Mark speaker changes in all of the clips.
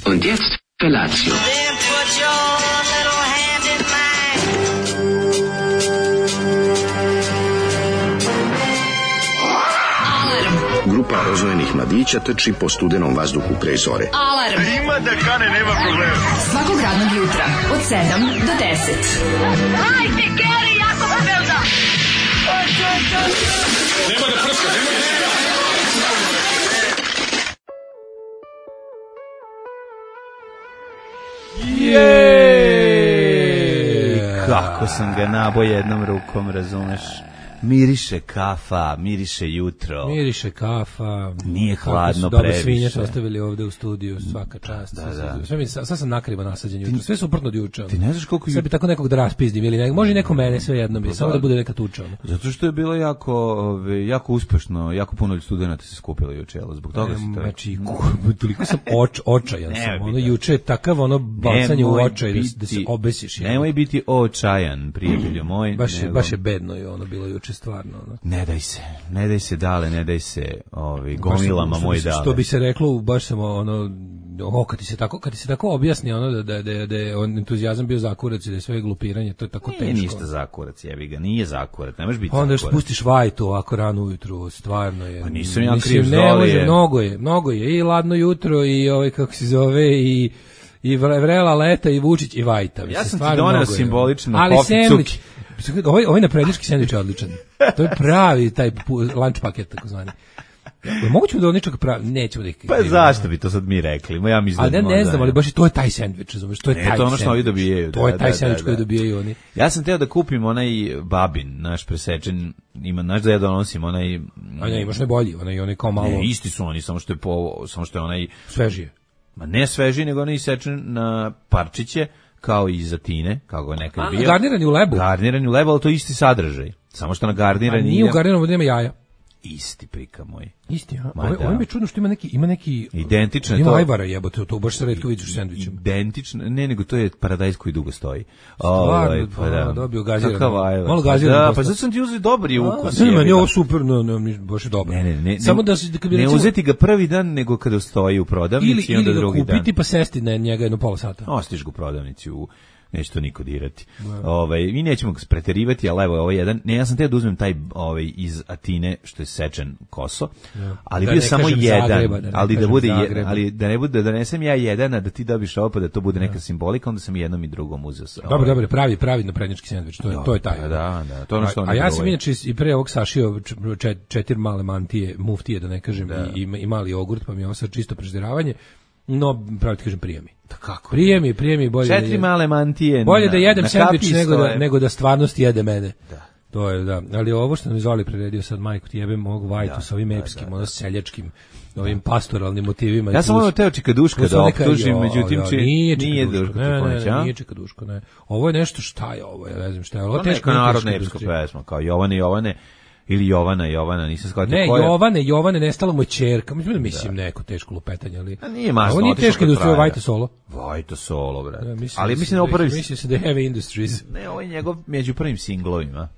Speaker 1: Und jetzt Felatio.
Speaker 2: Grupa rozvojenih mladića trči po studenom vazduhu pre zore.
Speaker 3: Alarm!
Speaker 4: Ima da kane, nema problema.
Speaker 3: Svakog radnog jutra, od 7 do 10.
Speaker 5: Hajde, Geri, jako se velda!
Speaker 4: Nema da prska, nema da prska!
Speaker 6: Kako sam ga nabao jednom rukom, razumeš? Miriše kafa, miriše jutro.
Speaker 7: Miriše kafa.
Speaker 6: Nije hladno
Speaker 7: previše.
Speaker 6: Dobro
Speaker 7: svinje su ostavili ovde u studiju, svaka čast.
Speaker 6: Da.
Speaker 7: Sve sam nakrivo nasađen jutro, sve suprotno od juče.
Speaker 6: Ti ne znaš koliko...
Speaker 7: Sve bi tako nekog da raspizdim, ili može neko mene, sve jedno bi, samo da bude neka tuča.
Speaker 6: Zato što je bilo jako uspešno, jako puno studenata se skupilo juče, zbog toga se to...
Speaker 7: Znači, toliko sam očajan sam, juče je takav bacanje u očaj da se obesiš.
Speaker 6: Nemoj biti očajan, prijatelju moj.
Speaker 7: Baš je bedno je bilo juče. Stvarno,
Speaker 6: ne daj se dale, ne daj se gomilama moj dale.
Speaker 7: Što bi se reklo, baš sam kad ti se tako objasni da je entuzijazam bio zakurac i da je sve glupiranje, to je tako teško.
Speaker 6: Nije ništa zakurac, jebi ga, nije zakurac, ne možeš biti
Speaker 7: onda
Speaker 6: zakurac.
Speaker 7: Onda spustiš vajtu ovako rano ujutru, stvarno je.
Speaker 6: Pa nisam ja kriv zdolije.
Speaker 7: Mnogo je, i ladno jutro, i kako se zove, i vrela leta, i Vučić, i vajta.
Speaker 6: Ja sam ti doneo simbolično
Speaker 7: sendvič. Ovaj naprednjački sendvič je odličan. To je pravi taj lunch paket, takozvani. Moguće da on ničeg pravi, nećemo da ih...
Speaker 6: Pa zašto bi to sad mi rekli? Ja mislim
Speaker 7: da ne znam, ali baš i to je taj sendvič, razumiješ? To je taj
Speaker 6: ono što ovi dobijaju.
Speaker 7: To je taj sendvič koji dobijaju oni.
Speaker 6: Ja sam teo da kupim onaj babin, naš presečen, znaš da ja donosim onaj...
Speaker 7: A ne, imaš najbolji, onaj kao malo...
Speaker 6: Ne, isti su oni, samo što je onaj...
Speaker 7: Svežije.
Speaker 6: Ma ne svežiji, nego onaj isečen na parčiće, kao i zatine, kako je nekad bio.
Speaker 7: Garnirani u lebu.
Speaker 6: Garnirani u lebu, ali to je isti sadržaj. Samo što na garnirani...
Speaker 7: A nije u garniranu, nema jaja.
Speaker 6: Isti prika moj.
Speaker 7: Isti, a? Ovo mi je čudno što ima neki...
Speaker 6: Identično je to.
Speaker 7: Ima ajvara jebote, to baš se retko vidiš u sendvičima.
Speaker 6: Identično, ne, nego to je paradajz koji dugo stoji.
Speaker 7: Stvarno, pa dobio gazirano.
Speaker 6: Kakav ajvar.
Speaker 7: Malo gazirano.
Speaker 6: Da, pa zato sam ti uzeti dobar je ukus.
Speaker 7: Ne, meni je ovo super, baš je dobro.
Speaker 6: Ne,
Speaker 7: samo da
Speaker 6: ne uzeti ga prvi dan, nego kada stoji u prodavnici, onda drugi dan.
Speaker 7: Ili ga kupiti pa sesti na njega jedno pola sata.
Speaker 6: Ostiš ga u prodavnici neće to niko dirati. I nećemo ga preterivati, ali evo ovaj jedan, ja sam teo da uzmem taj iz Atine što je sečen koso, ali bio samo jedan, Zagreba, ali da bude ali da ne bude da donesem ja jedan, a da ti dobiš ovo pa da to bude neka simbolika, onda sam i jednom i drugom uzeo.
Speaker 7: Dobro, pravi naprednjački sendvič, to je taj.
Speaker 6: Da, to je ono što
Speaker 7: a ja sam inače i pre ovog sašio 4 male mantije, muftije da ne kažem, i mali jogurt, pa mi je ovo sad čisto prežderavanje. No, pravo ti kažem, prijemi.
Speaker 6: Da kako?
Speaker 7: Prijemi bolje.
Speaker 6: 4 male mantije.
Speaker 7: Bolje da jedem sendvič nego da stvarnost jede mene. Da. To je, da. Ali ovo što nam Zoli priredio sad, majku ti jebem ovog vajtu sa ovim epskim, ono seljačkim, ovim pastoralnim motivima.
Speaker 6: Ja sam ono teo čikaduška da optužim, međutim nije Duško.
Speaker 7: Nije čikaduško, ne. Ovo je nešto, šta je ovo? Ja ne znam šta je. Ovo je
Speaker 6: teška narodna epska pesma, kao Jovane. Ili Jovana, nisam shvatio
Speaker 7: koja. Ne, Jovane, nestala mu je ćerka. Mislim neko teško lupetanje, ali...
Speaker 6: A nije masno.
Speaker 7: Ovo nije teško industrija, Vajta Solo.
Speaker 6: Vajta Solo, brate.
Speaker 7: Ja,
Speaker 6: ali mislim da ovo prvi...
Speaker 7: Mislim se da je Heavy Industries.
Speaker 6: Ne, ovo je njegov među prvim singlovima.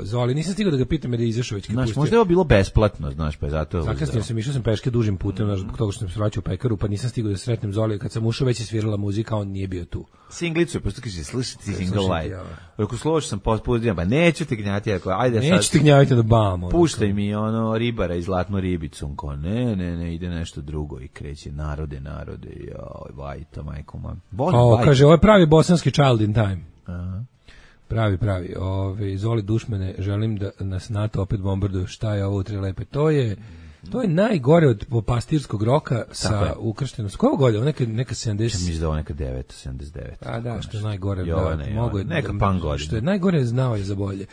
Speaker 7: Zoli, nisam stigao da ga pitam da je izašao već kad pustio.
Speaker 6: Znaš, možda je ovo bilo besplatno, znaš, pa je zato...
Speaker 7: Zakasnio sam, išao sam peške dužim putem, zbog toga što sam se vraćao u pekaru, pa nisam stigao da sretnem Zoli. Kad sam ušao, već je svirala muzika, on nije bio tu.
Speaker 6: Singlicu je, posto kaže, slušati single live. Ako složiš sam pospustio, pa neću te gnjati, ako ajde sad.
Speaker 7: Neću te gnjaviti da bam.
Speaker 6: Puštaj mi ono ribara i zlatnu ribicu, ko ne, ide nešto drugo i kreće narode, joj, Vajta, majko mam.
Speaker 7: Kaže, ovo je pravi bosanski Child in Time. Aha. Pravi. Zoli dušmene, želim da nas NATO opet bombarduju. Šta je ovo u Tri lepe? To je najgore od pastirskog roka sa ukrštenom. Koje godine? Neka 70.
Speaker 6: Mislim da ovo neka 79.
Speaker 7: A da, što je najgore.
Speaker 6: Neka pan godina.
Speaker 7: Što je najgore, znao je za bolje.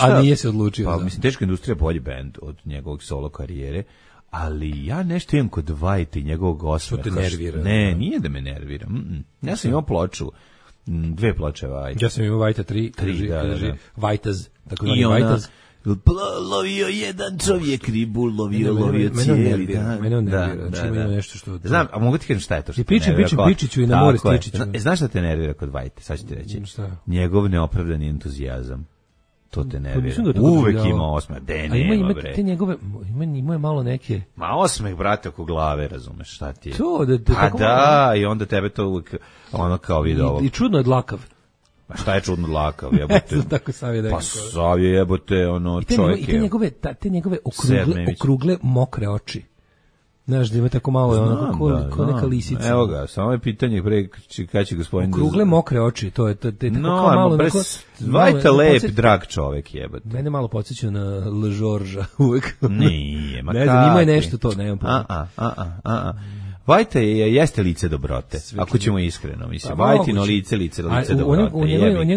Speaker 7: A nije se odlučio.
Speaker 6: Pa mislim, Teška industrija je bolji bend od njegovog solo karijere, ali ja nešto imam kod Vajta i njegovog osmeha.
Speaker 7: Što te nervira?
Speaker 6: Ne, nije da me nervira. Ja sam imao ploču, 2 ploče Vajta.
Speaker 7: Ja sam imao Vajta 3,
Speaker 6: da.
Speaker 7: Vajtaz, tako zvani Vajtaz.
Speaker 6: Lovio jedan čovjek ribu, lovio cijeli dan.
Speaker 7: Mene on nervira, znači ima nešto što...
Speaker 6: Znam, a mogu ti kažem šta je to što
Speaker 7: te nervira? I Bičiću i na more Stičiću.
Speaker 6: Znaš šta te nervira kod Vajte? Sad ću ti reći. Njegov neopravdani entuzijazam. To te nervira. Uvek ima osmeh. Nema, bre.
Speaker 7: Te njegove, ima je malo neke...
Speaker 6: Ma osmeh, brate, oko glave, razumeš, šta ti je?
Speaker 7: To,
Speaker 6: i onda tebe to uvek, ono kao vidi ovo.
Speaker 7: I čudno je dlakav.
Speaker 6: Ma šta je čudno dlakav, jebote?
Speaker 7: Tako Savje da je.
Speaker 6: Pa Savje, jebote, ono, čovjek je...
Speaker 7: I te njegove okrugle, mokre oči. Znaš, da ima tako malo, ono, kao neka lisica.
Speaker 6: Evo ga, samo je pitanje pre kada će gospodin...
Speaker 7: Okrugle mokre oči, to je tako malo...
Speaker 6: Vajta lep, drag čovek, jebate.
Speaker 7: Mene malo podsjeća na Le Georgea uvek.
Speaker 6: Nije, ma
Speaker 7: ne znam, ima je nešto to, nemam pojma.
Speaker 6: Vajta jeste lice dobrote, ako ćemo iskreno, mislim. Vajtino lice dobrote.
Speaker 7: U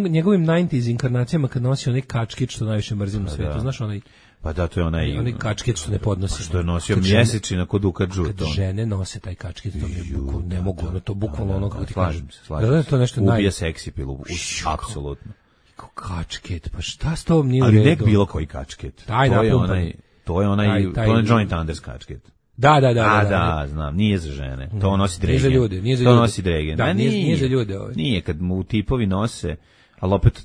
Speaker 7: njegovim 90s inkarnacijama kad nosi onaj kačkić što najviše mrzim na svetu, znaš onaj...
Speaker 6: Pa da, to je onaj
Speaker 7: kačket što ne podnosi.
Speaker 6: Što je nosio mjesečina kod Duka Džuta.
Speaker 7: Kad žene nose taj kačket, to mi ne mogu, ono to bukvalno ono kako ti kažem.
Speaker 6: Da, to nešto ubija seksi pilu, apsolutno.
Speaker 7: Kačket, pa šta s tom nije u
Speaker 6: redu?
Speaker 7: Ali
Speaker 6: nek bilo koji kačket. To je onaj Joint Anders kačket.
Speaker 7: Da.
Speaker 6: Da, znam, nije za žene. To nosi Dregen.
Speaker 7: Nije za ljude.
Speaker 6: To nosi Dregen.
Speaker 7: Da, nije za ljude.
Speaker 6: Nije, kad mu tipovi nose, ali opet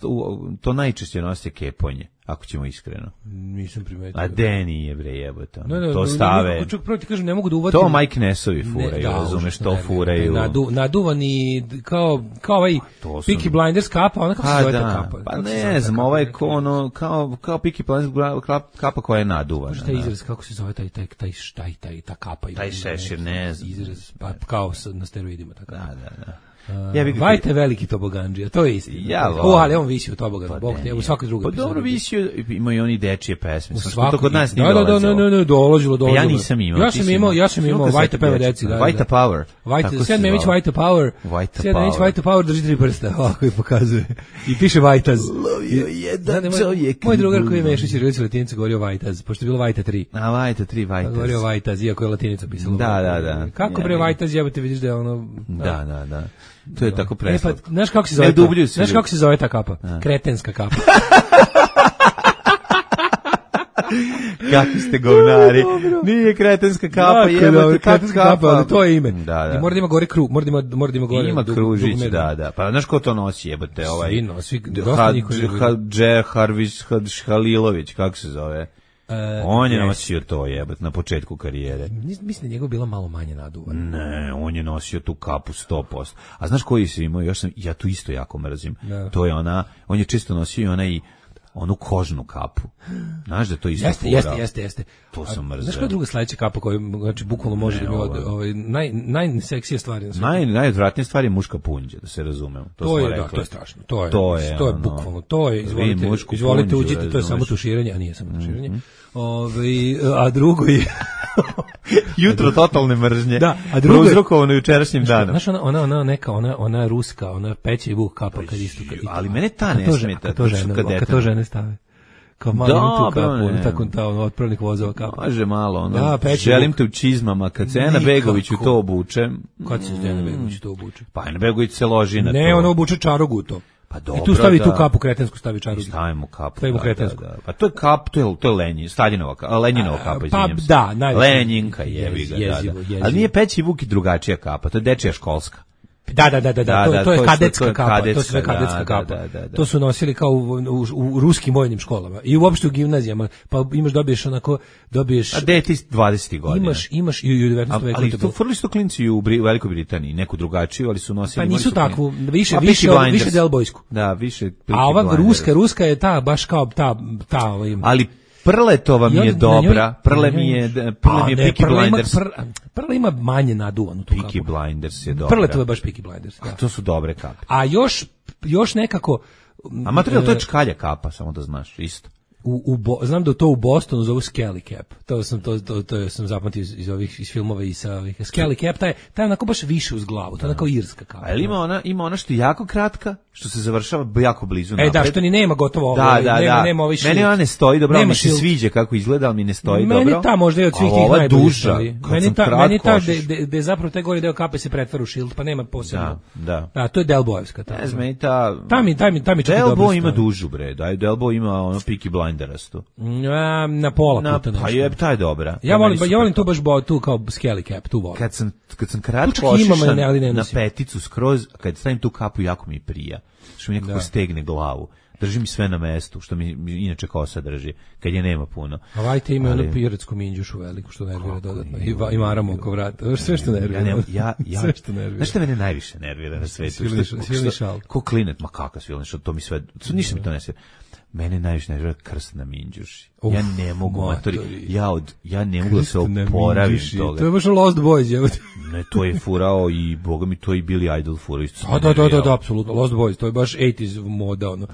Speaker 6: to najčešće nosi keponje. Ako ćemo iskreno.
Speaker 7: Nisam primetio.
Speaker 6: A Deni je bre jebote. To stave.
Speaker 7: Čak prvo ti kažem, ne mogu da uvatim.
Speaker 6: To Mike Nesovi furaju, razumeš, to furaju.
Speaker 7: Naduvani kao ovaj Peaky Blinders kapa, ona kako se zove ta kapa?
Speaker 6: Pa ne znam, ovaj kao Peaky Blinders kapa koja je naduvana.
Speaker 7: Šta je izraz, kako se zove ta kapa?
Speaker 6: Taj šešir, ne znam.
Speaker 7: Izraz, pa kao na steroidima.
Speaker 6: Da.
Speaker 7: Vajta je veliki tobogandžija, to je istina. Ali on visi u toboganu, Bog te, u svakoj drugoj.
Speaker 6: Pa dobro visio, ima i oni dečije pesme.
Speaker 7: To kod nas nije dolazilo.
Speaker 6: Da. Ja nisam imao.
Speaker 7: Ja sam imao Vajta peva deci.
Speaker 6: Vajta Power.
Speaker 7: Sjed Memić Vajta Power. Sjed Memić Vajta Power drži 3 prsta, ovako i pokazuje. I piše Vajtaz.
Speaker 6: Lovio jedan čovjek.
Speaker 7: Moj drugar koji je Mešić i Rilić Latinica govorio Vajtaz, pošto je bilo Vajta 3.
Speaker 6: A Vajta 3, Vajtaz.
Speaker 7: Govorio Vajtaz, iako je Latinica pisala.
Speaker 6: Da.
Speaker 7: Kako bre Vajtaz jebote, vidiš da je ono...
Speaker 6: Da. To je tako preslatko.
Speaker 7: Pa, znaš kako se zove ta kapa? Kretenska kapa.
Speaker 6: Kakvi ste govnari. Nije kretenska kapa, jebote,
Speaker 7: kretenska kapa, ali to je ime.
Speaker 6: Da.
Speaker 7: I mora da ima gore kruž, mora da ima gore.
Speaker 6: Ima kružić, da. Pa znaš ko to nosi, jebote, ovaj.
Speaker 7: Svi dosta
Speaker 6: Hadže Harvić Halilović, kako se zove? On je nosio to jebat na početku karijere.
Speaker 7: Mislim da njegov bila malo manje naduvan.
Speaker 6: Ne, on je nosio tu kapu 100%. A znaš koji si imao? Ja tu isto jako mrzim. Da. To je on je često nosio i onu kožnu kapu. Znaš da to isto
Speaker 7: Jeste.
Speaker 6: To sam mrzeo.
Speaker 7: Znaš koja je druga sledeća kapa koja znači bukvalno može da mi najseksija stvari na
Speaker 6: svijetu? Najodvratnija stvar je muška punđa, da se razumemo.
Speaker 7: To je strašno. To je bukvalno. To je, izvolite uđite, to je samo tuširanje, a nije samo tuširanje. A drugo je
Speaker 6: jutro totalne mržnje.
Speaker 7: Da, a drugo je
Speaker 6: uzrokovano jučerašnjim danom.
Speaker 7: Znaš, ona ruska, ona peće i vuk kapa kad isto.
Speaker 6: Ali mene ta ne smeta.
Speaker 7: Kad to žene stave. Kao malo tu kapu, tako ta otpravnik vozova kapu.
Speaker 6: Može malo, želim te u čizmama, kad se Ena Begović u to obuče.
Speaker 7: Kad se Ena Begović u to obuče?
Speaker 6: Pa Ena Begović se loži na to.
Speaker 7: Ne, ona obuče čarogu u to.
Speaker 6: Pa dobro,
Speaker 7: i tu stavi tu kapu kretensku, stavi čarogu.
Speaker 6: Stavimo kapu.
Speaker 7: Stavimo kretensku.
Speaker 6: Pa to je kap, to je Lenjin, Staljinova kapa, izvinjam se.
Speaker 7: Pa da,
Speaker 6: Lenjinka jebi ga, da. Ali nije Peći Vuk i drugačija kapa, to je dečija školska.
Speaker 7: Da, to je kadetska kapa, to je sve kadetska kapa. To su nosili kao u ruskim vojnim školama i uopšte u gimnazijama, pa dobiješ
Speaker 6: a deti 20 godina.
Speaker 7: Imaš i u 19. veku.
Speaker 6: Ali to furli su klinci u Velikoj Britaniji, neku drugačiju, ali su nosili.
Speaker 7: Pa nisu takvu, više delbojsku.
Speaker 6: Da, više.
Speaker 7: A ova ruska je ta, baš kao ta.
Speaker 6: Ali Prletova mi je dobra. Prle mi je Peaky Blinders.
Speaker 7: Prle ima manje naduvanu tu kapu.
Speaker 6: Peaky Blinders je dobra.
Speaker 7: Prletova je baš Peaky Blinders. Da.
Speaker 6: To su dobre kape.
Speaker 7: A još nekako.
Speaker 6: A materijal to je čkalja kapa, samo da znaš, isto.
Speaker 7: Znam da to u Bostonu zovu Skelly Cap. To sam zapamtio iz filmova i sa ovih. Skelly Cap, taj onako baš više uz glavu. To je onako irska kapa.
Speaker 6: Ali ima ona što je jako kratka, što se završava jako blizu napred.
Speaker 7: Da, što ni nema gotovo ovo. Nema ovaj šilt.
Speaker 6: Meni ona ne stoji dobro, mi se sviđa kako izgleda, ali mi ne stoji dobro.
Speaker 7: Meni ta možda je od svih tih najboljih. Meni ta gde zapravo taj gori deo kape se pretvara u šilt, pa nema posebno. Da, to je Delbojevska.
Speaker 6: Ne znam, meni ta...
Speaker 7: Ta mi čak i dobro
Speaker 6: Delbo ima dužu, bre. Delbo ima ono Peaky Blinderastu.
Speaker 7: Na pola puta nešto.
Speaker 6: Pa je, ta je dobra.
Speaker 7: Ja volim to baš tu kao Skelly Cap, tu volim.
Speaker 6: Kad sam kratko ošišan na peticu skroz, kad stavim tu kapu, jako mi prija. Što mi nekako stegne glavu. Drži mi sve na mestu, što mi inače kosa drži, kad je nema puno.
Speaker 7: A vajte ima onu piretsku minđušu veliku, što nervira dodatno. I maramo oko vrata. Sve što nervira. Sve što nervira.
Speaker 6: Znaš što mene najviše nervira na svetu?
Speaker 7: Svilni šal.
Speaker 6: Ko klinet, ma kakav svilni šal, to mi sve, ništa mi to ne sve. Mene najviše nervira krst na minđuši. Ja ne mogu, ja ne mogu da se oporavim toga.
Speaker 7: To je baš Lost Boys, evo.
Speaker 6: Ne, to je furao i boga mi to i Billy Idol furao isto.
Speaker 7: Da, apsolutno. Lost Boys, to je baš 80s moda, ono.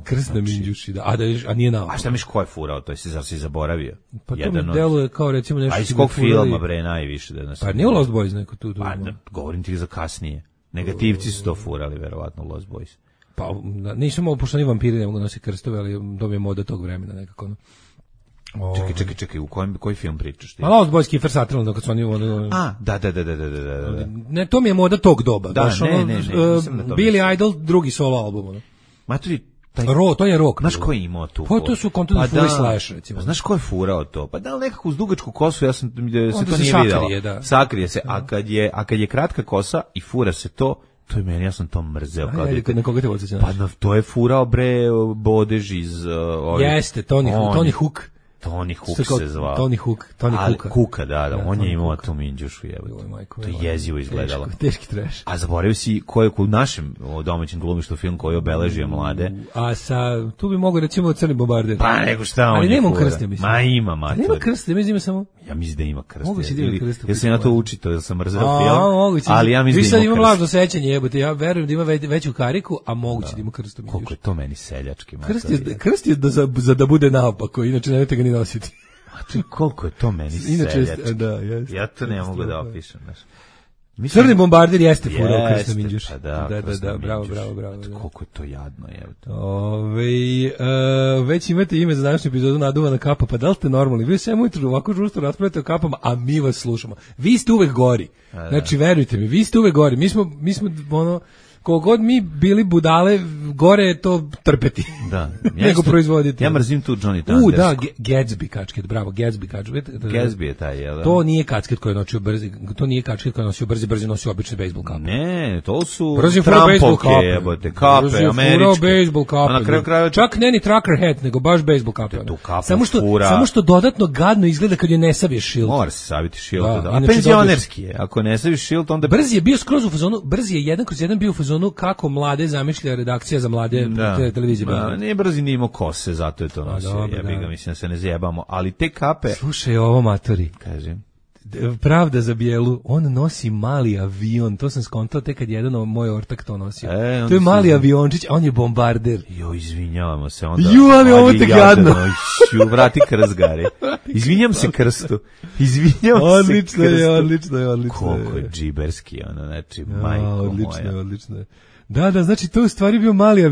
Speaker 7: Krst na minđuši, da. A nije naopako.
Speaker 6: A šta miš ko je furao, to je si zaboravio?
Speaker 7: Pa to mi deluje kao recimo nešto.
Speaker 6: A iz kog filma, bre, najviše da nas.
Speaker 7: Pa nije Lost Boys neko tu.
Speaker 6: Pa govorim ti za kasnije. Negativci su to furali, verovatno, Lost Boys.
Speaker 7: Pa nisam mogu, pošto ni vampiri ne mogu nositi krstove, ali to mi je moda tog vremena nekako.
Speaker 6: Čekaj, u koji film pričaš ti?
Speaker 7: A Lost Boys, Kiefer Sutherland, kad su oni...
Speaker 6: Da.
Speaker 7: Ne, to mi je moda tog doba.
Speaker 6: Da, ne,
Speaker 7: Billy Idol, drugi solo album.
Speaker 6: Maturi,
Speaker 7: to je rock.
Speaker 6: Znaš ko je imao tu?
Speaker 7: Pa to su Content Fury Slash, recimo.
Speaker 6: Znaš ko je furao to? Pa da li nekako uz dugačku kosu, ja sam se to nije videla. Sakrije se, a kad je kratka kosa i fura se to je meni, ja sam to mrzeo.
Speaker 7: Na koga te podsjećaš?
Speaker 6: Pa to je furao, bre, Bodež iz...
Speaker 7: Jeste, Tony Hook.
Speaker 6: Tony Hook se zvao.
Speaker 7: Tony Hook.
Speaker 6: Kuka, da, on je imao tu minđušu, jebote. To je jezivo izgledalo.
Speaker 7: Teški trash.
Speaker 6: A zaboravio si ko je u našem domaćem glumištu film koji je obeležio mlade.
Speaker 7: A tu bi mogo recimo Crni bombarder.
Speaker 6: Pa nego šta on je.
Speaker 7: Ali nema krste, mislim.
Speaker 6: Ma ima, mater.
Speaker 7: Nema krste, mislim samo.
Speaker 6: Ja mislim da ima krste.
Speaker 7: Mogu si da ima krste.
Speaker 6: Ja sam na to učito, da sam mrzeo film. Ali ja mislim da ima krste.
Speaker 7: Vi sad imam lažno sećanje, jebote. Ja verujem da ima veću kariku, a moguće da ima krstu.
Speaker 6: Koliko je to meni seljački.
Speaker 7: Krst je da bude naopako, inače nemojte ga ni nositi.
Speaker 6: Koliko je to meni seljački. Ja to ne mogu da opišem.
Speaker 7: Crni bombarder jeste furao krst na minđuši. Da, bravo.
Speaker 6: Koliko je to jadno, jebote.
Speaker 7: Već imate ime za današnju epizodu Naduvana kapa, pa da li ste normalni? Vi sve ujutro ovako žustro raspravljate o kapama, a mi vas slušamo. Vi ste uvek gori. Znači, verujte mi, vi ste uvek gori. Mi smo ono... kogod mi bili budale, gore je to trpeti.
Speaker 6: Da.
Speaker 7: Nego proizvoditi.
Speaker 6: Ja mrzim tu Johnny Thundersku.
Speaker 7: Da, Gatsby kačket, bravo, Gatsby kačket.
Speaker 6: Gatsby je taj, jel?
Speaker 7: To nije kačket koji je nosio brzi, to nije kačket koji je nosio brzi nosio obične bejsbol kape.
Speaker 6: Ne, to su
Speaker 7: Trumpovke,
Speaker 6: jebote, kape, američke.
Speaker 7: Bejsbol kape.
Speaker 6: A na kraju krajeva
Speaker 7: čak ne ni trucker hat, nego baš bejsbol kape.
Speaker 6: Fura.
Speaker 7: Samo što dodatno gadno izgleda kad je ne saviješ šilt.
Speaker 6: Mora se saviti šilt, da. A penzionerski je, ako ne saviš šilt, onda...
Speaker 7: Brzi je bio skroz u fazonu, Brzi je 1/1 bio u fazonu kako mlade zamišlja redakcija za mlade televizije.
Speaker 6: Nije Brzi nije imao kose, zato je to nosio. Ja bih ga, mislim da se ne zjebamo, ali te kape...
Speaker 7: Slušaj ovo, matori.
Speaker 6: Kažem.
Speaker 7: Pravda za bijelu, on nosi mali avion, to sam skontao tek kad jedan moj ortak to nosio. To je mali aviončić, a on je bombarder.
Speaker 6: Jo, izvinjavamo se onda.
Speaker 7: Ali ovo te gadno.
Speaker 6: Vrati krst, Gari. Izvinjam se krstu.
Speaker 7: Odlično je.
Speaker 6: Koliko je džiberski, ono, znači, majko moja.
Speaker 7: Odlično je. Da, znači to u stvari bio mali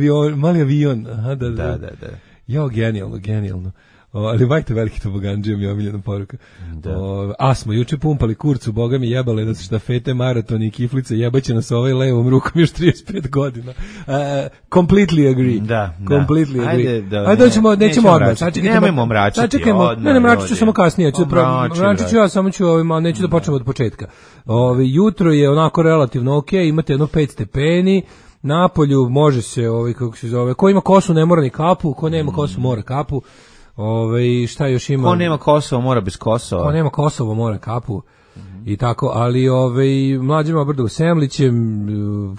Speaker 7: avion. Aha, da. Jo, genijalno. Ali bajte veliki tobogandžija mi je omiljena poruka. A smo juče pumpali kurcu, boga mi jebale da su štafete, maratoni i kiflice, jebaće nas ovaj levom rukom još 35 godina. Completely agree.
Speaker 6: Da.
Speaker 7: Completely agree. Ajde, nećemo odmah.
Speaker 6: Nemojmo mračiti.
Speaker 7: Sačekajmo, ne mračit ću samo kasnije. Mračit ću ja, samo ću neću da počnemo od početka. Jutro je onako relativno ok, imate jedno 5 stepeni, napolju može se, kako se zove, ko ima kosu ne mora ni kapu, ko nema kosu mora kapu. Šta još ima?
Speaker 6: Ko nema Kosovo mora bez Kosova.
Speaker 7: Ko nema Kosovo mora kapu. I tako, ali mlađima brdo u Semlićem,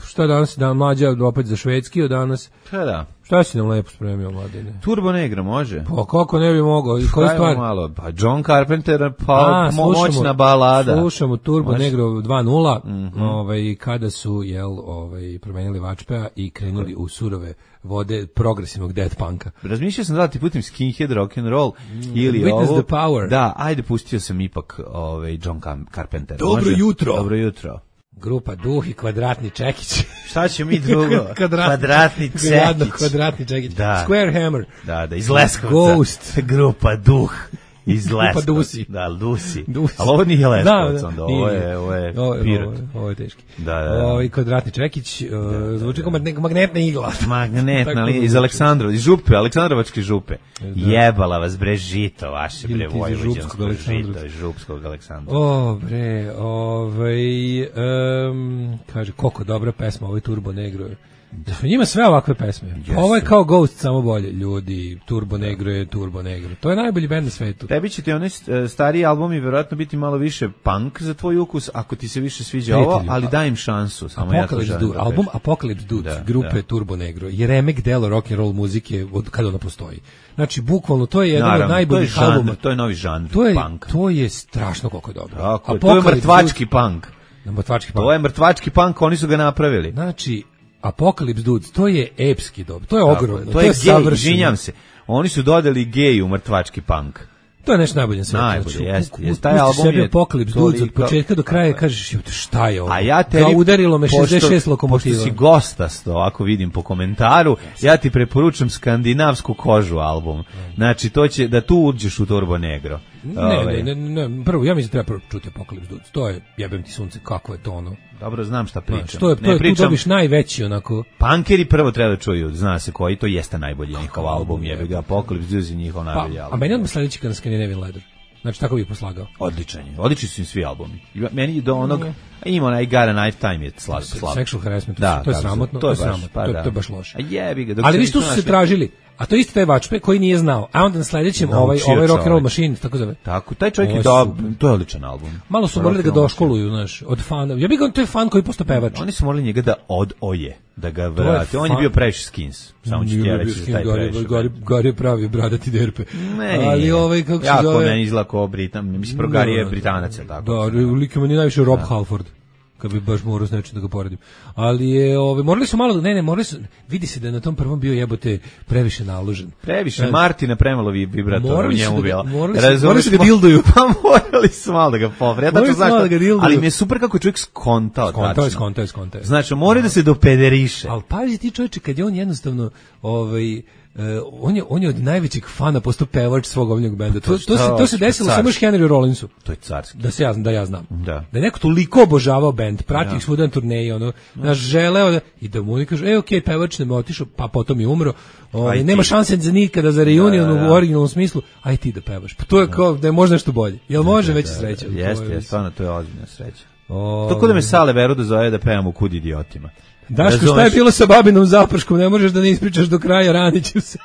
Speaker 7: šta danas mlađa opet za švedski od danas?
Speaker 6: Da.
Speaker 7: Šta si nam lepo spremio, mladine?
Speaker 6: Turbo Negro može.
Speaker 7: Pa kako ne bi mogao? I koju stvar?
Speaker 6: Malo, pa John Carpenter, pa moćna balada.
Speaker 7: Slušamo Turbo Negro 2.0, kada su promenili Vačpea i krenuli u surove vode progresivnog death punka.
Speaker 6: Razmišljao sam da ti putim skinhead rock and roll ili
Speaker 7: Witness the Power.
Speaker 6: Da, ajde pustio sam ipak John Carpenter.
Speaker 7: Dobro
Speaker 6: jutro.
Speaker 7: Grupa Duh i Kvadratni Čekić.
Speaker 6: Šta će mi drugo? Kvadratni Čekić.
Speaker 7: Da. Square Hammer.
Speaker 6: Da, iz Leskovca.
Speaker 7: Ghost.
Speaker 6: Grupa Duh. Iz Leskovca.
Speaker 7: Dusi.
Speaker 6: Da, Dusi. Ali ovo nije Leskovac, onda ovo je Pirot.
Speaker 7: Ovo je teški.
Speaker 6: Da.
Speaker 7: Kvadratni Čekić, zvuči kao magnetna igla.
Speaker 6: Magnetna, ali iz Aleksandrova, iz župe, Aleksandrovačke župe. Jebala vas, bre, žito vaše, bre, vojvođansko žito, iz župskog Aleksandra.
Speaker 7: Kaže, koliko dobra pesma, ovo je Turbo Negro. Da su njima sve ovakve pesme. Ovo je kao Ghost, samo bolje. Ljudi, Turbo Negro je Turbo Negro. To je najbolji bend na svetu.
Speaker 6: Tebi će ti onaj stariji album i vjerojatno biti malo više punk za tvoj ukus, ako ti se više sviđa ovo, ali daj im šansu. Samo
Speaker 7: album Apocalypse Dudes grupe Turbo Negro je remek delo rock and roll muzike od kada ona postoji. Znači, bukvalno, to je jedan od najboljih albuma.
Speaker 6: To je novi žanr punk.
Speaker 7: To je strašno koliko je dobro.
Speaker 6: To je mrtvački punk.
Speaker 7: To
Speaker 6: je mrtvački punk, oni su ga napravili.
Speaker 7: Znači, Apocalypse Dudes, to je epski dobro, to je ogromno, to je
Speaker 6: savršeno. Izvinjam se, oni su dodali geju mrtvački punk.
Speaker 7: To je nešto najbolje na svijetu.
Speaker 6: Najbolje, jeste. Taj album je
Speaker 7: Apocalypse Dudes od početka do kraja, kažeš, šta je ovo?
Speaker 6: A ja tebi,
Speaker 7: udarilo me 66 lokomotiva.
Speaker 6: Pošto si gostasto, ako vidim po komentaru, ja ti preporučam skandinavsku kožu album. Znači, to će, da tu uđeš u Turbo Negro.
Speaker 7: Ne, prvo, ja mislim da treba čuti Apocalypse Dudes. To je, jebem ti sunce, kako je to ono.
Speaker 6: Dobro, znam šta pričam.
Speaker 7: Tu dobiš najveći onako.
Speaker 6: Punkeri prvo treba da čuju, zna se koji, to jeste najbolji njihov album, jebi ga, Apocalypse Dudes je njihov najbolji album.
Speaker 7: A meni odmah sledeći kada Scandinavian Leather. Znači, tako bih poslagao.
Speaker 6: Odlični su im svi albumi. Meni do onog, ima onaj Gara Nighttime je slab.
Speaker 7: Sexual Harassment, to je sramotno, to je baš loše. Ali vi što su se tražili, a to isto taj Vačpe koji nije znao, a onda na sledećem ovaj Rock and Roll Machine, tako zove.
Speaker 6: Tako, taj čovjek je to je odličan album.
Speaker 7: Malo su morali da ga doškoluju, znaš, od fana. Ja bih ga, to je fan koji posto pevač.
Speaker 6: Oni su morali njega da odoje, da ga vrati. On je bio previše Skins. Samo ću ti ja reći da taj previše.
Speaker 7: Gari je pravi bradati derpe.
Speaker 6: Ali kako se zove? Jako meni izlako mislim, Gari je Britanac, tako.
Speaker 7: Da, lik je meni najviše Rob Halford. Kad bi baš morao s nečim da ga poredim. Ali je, morali su malo, morali su, vidi se da je na tom prvom bio jebote previše naložen.
Speaker 6: Previše, Martina premalo vibratora u njemu bila.
Speaker 7: Morali su ga dilduju.
Speaker 6: Pa morali su malo da ga povre. Ja tačno znaš, ali mi je super kako je čovjek skontao.
Speaker 7: Skontao.
Speaker 6: Znači, mora da se dopederiše.
Speaker 7: Ali pazi ti čovječe, kad je on jednostavno, on je od najvećeg fana postao pevač svog omiljenog benda. To se desilo samo još Henry Rollinsu.
Speaker 6: To je carski.
Speaker 7: Da ja znam.
Speaker 6: Da
Speaker 7: je neko toliko obožavao bend, pratio ih svuda na turneji, naš želeo i da mu oni kažu, okej, pevač nam je otišao, pa potom je umro. Nema šanse za nikada za reunion u originalnom smislu. Aj ti da pevaš. Pa to je kao da je možda nešto bolje. Jel može veća sreća?
Speaker 6: Jeste, stvarno to je ozbiljna sreća. Tako da me Sale Veru da zove da pevam u Kud idiotima.
Speaker 7: Daško, šta je bilo sa babinom zaprškom? Ne možeš da ne ispričaš do kraja, raniću se.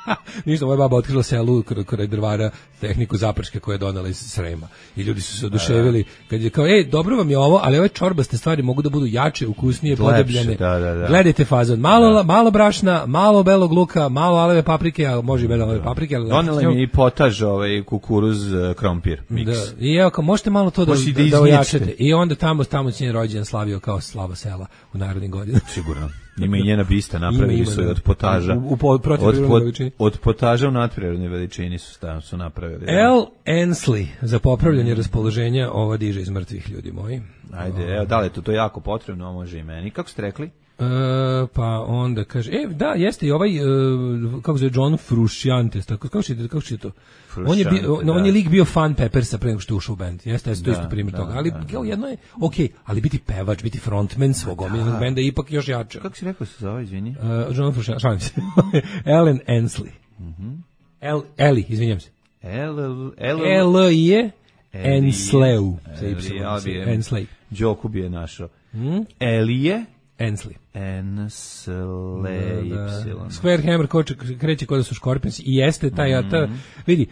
Speaker 7: Ništa, moja baba otkrila selu kraj drvara tehniku zaprške koje je donela iz Srema. I ljudi su se oduševili. Kad je kao, dobro vam je ovo, ali ove čorbaste stvari mogu da budu jače, ukusnije, podebljene.
Speaker 6: Da.
Speaker 7: Gledajte fazon. Malo brašna, malo belog luka, malo aleve paprike, a može i belove paprike. Ali
Speaker 6: donela mi je i potaž, kukuruz, krompir, miks.
Speaker 7: Da. I evo, kao, možete malo to da ojačete. I onda tamo sin rođendan slavio kao slava sela u narodnim godinama.
Speaker 6: Sigurno. Ima i njena bista, napravili su je od potaža. Od potaža u nadprirodnoj veličini su napravili.
Speaker 7: L. Ensley za popravljanje raspoloženja ova diže iz mrtvih, ljudi moji.
Speaker 6: Ajde, evo, da li je to jako potrebno, može i meni. Kako ste rekli?
Speaker 7: Pa onda kaže, da, jeste i ovaj, kako se je John Frusciante, kako će to? On je lik bio fan Peppersa pre nego što je ušao u band. Jeste, to isto primjer toga. Ali kao jedno je, ali biti pevač, biti frontman svog omiljenog benda je ipak još jače.
Speaker 6: Kako si rekao se zove, izvini?
Speaker 7: John Frusciante, šalim se. Ellen Ensley. Ellie, izvinjam se. L-je Ensley. Ensley.
Speaker 6: Đoku bi je našao. Ellie
Speaker 7: Ensley.
Speaker 6: Square
Speaker 7: Hammer kreće kod da su Scorpions i jeste taj vidi,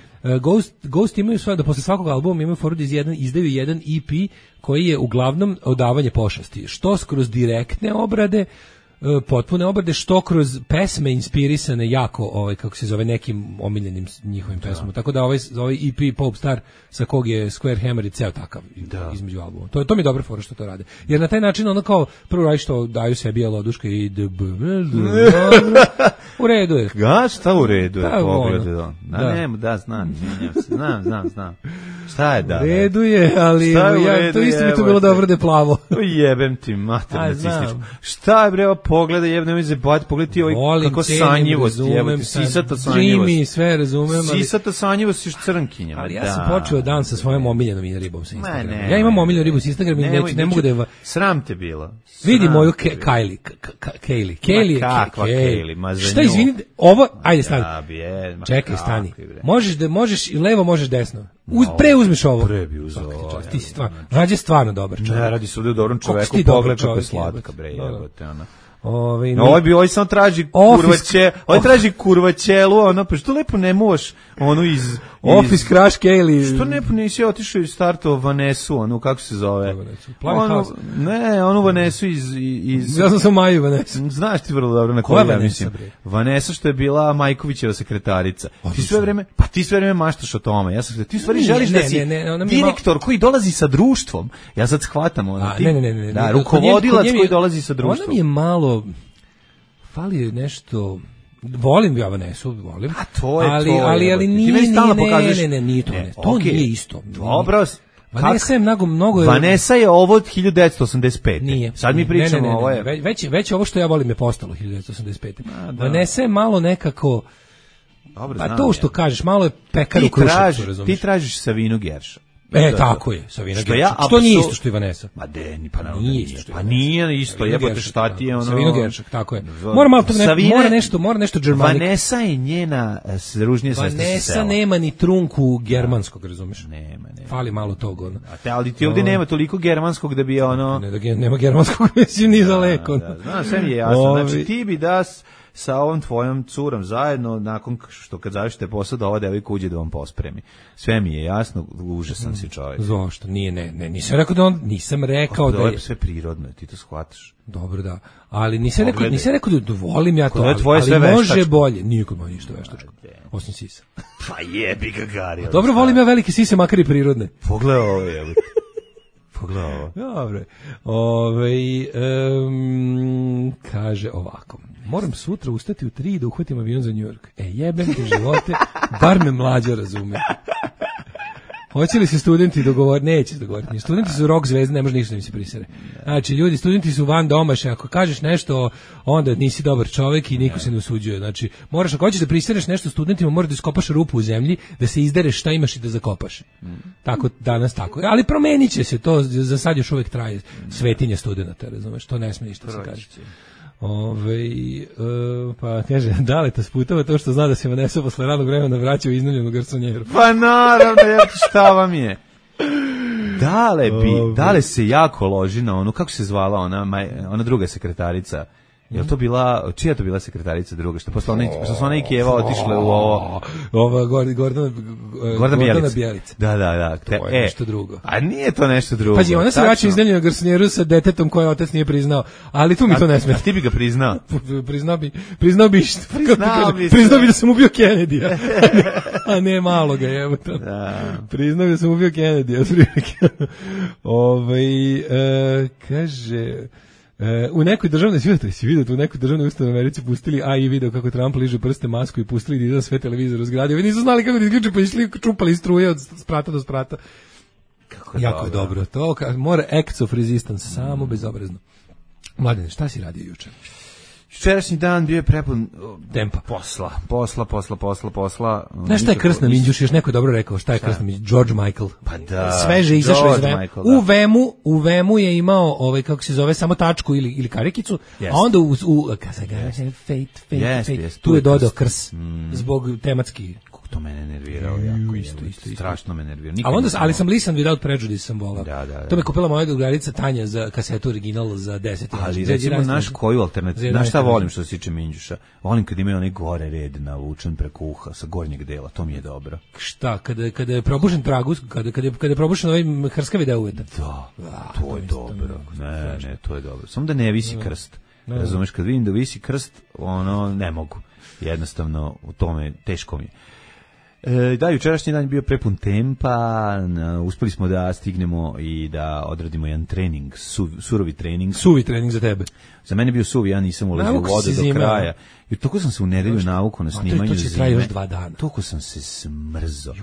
Speaker 7: Ghost imaju svoje da posle svakog albuma imaju foru da izdaju jedan EP koji je uglavnom odavanje pošasti, što kroz direktne obrade, potpune obrade, što kroz pesme inspirisane jako, kako se zove, nekim omiljenim njihovim pesmama. Tako da ovaj EP Pop Star sa kog je Square Hammer i ceo takav između albuma. To mi je dobra fora što to rade. Jer na taj način ono kao prvo radi što daju sebi jeloduška i u redu je.
Speaker 6: Šta u redu je? Znam. Šta je da?
Speaker 7: U redu je, ali to isto mi to bilo dobro da je plavo.
Speaker 6: Jebem ti mater nacističku. Šta je bre, pogledaj, jebne mi se bati, pogledaj ti kako sanjivost, jebate, sisata sanjivost.
Speaker 7: Dreamy, sve razumem.
Speaker 6: Sisata sanjivost još crnkinja.
Speaker 7: Ali ja sam počeo dan sa svojom omiljenom ribom sa Instagrama. Ja imam omiljenu ribu sa Instagrama i ne mogu da je...
Speaker 6: Sram te bilo.
Speaker 7: Vidi moju Kaylee.
Speaker 6: Kaylee.
Speaker 7: Šta, izvinite, ovo, ajde stani. Čekaj, stani. Možeš levo, možeš desno. Preuzmiš ovo. Ti si stvarno dobar čovjek.
Speaker 6: Ne, radi se ovdje u dobrom čoveku, pogled kako je slatka, bre, jebote, ona. Ovaj samo traži kurvaćelu, pa što lepo ne možeš onu iz
Speaker 7: Office Crash Kaylee.
Speaker 6: Što lepo nisi otišao i startovao Vanesu, onu kako se zove? Onu Vanesu iz...
Speaker 7: Ja sam Maju Vanesu.
Speaker 6: Znaš ti vrlo dobro na koju ja mislim. Vanesa što je bila Majkovićeva sekretarica. Ti sve vreme maštaš o tome. Ja sam ti stvari želiš da si direktor koji dolazi sa društvom. Ja sad shvatam ono. Da, rukovodilac koji dolazi sa društvom.
Speaker 7: Ona mi je malo... Fali nešto... Volim ja Vanesu, volim.
Speaker 6: A to je
Speaker 7: ali nije to. To nije isto.
Speaker 6: Dobro.
Speaker 7: Vanessa je mnogo...
Speaker 6: Vanessa je ovo od 1985.
Speaker 7: Nije.
Speaker 6: Sad mi pričamo ovo je...
Speaker 7: Već ovo što ja volim je postalo 1985. Vanessa je malo nekako... Pa to što kažeš, malo je pekar u Kruševcu, razumiješ.
Speaker 6: Ti tražiš Savinu Gerša.
Speaker 7: Tako je, Savina Gerša. Što nije isto što i Vanessa.
Speaker 6: Ma nije isto. Pa nije isto, jebote, šta ti je ono...
Speaker 7: Savina Gerša, tako je. Mora nešto germanik.
Speaker 6: Vanessa je njena ružnija sestra sa sela.
Speaker 7: Vanessa nema ni trunku germanskog, razumiješ?
Speaker 6: Nema.
Speaker 7: Fali malo tog, ono.
Speaker 6: Ali ti ovdje nema toliko germanskog da bi ono...
Speaker 7: Nema germanskog, mislim, ni daleko.
Speaker 6: Znaš, sve mi je jasno. Znači, ti bi sa ovom tvojom curom zajedno, nakon što kad završite posao, da ova devojka uđe da vam pospremi. Sve mi je jasno, užasan si čovjek.
Speaker 7: Zašto? Nisam rekao da je...
Speaker 6: sve prirodno, ti to shvataš.
Speaker 7: Dobro, da. Ali nisam rekao da volim ja to, ali može bolje. Nije kod moj ništa veštačko. Osim sisa.
Speaker 6: Pa jebi ga Gari.
Speaker 7: Dobro, volim ja velike sise, makar i prirodne.
Speaker 6: Pogledaj ovo, jebate.
Speaker 7: Dobro. Kaže ovako. Moram sutra ustati u 3 da uhvatim avion za New York. Jebem te živote, bar me mlađa razume. Hoće li se studenti dogovoriti? Neće se dogovoriti. Studenti su rock zvezde, ne može ništa da im se prisere. Znači, ljudi, studenti su van domaše. Ako kažeš nešto, onda nisi dobar čovjek i niko se ne usuđuje. Znači, moraš, ako hoćeš da prisereš nešto studentima, moraš da iskopaš rupu u zemlji, da se izdereš šta imaš i da zakopaš. Tako, danas tako. Ali promenit će se to, za sad još uvijek traje svetinje studenta, razumeš, to ne smije ništa se kaže. Pa kaže, Daleta sputava to što zna da se Vanessa posle radnog vremena vraća u iznajmljenu garsonjeru.
Speaker 6: Pa naravno, šta vam je? Dale se jako loži na onu, kako se zvala ona druga sekretarica. Je to bila, čija je to bila sekretarica druga? Što su ona i Kijeva otišle u ovo... Gordana Bjelica. Da.
Speaker 7: To je nešto drugo.
Speaker 6: A nije to nešto drugo.
Speaker 7: Pazi, ona se vraća iznajmljenu garsonjeru sa detetom koje otac nije priznao, ali tu mi to ne smeta.
Speaker 6: A ti bi ga priznao?
Speaker 7: Priznao bi da sam ubio Kennedy-a. A ne malo ga, evo to. Priznao bi da sam ubio Kennedy-a. Kaže... u nekoj državnoj u nekoj državnoj ustanovi u Americi pustili AI video kako Trump liže prste masku i pustili da izda sve televizor u zgradi. Ovi nisu znali kako da isključe, pa išli čupali struje od sprata do sprata. Jako je dobro. To mora acts of resistance, samo bezobrazno. Mladine, šta si radio juče?
Speaker 6: Jučerašnji dan bio je prepun
Speaker 7: tempa.
Speaker 6: Posla.
Speaker 7: Znaš šta je krst na Minđuš? Još neko je dobro rekao šta je krst na Minđuš? George Michael.
Speaker 6: Pa da.
Speaker 7: Sveže izašao iz Vemu. U Vemu je imao, kako se zove, samo tačku ili karikicu, a onda tu je dodao krs zbog tematski.
Speaker 6: To mene nervirao jako. Isto. Strašno me nervirao.
Speaker 7: Ali sam Listen Without Prejudice sam volao. To me kupila moja drugarica Tanja za kasetu original za 10.
Speaker 6: Ali recimo naš koju alternativu, znaš šta volim što se tiče Minđuša? Volim kad imaju onaj gore red navučen preko uha sa gornjeg dela, to mi je dobro.
Speaker 7: Šta, kada je probušen tragus, kada je probušen ovaj hrskavi deo uveta?
Speaker 6: Da, to je dobro. Ne, to je dobro. Samo da ne visi krst. Razumeš, kad vidim da visi krst, ne mogu. Jednostavno, u tome teško mi je. Da, jučerašnji dan je bio prepun tempa, uspeli smo da stignemo i da odradimo jedan trening, surovi trening.
Speaker 7: Suvi trening za tebe.
Speaker 6: Za mene je bio suvi, ja nisam ulazio u vodu do kraja. I toliko sam se u nedelju navuku na snimanju
Speaker 7: zime. To će traje još 2 dana.
Speaker 6: Toliko sam se smrzo.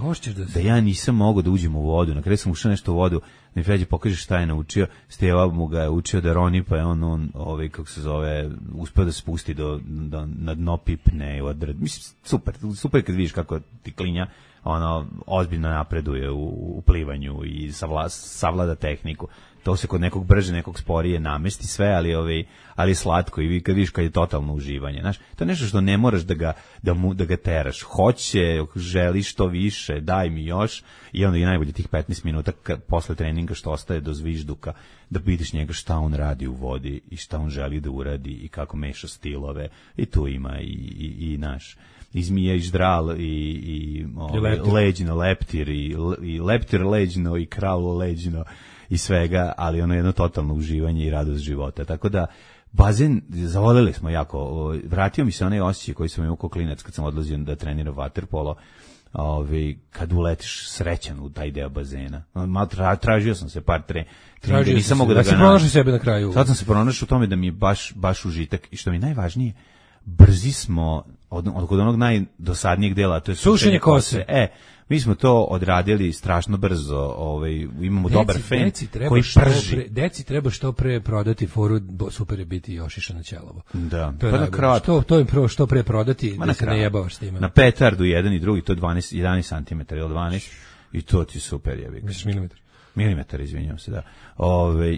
Speaker 6: Da ja nisam mogao da uđem u vodu. Na kraju sam ušao nešto u vodu, mi Feđe pokaže šta je naučio. Steva mu ga je učio da roni, pa je on kako se zove, uspeo da se spusti na dno pipne. Mislim, super kad vidiš kako ti klinja ozbiljno napreduje u plivanju i savlada tehniku. To se kod nekog brže, nekog sporije namesti sve, ali slatko i kad vidiš kad je totalno uživanje. Znaš, to je nešto što ne moraš da ga teraš. Želiš što više, daj mi još i onda i najbolje tih 15 minuta posle treninga što ostaje do zvižduka, da vidiš njega šta on radi u vodi i šta on želi da uradi i kako meša stilove. I tu ima i naš izmija i ždral i leđino, leptir i leptir leđino i kralo leđino i svega, ali jedno totalno uživanje i radost života. Tako da bazen, zavoljeli smo jako. Vratio mi se onaj osjećaj koji sam imao kao klinac kad sam odlazio da treniram vaterpolo, kad uletiš srećan u taj deo bazena. Tražio sam se par treninga, nisam mogao da ga
Speaker 7: pronašao sebe na kraju.
Speaker 6: Sad sam se pronašao u tome da mi je baš užitak i što mi je najvažnije, brzi smo od onog najdosadnijeg dela, to je
Speaker 7: sušenje kose.
Speaker 6: Mi smo to odradili strašno brzo, imamo dobar fen koji prži.
Speaker 7: Deci treba što pre prodati foru, super je biti Jošiša na ćelovo.
Speaker 6: Da,
Speaker 7: to je kratko. To im što pre prodati, da se ne jebavaš s time.
Speaker 6: Na petardu jedan i drugi, to je 11 cm ili 12 i to ti super jebi. Milimetar, izvinjam se, da.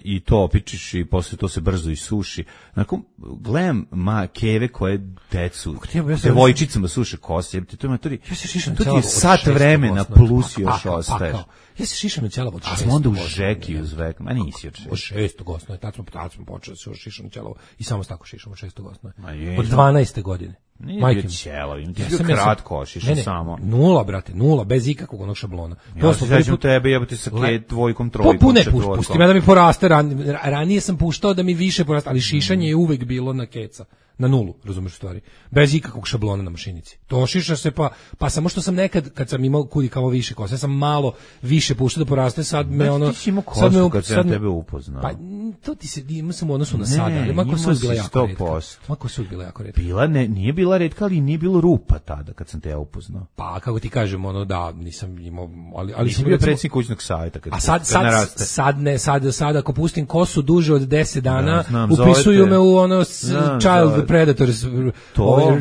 Speaker 6: I to opičiš i posle to se brzo isuši. Nakon, gledam keve koje devojčicama suše kose, to ti je sat vremena plus još ostaješ.
Speaker 7: Ja se šišam na ćelavo od 6.
Speaker 6: A smo onda u žeki uz vek, ma nisi od 6.
Speaker 7: Od 6. osnoje, tad smo počeli se šišam na ćelavo i samo tako šišam od 6. osnoje. Od 12. godine.
Speaker 6: Nije bio ćelav, ti je bio kratko, šišam samo.
Speaker 7: Nula, bez ikakvog onog šablona.
Speaker 6: Ja se sećam tebe, jebati sa dvojkom, trojkom, četvorkom.
Speaker 7: Pusti me da mi poraste, ranije sam puštao da mi više poraste, ali šišanje je uvek bilo na keca. Na nulu, razumeš u stvari. Bez ikakvog šablona na mašinici. To šiša se pa samo što sam nekad, kad sam imao kudi kao više kose, sam malo više puštao da poraste, sad me
Speaker 6: Ti si imao kosu kad sam tebe upoznao.
Speaker 7: Pa to ti se ima samo u odnosu na sada, ali mako su bila jako retka. Mako su bila jako retka.
Speaker 6: Nije bila retka, ali nije bilo rupa tada kad sam te ja upoznao.
Speaker 7: Pa kako ti kažem, ono da nisam imao, ali
Speaker 6: sam bio predsjednik kućnog savjeta kad.
Speaker 7: A sad ako pustim kosu duže od 10 dana, upisuju me u ono Child Predators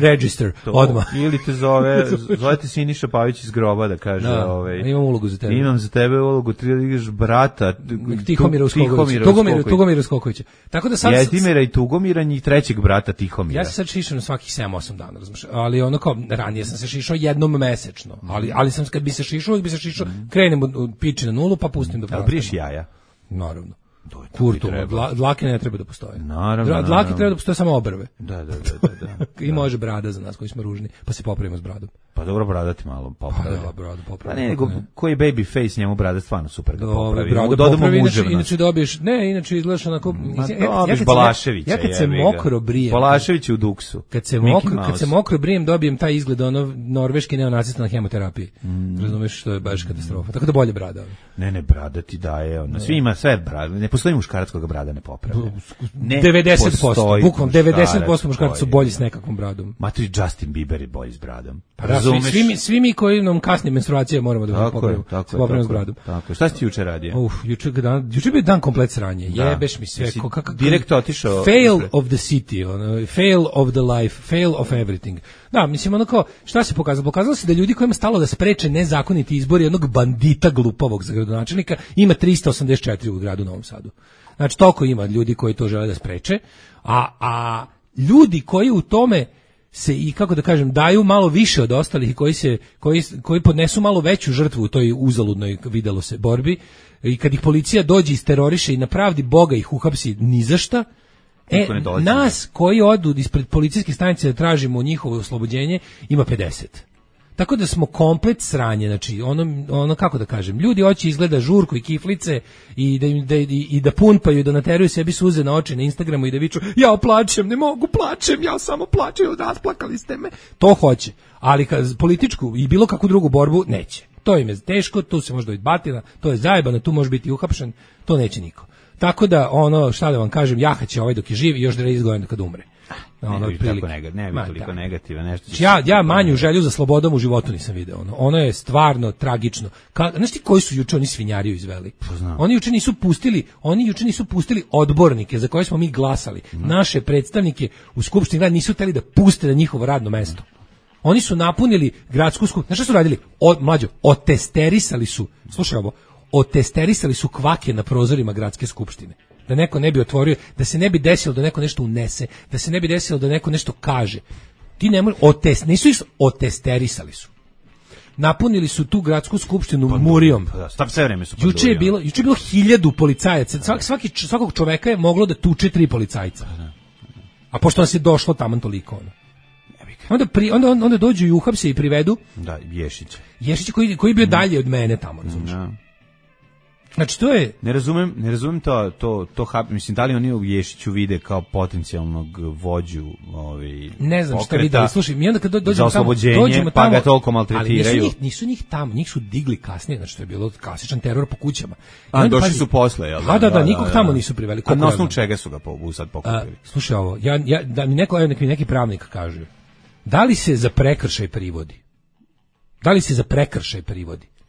Speaker 7: Register odmah.
Speaker 6: Ili te zovete Siniša Pavić iz groba da kaže,
Speaker 7: imam ulogu za tebe.
Speaker 6: Imam za tebe ulogu, ti igraš brata
Speaker 7: Tugomira Skokovića. Tako da sad
Speaker 6: Jedimira i Tugomira i trećeg brata Tihomira.
Speaker 7: Ja se sad šišam svakih 7-8 dana, razumiješ? Ali ono kao ranije sam se šišao jednom mesečno, ali sam kad bi se šišao, krenem od piči na nulu pa pustim do
Speaker 6: porasta. Briješ jaja?
Speaker 7: Naravno. Kurtu, dlake ne treba da postoje.
Speaker 6: Naravno.
Speaker 7: Dlake treba da postoje samo obrve.
Speaker 6: Da.
Speaker 7: I može brada za nas koji smo ružni, pa se popravimo s bradom.
Speaker 6: Pa dobro, brada ti malo popravi.
Speaker 7: Bradu popravi.
Speaker 6: Pa ne, nego koji baby face, njemu brada stvarno super ga popravi.
Speaker 7: Bradu popravi, inače dobiješ, inače izgledaš onako...
Speaker 6: Balaševića.
Speaker 7: Ja kad se mokro brijem...
Speaker 6: Balašević u Duksu.
Speaker 7: Kad se mokro brijem, dobijem taj izgled norveški neonacista na hemoterapiji. Razumeš, što je baš katastrofa. Tako da bolje brada.
Speaker 6: Ne, brada ti daje. Svi ima sve brada. Ne postoji muškarac koga brada ne popravi.
Speaker 7: 90%. Bukvalno 90% muškaraca su bolji s nekakvom bradom.
Speaker 6: Matri Justin Bieber je bolji s bradom.
Speaker 7: Svi mi koji nam kasni menstruacije moramo da popravimo s bradom.
Speaker 6: Tako. Šta si ti juče radio?
Speaker 7: Juče je bio dan komplet sranje. Jebeš mi sve.
Speaker 6: Direkt otišao.
Speaker 7: Fail of the city, fail of the life, fail of everything. Da, mislim onako, šta se pokazalo? Pokazalo se da ljudi kojima stalo da spreče nezakoniti izbori jednog bandita glupavog za gradonačelnika ima 384 u gradu Novom Sadu. Znači, toliko ima ljudi koji to žele da spreče, a ljudi koji u tome se i kako da kažem daju malo više od ostalih i koji podnesu malo veću žrtvu u toj uzaludnoj, videlo se, borbi, i kad ih policija dođe isteroriše i na pravdi Boga ih uhapsi ni za šta, nas koji odu ispred policijske stanice da tražimo njihovo oslobođenje ima 50. Tako da smo komplet sranje, znači ono kako da kažem, ljudi hoće izgleda žurku i kiflice i da punpaju i da nateruju sebi suze na oči na Instagramu i da viču ja plačem, ne mogu, plačem, ja samo plačem, rasplakali ste me. To hoće, ali političku i bilo kakvu drugu borbu neće. To im je teško, tu se može dobiti batina, to je zajebano, tu može biti uhapšen, to neće niko. Tako da, šta da vam kažem, jahaće dok je živ i još 30 godina kad umre.
Speaker 6: Ne bi toliko negativa nešto.
Speaker 7: Ja manju želju za slobodom u životu nisam video. Ono je stvarno tragično. Znaš ti koji su juče oni svinjariju izveli? Oni juče nisu pustili odbornike za koje smo mi glasali. Naše predstavnike u skupštini grada nisu hteli da puste na njihovo radno mesto. Oni su napunili gradsku skupštinu. Znaš šta su radili? Otesterisali su. Slušaj ovo. Otesterisali su kvake na prozorima gradske skupštine. Da neko ne bi otvorio, da se ne bi desilo da neko nešto unese, da se ne bi desilo da neko nešto kaže. Ti ne možeš, nisu ih otesterisali su. Napunili su tu gradsku skupštinu murijom.
Speaker 6: Sve vreme su
Speaker 7: juče je bilo 1000 policajaca. Svakog čoveka je moglo da tuče 3 policajca. A pošto nas je došlo taman toliko onda dođu i uhapse i privedu.
Speaker 6: Da,
Speaker 7: Ješić koji je bio dalje od mene tamo, razumiješ. Znači to je
Speaker 6: ne razumem to mislim da li oni u Ješiću vide kao potencijalnog vođu
Speaker 7: ne znam šta vide, slušaj, mi onda kad dođemo tamo
Speaker 6: pa ga toliko maltretiraju.
Speaker 7: Ali nisu njih tamo, njih su digli kasnije, znači to je bilo klasičan teror po kućama.
Speaker 6: Došli su posle, jel
Speaker 7: da? Da, nikog tamo nisu priveli.
Speaker 6: A na osnovu čega su ga sad pokupili?
Speaker 7: Slušaj ovo, da mi neki pravnik kaže, da li se za prekršaj privodi?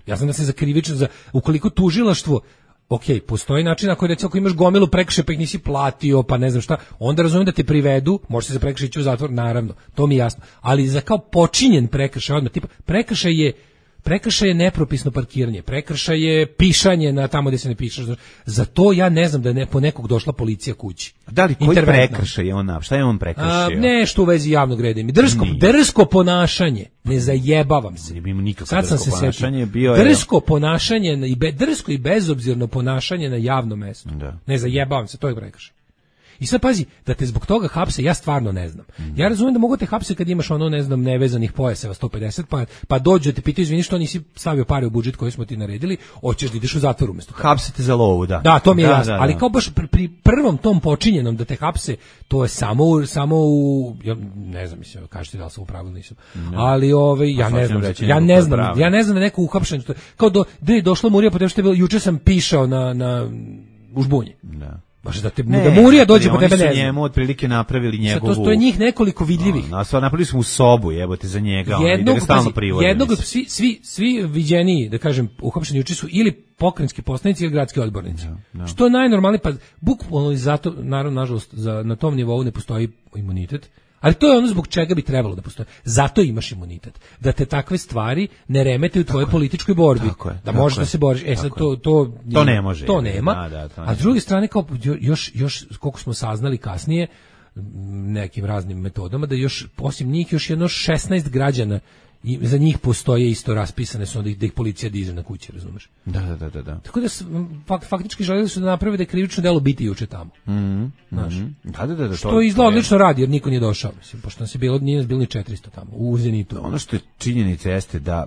Speaker 7: Ja znam da se za krivično, ukoliko tužilaštvo, postoji način ako imaš gomilu prekršaja pa ih nisi platio, pa ne znam šta, onda razumijem da te privedu, može se za prekršaj ići u zatvor, naravno, to mi je jasno, ali za kao počinjen prekršaj, odmah, tipa, prekršaj je nepropisno parkiranje, prekršaj je pišanje na tamo gdje se ne piše. Za to ja ne znam da je po nekog došla policija kući.
Speaker 6: Da li koji prekršaj je on? Šta je on prekršio?
Speaker 7: Nešto u vezi javnog reda. Drsko ponašanje. Ne zajebavam se.
Speaker 6: Sad sam se setio.
Speaker 7: Drsko ponašanje drsko i bezobzirno ponašanje na javnom mjestu. Ne zajebavam se, to je prekršaj. I sad pazi, da te zbog toga hapse, ja stvarno ne znam. Ja razumijem da mogu te hapse kad imaš nevezanih pojaseva 150, pa dođu da te pitaju, izvini što nisi stavio pare u budžet koji smo ti naredili, hoćeš da ideš u zatvor umjesto.
Speaker 6: Hapsete za lovu, da.
Speaker 7: Da, to mi je jasno, ali kao baš pri prvom tom počinjenom da te hapse, to je samo u ja ne znam, mislim, kažete da li sam u pravilu, nisam. Ali ja ne znam da neko uhapšen, kao da je došla Murija po što je bilo, juče sam pišao na u Žbunji. Da. Baš da Murija dođe po tebe, ne znam.
Speaker 6: Njemu otprilike napravili njegovu.
Speaker 7: To je njih nekoliko vidljivih.
Speaker 6: Napravili smo u sobu, jebote, za njega, da ga stalno privode.
Speaker 7: Jednog, svi viđeniji, da kažem, uhapšeni juče su ili pokrajinski poslanici ili gradski odbornici. Što je najnormalnije, pa bukvalno i zato, naravno, nažalost, na tom nivou ne postoji imunitet. Ali to je ono zbog čega bi trebalo da postoji. Zato imaš imunitet. Da te takve stvari ne remete u tvojoj političkoj borbi. Da možeš da se boriš. Sad to
Speaker 6: ne može.
Speaker 7: To nema. A s druge strane, kao još koliko smo saznali kasnije, nekim raznim metodama, da još osim njih još jedno 16 građana i za njih postoje isto raspisane su da ih policija diže na kući, razumeš?
Speaker 6: Da.
Speaker 7: Tako da faktički želeli su da naprave da je krivično delo biti juče tamo. Znaš.
Speaker 6: Da.
Speaker 7: Što izgleda odlično radi, jer niko nije došao, mislim, pošto nas je bilo, nije nas bilo ni 400 tamo, u Zenitu.
Speaker 6: Ono što je činjenica jeste da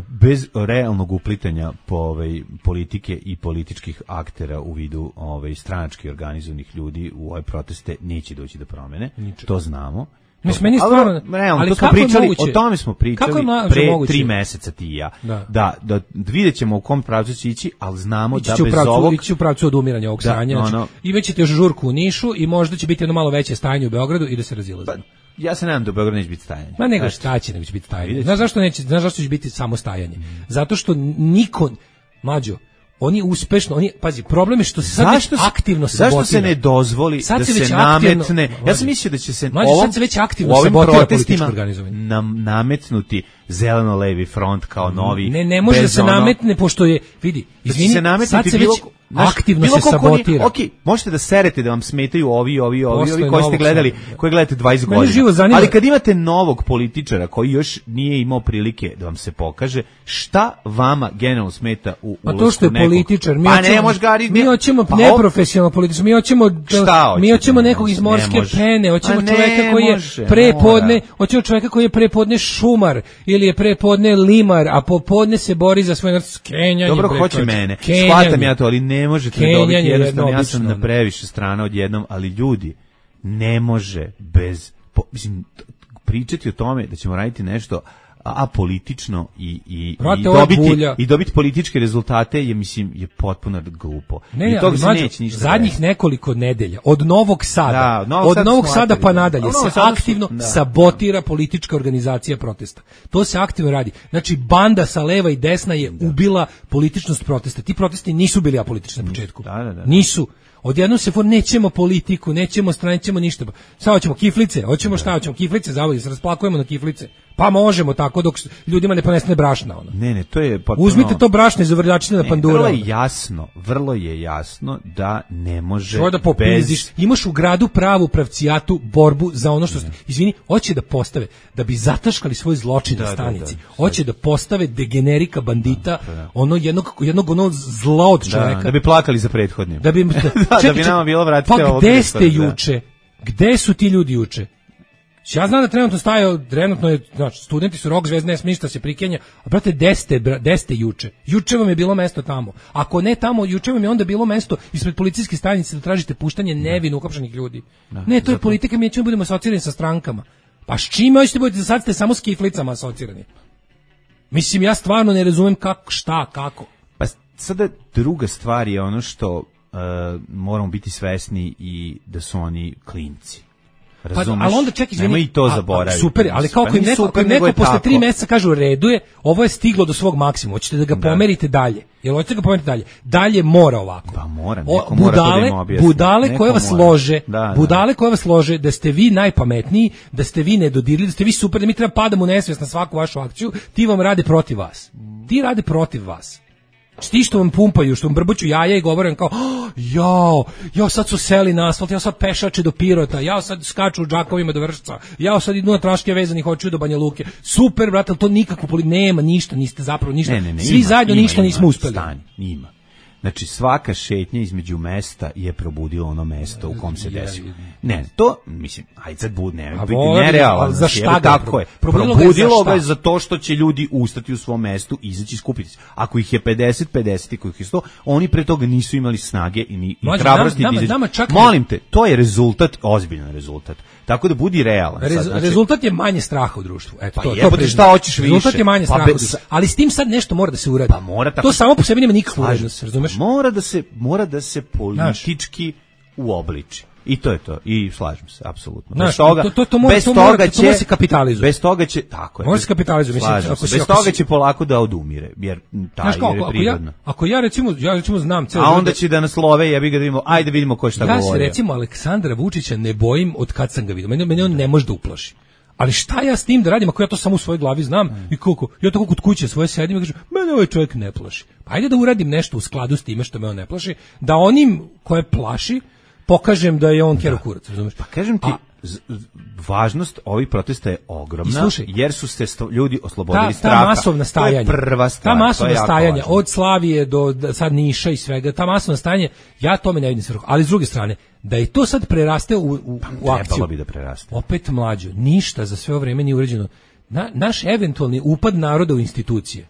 Speaker 6: bez realnog uplitanja po politike i političkih aktera u vidu stranački organizovanih ljudi u ove proteste neće doći do promene. To znamo.
Speaker 7: Meni stvarno,
Speaker 6: ali kako o tome smo pričali pre 3 meseca ti i ja. Da vidjet ćemo u kom pravcu će ići, ali znamo da bez ovog...
Speaker 7: Ići u pravcu od umiranja ovog stanja. I već ćete još žurku u Nišu i možda će biti jedno malo veće stajanje u Beogradu i da se razilazimo.
Speaker 6: Ja se nadam da u Beogradu neće biti stajanje.
Speaker 7: Ma nego šta će, nego će biti stajanje. Znaš zašto će biti samo stajanje? Zato što niko, mlađo, oni uspešno, pazi, problem je što se sad aktivno sabotira.
Speaker 6: Zašto se ne dozvoli da se nametne? Ja sam mislio da će se
Speaker 7: sad se već aktivno sabotira političko organizovanje.
Speaker 6: Nametnuti zeleno-levi front kao novi.
Speaker 7: Ne može da se nametne, pošto je, vidi, izvini, sad se već aktivno se sabotira.
Speaker 6: Ok, možete da serete da vam smetaju ovi koji ste gledali, koji gledate 20 godina. Ali kad imate novog političara koji još nije imao prilike da vam se pokaže, šta vama generalno smeta u ulasku nekog?
Speaker 7: A to što je političar, mi hoćemo neprofesionalno političar, mi hoćemo nekog iz morske pene, hoćemo čoveka koji je prepodne, hoćemo čoveka koji je prepodne šumar ili je prepodne limar, a popodne se bori za svoj skenjanje.
Speaker 6: Dobro, hoće mene. Shvatam ja to, ali ne možete dobiti jednostavno, ja sam na previše strana odjednom, ali ljudi, ne može bez, pričati o tome da ćemo raditi nešto apolitično i dobiti političke rezultate je potpuno glupo. I toga se neće ništa.
Speaker 7: Zadnjih nekoliko nedelja od Novog Sada, pa nadalje se aktivno sabotira politička organizacija protesta. To se aktivno radi. Znači banda sa leva i desna je ubila političnost protesta. Ti protesti nisu bili apolitični na početku. Nisu. Odjednom se nećemo politiku, nećemo strane, nećemo ništa. Sad hoćemo kiflice, hoćemo kiflice, zavodi se rasplakujemo na kiflice. Pa možemo tako dok ljudima ne ponestane brašna.
Speaker 6: Ne, to je potpuno...
Speaker 7: Uzmite to brašno iz uvrljačine na pandura.
Speaker 6: Vrlo je jasno da ne može
Speaker 7: da popizdiš. Imaš u gradu pravu pravcijatu borbu za ono što... Izvini, hoće da postave, da bi zataškali svoj zločin na stanici. Hoće da postave degenerika bandita, ono jednog ono zla od čoveka.
Speaker 6: Da bi plakali za prethodnim.
Speaker 7: Da bi nama bilo vratite ovog. Pa gde ste juče? Gde su ti ljudi juče? Ja znam da trenutno je, znači, studenti su rock zvezde, ništa se prikenja, a brate, gde ste juče? Juče vam je bilo mesto tamo. Ako ne tamo, juče vam je onda bilo mesto ispred policijske stanice da tražite puštanje nevino uhapšenih ljudi. Ne, to je politika, mi ćemo budemo asocirani sa strankama. Pa s čime hoćete budete, sad ste samo s kiflicama asocirani. Mislim, ja stvarno ne razumem kako.
Speaker 6: Pa sada druga stvar je ono što moramo biti svesni i da su oni klinci. Razumeš?
Speaker 7: Ali onda čekaj,
Speaker 6: nemoj i to zaboraviti.
Speaker 7: Super, ali kao im neko posle 3 meseca kažu redu je, ovo je stiglo do svog maksimuma, hoćete da ga pomerite dalje. Jel hoćete ga pomeriti dalje? Dalje mora ovako.
Speaker 6: Pa mora, neko mora to da im objasni.
Speaker 7: Budale koje vas lože da ste vi najpametniji, da ste vi nedodirljivi, da ste vi super, da mi treba padamo u nesvijest na svaku vašu akciju, ti vam rade protiv vas. Ti rade protiv vas. Ti što vam pumpaju, što vam brbuću jaja i govorim kao jao, sad su seli na asfalt, ja sad pešače do Pirota, ja sad skaču u džakovima do Vršca, ja sad idu na traške vezani, hoću do Banja Luke. Super, brate, ali to nikako nema ništa, niste zapravo ništa. Svi zajedno ništa nismo uspeli.
Speaker 6: Ima. Znači, svaka šetnja između mesta je probudila ono mesto u kom se desilo. Ne, to, mislim, ajde sad biti nerealan.
Speaker 7: Za šta
Speaker 6: tako je. Probudilo ga za to što će ljudi ustati u svom mestu, izaći i skupiti se. Ako ih je 50 i kojih je 100, oni pre toga nisu imali snage i hrabrosti. Molim te, to je rezultat, ozbiljan rezultat. Tako da budi realan.
Speaker 7: Rezultat je manje straha u društvu. Eto,
Speaker 6: to šta hoćeš više.
Speaker 7: Rezultat je manje straha u društvu. Ali s tim sad nešto mora da se uradi.
Speaker 6: Pa mora tako.
Speaker 7: To samo po sebi nema nikakvu vrednost, razumeš?
Speaker 6: Mora da se politički uobliči. I to je to. I slažem se, apsolutno.
Speaker 7: Bez toga će kapitalizuje.
Speaker 6: Bez toga će, tako je.
Speaker 7: Može se kapitalizuje, mislim.
Speaker 6: Bez toga će polako da odumire, jer je prirodno.
Speaker 7: Ako ja recimo znam ceo.
Speaker 6: A onda će da nas love, jebi ga da vidimo, ajde vidimo ko šta govori.
Speaker 7: Ja se recimo Aleksandra Vučića ne bojim od kad sam ga vidio. Mene on ne može da uplaši. Ali šta ja s tim da radim ako ja to samo u svojoj glavi znam i koliko ja tako kod kuće svoje sedim i kažem mene ovaj čovjek ne plaši. Pa ajde da uradim nešto u skladu s time što me on ne plaši, da onim koje plaši pokažem da je on kero kurac, razumeš?
Speaker 6: Pa kažem ti, važnost ovih protesta je ogromna, jer su se ljudi oslobodili straha.
Speaker 7: Ta masovna stajanja,
Speaker 6: to je prva stvar.
Speaker 7: Ta masovna stajanja, od Slavije do sad Niša i svega, ta masovna stajanja, ja tome ne vidim svrhu. Ali s druge strane, da je to sad preraste u akciju.
Speaker 6: Trebalo bi da preraste.
Speaker 7: Opet mlađo, ništa za sve ovo vreme nije urađeno. Naš eventualni upad naroda u institucije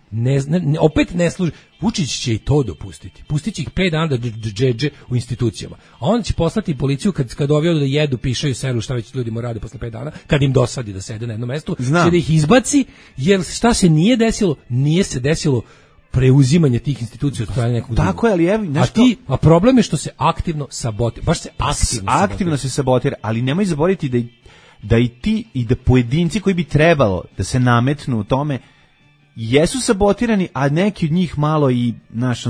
Speaker 7: opet ne služi. Vučić će i to dopustiti. Pustit će ih 5 dana da džedže u institucijama. A onda će poslati policiju kad ovi da jedu, pišaju, seru, šta već ljudi mu rade posle 5 dana, kad im dosadi da sede na jednom mestu, će da ih izbaci, jer šta se nije desilo? Nije se desilo preuzimanje tih institucija od strane nekog drugog.
Speaker 6: Tako je, ali evo nešto...
Speaker 7: A problem je što se aktivno sabotira. Baš se
Speaker 6: aktivno se sabotira, ali nemoj zaboraviti da i ti i da pojedinci koji bi trebalo da se nametnu u tome jesu sabotirani, a neki od njih malo i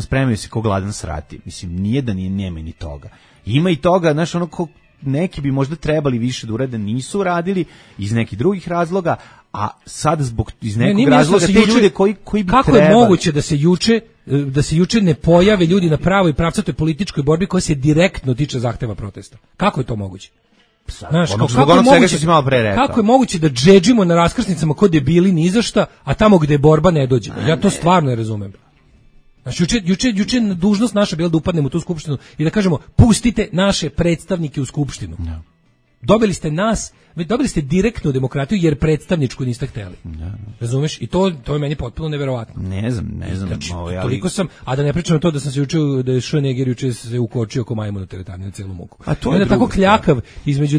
Speaker 6: spremaju se ko gladan srati. Mislim, nije da nema ni toga. Ima i toga, neki bi možda trebali više da urade, nisu radili iz nekih drugih razloga, a sad iz nekog razloga te ljude koji bi
Speaker 7: kako
Speaker 6: trebali.
Speaker 7: Kako je moguće da se juče ne pojave ljudi na pravoj pravcatoj političkoj borbi koja se direktno tiče zahteva protesta? Kako je to moguće? Znaš, kako je moguće da džedžimo na raskrsnicama kod debili ni za šta, a tamo gde je borba ne dođemo? Ja to stvarno ne razumem. Znači, juče dužnost naša bila da upadnemo u tu skupštinu i da kažemo pustite naše predstavnike u skupštinu. No. Dobili ste direktnu demokratiju jer predstavničku niste hteli. No. Razumeš? I to je meni potpuno neverovatno.
Speaker 6: Ne znam.
Speaker 7: Znači, toliko sam, a da ne pričam o to da sam se učio da je Schwarzenegger juče se ukočio ko majmun u teretani na celu muku.
Speaker 6: A to je
Speaker 7: tako kljakav između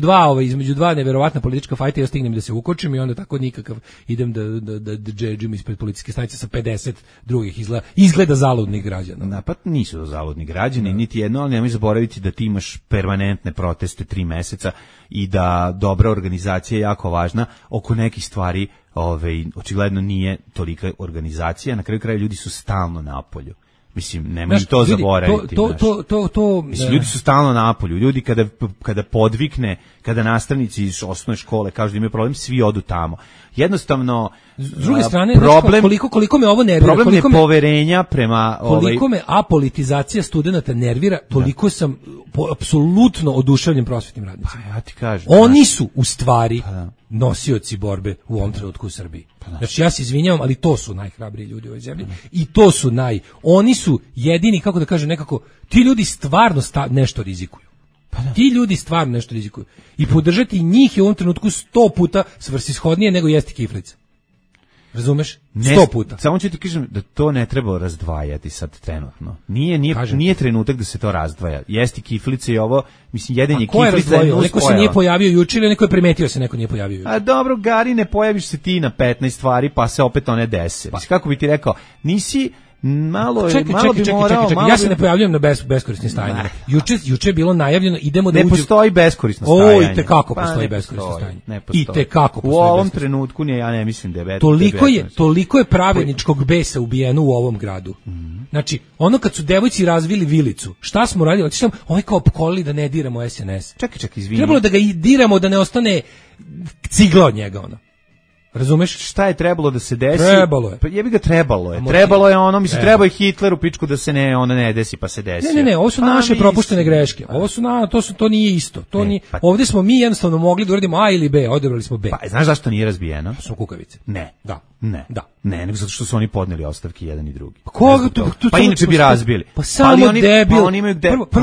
Speaker 7: dva neverovatna politička fajta, ja stignem da se ukočim i onda tako nikakav idem da džedžim ispred policijske stanice sa 50 drugih izgleda zaludnih građana.
Speaker 6: Napad nisu to zaludni građani, niti jedno, ali nemoj zaboraviti da ti imaš permanentne proteste 3 meseca i da dobra organizacija je jako važna. Oko nekih stvari očigledno nije tolika organizacija, na kraju kraja ljudi su stalno napolju. Mislim, nemoj to zaboraviti. Mislim, ljudi su stalno napolju. Ljudi kada podvikne, kada nastavnici iz osnovne škole kažu da imaju problem, svi odu tamo. Jednostavno,
Speaker 7: s druge strane, problem, koliko me ovo nervira,
Speaker 6: problem nepoverenja prema...
Speaker 7: Koliko me apolitizacija studenata nervira, toliko sam apsolutno oduševljen prosvetnim radnicima.
Speaker 6: Pa ja ti kažem.
Speaker 7: Oni su u stvari nosioci borbe u ovom trenutku u Srbiji. Znači, ja se izvinjavam, ali to su najhrabriji ljudi u ovoj zemlji. I to su oni su jedini, kako da kažem, nekako, ti ljudi stvarno nešto rizikuju. Ti ljudi stvarno nešto rizikuju. I podržati njih je u ovom trenutku 100 puta svrsishodnije nego jesti kiflica. Razumeš? 100 puta.
Speaker 6: Samo ću ti kažem da to ne treba razdvajati sad trenutno. Nije trenutak da se to razdvaja. Jesti kiflice i ovo, mislim, jedenje kiflice je
Speaker 7: neko se nije pojavio juče ili neko je primetio se neko nije pojavio juče.
Speaker 6: A dobro, Gari, ne pojaviš se ti na 15 stvari, pa se opet one dese. Mislim, kako bi ti rekao, nisi... Čekaj,
Speaker 7: ja se ne pojavljujem na beskorisnim stajanjima. Juče je bilo najavljeno, idemo da
Speaker 6: ne postoji beskorisno stajanje.
Speaker 7: Oj, tekako postoji beskorisno stajanje. I tekako postoji.
Speaker 6: U ovom trenutku ja ne mislim da je
Speaker 7: toliko je pravedničkog besa ubijeno u ovom gradu. Znači, ono kad su devojci razvili vilicu, šta smo radili? Ovaj kao opkolili da ne diramo SNS.
Speaker 6: Čekaj, izvini.
Speaker 7: Trebalo da ga diramo da ne ostane cigla od njega, ono. Razumeš?
Speaker 6: Šta je trebalo da se desi?
Speaker 7: Trebalo je.
Speaker 6: Pa jebi ga trebalo je. Trebalo je ono, mislim, trebao je Hitleru pičku da se ne desi, pa se desi.
Speaker 7: Ne, ovo su naše propuštene greške. Ovo su to nije isto. To nije. Ovdje smo mi jednostavno mogli da uradimo A ili B, odabrali smo B.
Speaker 6: Pa znaš zašto nije razbijeno?
Speaker 7: Su kukavice.
Speaker 6: Ne.
Speaker 7: Da.
Speaker 6: Ne, nego zato što su oni podneli ostavke jedan i drugi.
Speaker 7: Pa
Speaker 6: inače bi razbili.
Speaker 7: Pa samo debil.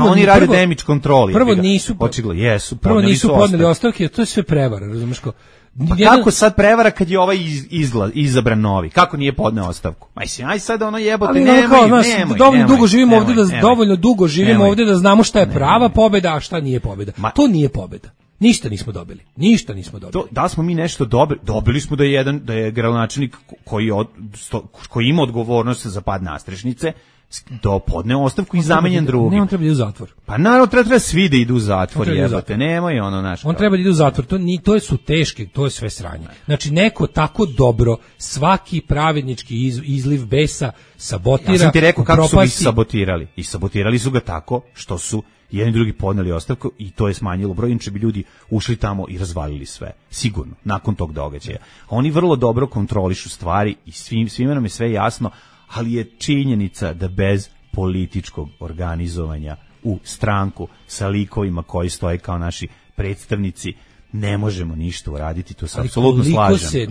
Speaker 6: Oni rade damage control.
Speaker 7: Prvo nisu.
Speaker 6: Očigledno jesu.
Speaker 7: Prvo nisu podneli ostavke, to je sve prevara, razumeš ko?
Speaker 6: Pa kako sad prevara kad je ovaj izabran novi? Kako nije podneo ostavku? Mislim, aj sad ono jebote, nemoj.
Speaker 7: Dovoljno dugo živimo ovdje da znamo šta je prava pobjeda, a šta nije pobjeda. To nije pobjeda. Ništa nismo dobili.
Speaker 6: Da smo mi nešto dobili smo da je gradonačelnik koji ima odgovornost za pad nastrešnice, do podneo ostavku i zamenjen drugim.
Speaker 7: Ne, on treba da ide u zatvor.
Speaker 6: Pa naravno treba svi da idu u zatvor, jebote, nemoj ono naš.
Speaker 7: On treba da ide u zatvor, to su teške, to je sve sranje. Znači, neko tako dobro svaki pravednički izliv besa sabotira.
Speaker 6: Ja sam ti rekao kako su ih sabotirali. I sabotirali su ga tako što su jedni drugi podneli ostavku i to je smanjilo broj, inače bi ljudi ušli tamo i razvalili sve. Sigurno, nakon tog događaja. Oni vrlo dobro kontrolišu stvari i svima nam je sve jasno, ali je činjenica da bez političkog organizovanja u stranku sa likovima koji stoje kao naši predstavnici ne možemo ništa uraditi, to se apsolutno slažem.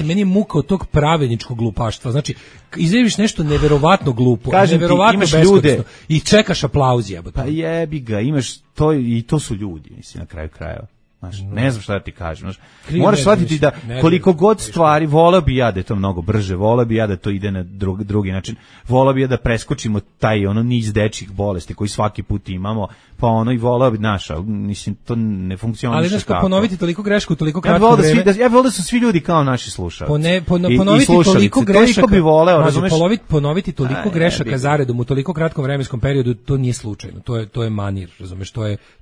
Speaker 7: Meni je muka od tog pravedničkog glupaštva. Znači, izjaviš nešto neverovatno glupo,
Speaker 6: kažem
Speaker 7: neverovatno
Speaker 6: beskorisno
Speaker 7: i čekaš aplauz, jebote.
Speaker 6: Pa jebi ga, imaš to i to su ljudi, mislim, na kraju krajeva. Znaš, ne znam šta da ti kažem. Znaš, moraš shvatiti da koliko god stvari, voleo bi ja da je to mnogo brže, voleo bi ja da to ide na drugi način, voleo bi ja da preskočimo taj niz dečjih bolesti koji svaki put imamo, pa i voleo bi mislim, to ne funkcioniše.
Speaker 7: Ali znaš, ponoviti toliko grešku, toliko kratko vreme.
Speaker 6: Ja voleo da su svi ljudi kao naši slušalci.
Speaker 7: Ponoviti toliko grešaka,
Speaker 6: bi voleo, razumeš?
Speaker 7: Ponoviti toliko grešaka zaredom u toliko kratkom vremenskom periodu, to nije slučajno, to je manir, razumeš,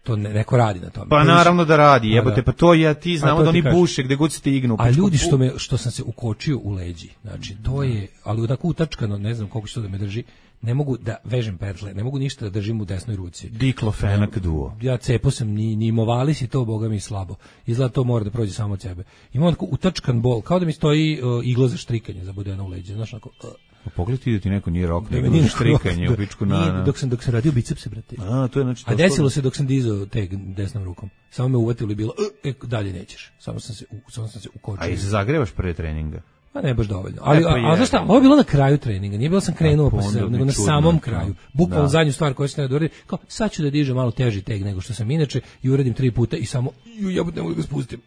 Speaker 7: to neko radi na tome.
Speaker 6: Pa naravno da radi. Jebote, pa to ja ti znamo da oni buše gde god se stignu.
Speaker 7: A ljudi što sam se ukočio u leđi, znači to je, ali tako utačkano, ne znam koliko što da me drži, ne mogu da vežem petle, ne mogu ništa da držim u desnoj ruci.
Speaker 6: Diklofenak duo.
Speaker 7: Ja cepo sam, ni movalis i to, boga mi slabo. Izgleda to mora da prođe samo od sebe. Imam tako utačkan bol, kao da mi stoji igla za štrikanje zabodena u leđe, znaš onako.
Speaker 6: Pogledaj ti da ti neko nije rok, nego nije štrikanje u pičku na...
Speaker 7: Dok sam radio bicepse, brate.
Speaker 6: To je znači...
Speaker 7: A desilo se dok sam dizao teg desnom rukom. Samo me uvatilo i bilo, dalje nećeš. Samo sam se ukočio.
Speaker 6: A i se zagrevaš prije treninga?
Speaker 7: Pa ne baš dovoljno. Ali znaš šta, ovo je bilo na kraju treninga, nije bilo sam krenuo pa se, nego na samom kraju. Bukvalno zadnju stvar koju sam ne uradio, kao sad ću da dižem malo teži teg nego što sam inače i uradim 3 puta i samo jebote ne mogu da ga spustim.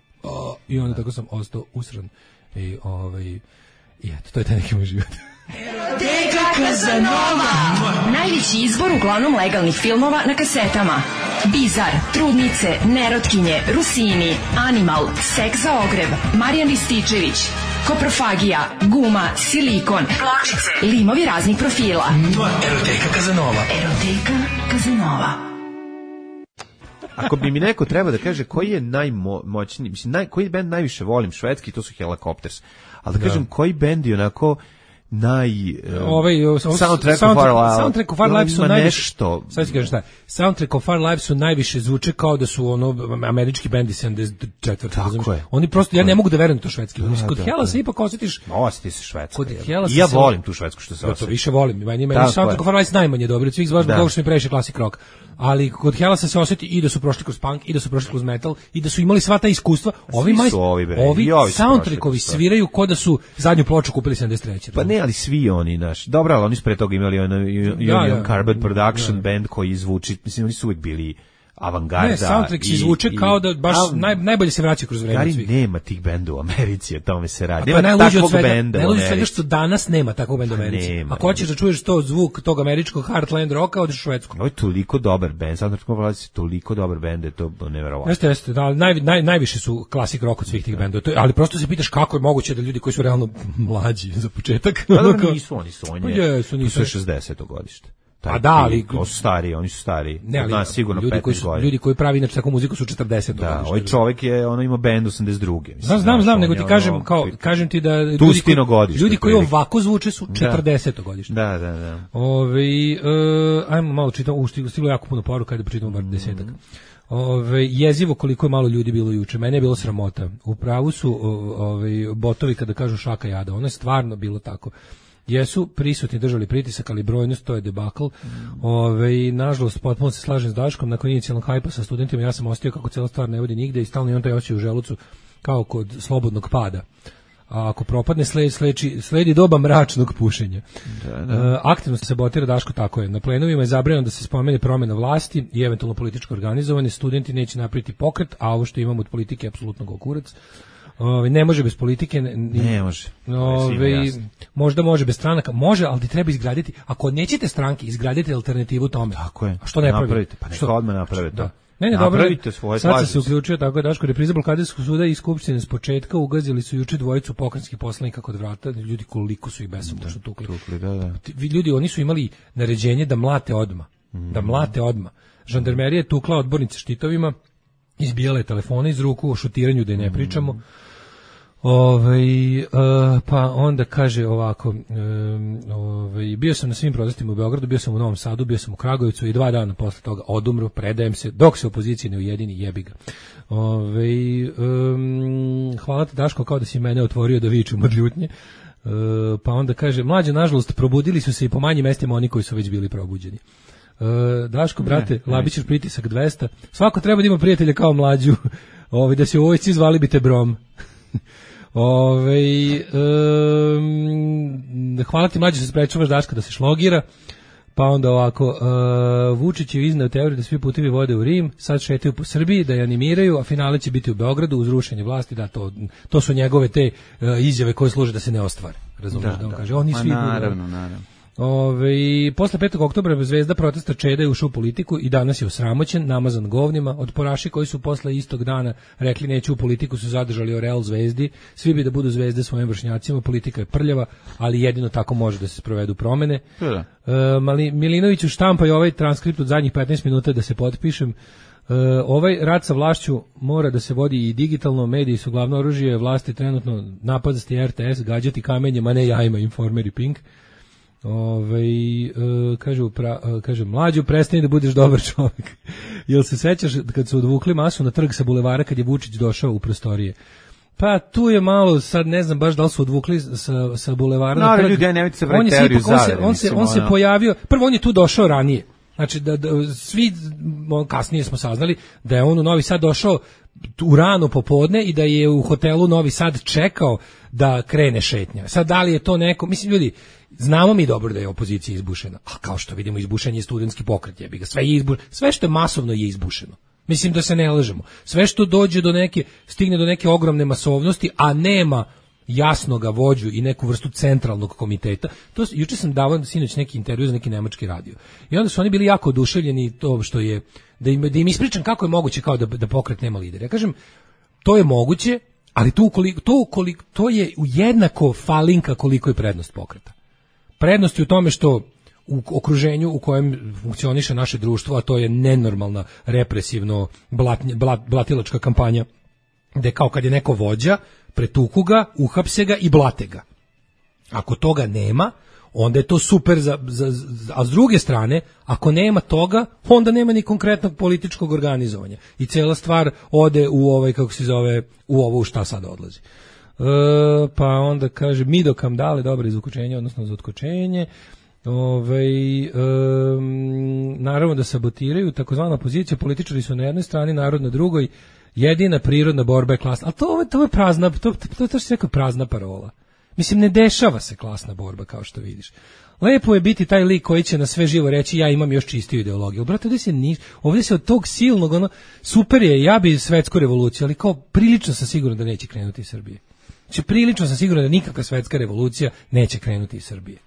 Speaker 7: I onda tako sam ostao usran. I eto, to je taj neki moj život.
Speaker 3: Eroteka Kazanova. Najveći izbor uglavnom legalnih filmova na kasetama. Bizar, Trudnice, Nerotkinje, Rusini, Animal, Seks za ogreb, Marijan Rističević, Koprofagija, Guma, Silikon, Pločice, limovi raznih profila.
Speaker 1: Eroteka Kazanova.
Speaker 3: Eroteka Kazanova.
Speaker 6: Ako bi mi neko treba da kaže koji je najmoćniji, mislim, koji bend najviše volim švedski, to su Helicopters. Ali da kažem, koji bend je onako Soundtrack
Speaker 7: of Our Lives su najviše. Sad ti kažem šta. Soundtrack of Our Lives su najviše zvuče kao da su američki bendi 74.
Speaker 6: Tako je.
Speaker 7: Oni prosto, ja ne mogu da verujem to švedski. Kod Hela se ipak osjetiš.
Speaker 6: Osjeti se švedsko. I ja volim tu švedsku što se osjeti.
Speaker 7: To više volim. Meni Soundtrack of Our Lives najmanje dobro. Svih zbog toga što mi previše klasik rock. Ali kod Hela se osjeti i da su prošli kroz punk, i da su prošli kroz metal, i da su imali sva ta iskustva. Ovi soundtrackovi sviraju kao da su zadnju ploču kupili 73.
Speaker 6: Pa ne, ali svi oni, dobro, ali oni su pre toga imali Carbon Production band koji zvuči, mislim, oni su uvijek bili avangarda.
Speaker 7: Ne, soundtrack se zvuče kao da baš najbolje se vraća kroz vreme.
Speaker 6: Ali nema tih benda u Americi, o tome se radi.
Speaker 7: Nema takvog benda u Americi. Najluđe od svega što danas nema takvog benda u Americi. Ako hoćeš da čuješ to zvuk tog američkog Heartland rocka, odeš u Švedsku.
Speaker 6: Ovo je toliko dobar bend, soundtrack of Our Lives je toliko dobar bend, je to neverovatno.
Speaker 7: Jeste, najviše su klasik rock od svih tih bendova. Ali prosto se pitaš kako je moguće da ljudi koji su realno mlađi za početak.
Speaker 6: Nisu, oni su 60. godište.
Speaker 7: A da, ali
Speaker 6: oni su stariji.
Speaker 7: Ne, ali
Speaker 6: nas sigurno 15 godina.
Speaker 7: Ljudi koji pravi inače takvu muziku su 40.
Speaker 6: Da, ovaj čovjek je ima bend 82.
Speaker 7: Znam, nego ti kažem ti da ljudi koji ovako zvuče su 40. godište.
Speaker 6: Da.
Speaker 7: Ajmo malo čitamo, stiglo jako puno poruka, da pročitamo bar 10-ak. Jezivo koliko je malo ljudi bilo juče, mene je bilo sramota. U pravu su botovi kada kažu šaka jada, ono je stvarno bilo tako. Jesu prisutni držali pritisak, ali brojnost to je debakl. Nažalost, potpuno se slažem s Daškom, nakon inicijalnog hajpa sa studentima ja sam ostio kako cijela stvar ne vodi nigde i stalno imam taj osjećaj u želucu kao kod slobodnog pada. A ako propadne sledi doba mračnog pušenja. Aktivno se sabotira, Daško, tako je. Na plenovima je zabranjeno da se spomene promjena vlasti i eventualno političko organizovanje. Studenti neće napraviti pokret, a ovo što imamo od politike je apsolutno gokurac. Ne može bez politike,
Speaker 6: ne može.
Speaker 7: Možda može bez stranaka, može, ali treba izgraditi. Ako nećete stranke, izgradite alternativu tome.
Speaker 6: Tako je.
Speaker 7: A što ne
Speaker 6: napravite? Pa neka odmah napravite.
Speaker 7: Da. Ne, dobro. Sad se uključio, tako je, Daško, repriza blokaderskog suda i skupštine s početka ugazili su juče dvojicu pokrajinskih poslanika kod vrata, ljudi koliko su ih besomučno tukli. Ljudi, oni su imali naređenje da mlate odma. Da mlate odma. Žandarmerija je tukla odbornice štitovima, izbijala je telefone iz ruku, o šutiranju da je ne pričamo. Pa onda kaže ovako, bio sam na svim protestima u Beogradu, bio sam u Novom Sadu, bio sam u Kragujevcu i 2 dana posle toga odumro, predajem se, dok se opozicija ne ujedini, jebi ga. Hvala ti, Daško, kao da si mene otvorio da viču mrljutnje. Pa onda kaže, mlađe, nažalost, probudili su se i po manjim mestima oni koji su već bili probuđeni. Daško, brate, Labićev pritisak 200. Svako treba da ima prijatelja kao Mlađu. Da se u vojsci zvali bi te Brom. Hvala ti, Mlađe, što se sprečavaš, Daška, da se šlogira. Pa onda ovako, Vučić je izneo teoriju da svi putevi vode u Rim, sad šetaju po Srbiji, da je animiraju, a finale će biti u Beogradu uz rušenje vlasti. Da, to su njegove te izjave koje služe da se ne ostvare. Razumiješ da on kaže, oni svi
Speaker 6: naravno.
Speaker 7: Posle 5. oktobra zvezda protesta Čeda je ušao u politiku i danas je osramoćen, namazan govnima. Otporaši koji su posle istog dana rekli neću u politiku su zadržali oreol zvezdi. Svi bi da budu zvezde svojim vršnjacima, politika je prljava, ali jedino tako može da se sprovedu promene. Milinoviću štampa i ovaj transkript od zadnjih 15 minuta da se potpišem. Ovaj rat sa vlašću mora da se vodi i digitalno, mediji su glavno oružje vlasti trenutno, napadasti RTS, gađati kamenjem, a ne jajima, Informer i Pink. Kaže Mlađu, prestani da budeš dobar čovjek. Jel se sećaš kad su odvukli masu na trg sa bulevara kad je Vučić došao u prostorije? Pa tu je malo, sad ne znam baš da li su odvukli sa bulevara na trg.
Speaker 6: Ljudi, nemojte se vrati teoriju zavere.
Speaker 7: On se pojavio, prvo on je tu došao ranije. Znači da svi kasnije smo saznali da je on u Novi Sad došao u rano popodne i da je u hotelu Novi Sad čekao da krene šetnja. Sad da li je to neko, mislim ljudi, znamo mi dobro da je opozicija izbušena, a kao što vidimo izbušen je studentski pokret, jebi ga, sve što je masovno je izbušeno. Mislim da se ne lažemo. Sve što dođe stigne do neke ogromne masovnosti, a nema jasnoga vođu i neku vrstu centralnog komiteta. Juče sam davao sinoć neki intervju za neki nemački radio. I onda su oni bili jako oduševljeni to što je, da im ispričam kako je moguće kao da pokret nema lidera. Ja kažem, to je moguće, ali to je jednako falinka koliko je prednost pokreta. Prednost je u tome što u okruženju u kojem funkcioniše naše društvo, a to je nenormalna represivno blatilačka kampanja, gde kao kad je neko vođa, pretuku ga, uhapse ga i blate ga. Ako toga nema, onda je to super, a s druge strane, ako nema toga, onda nema ni konkretnog političkog organizovanja. I cela stvar ode u ovo u šta sad odlazi. Pa onda kaže Mido Kamdale, dobro izvukočenje, odnosno za otkočenje. Naravno da sabotiraju takozvana opozicija, političari su na jednoj strani, narod na drugoj. Jedina prirodna borba je klasna. Ali to je prazna, to se rekao prazna parola. Mislim, ne dešava se klasna borba, kao što vidiš. Lepo je biti taj lik koji će na sve živo reći ja imam još čistiju ideologiju. Brate, ovdje se od tog silnog, super je, ja bi svetsku revoluciju, ali kao prilično sam siguran da neće krenuti iz Srbije. Znači, prilično sam siguran da nikakva svetska revolucija neće krenuti iz Srbije.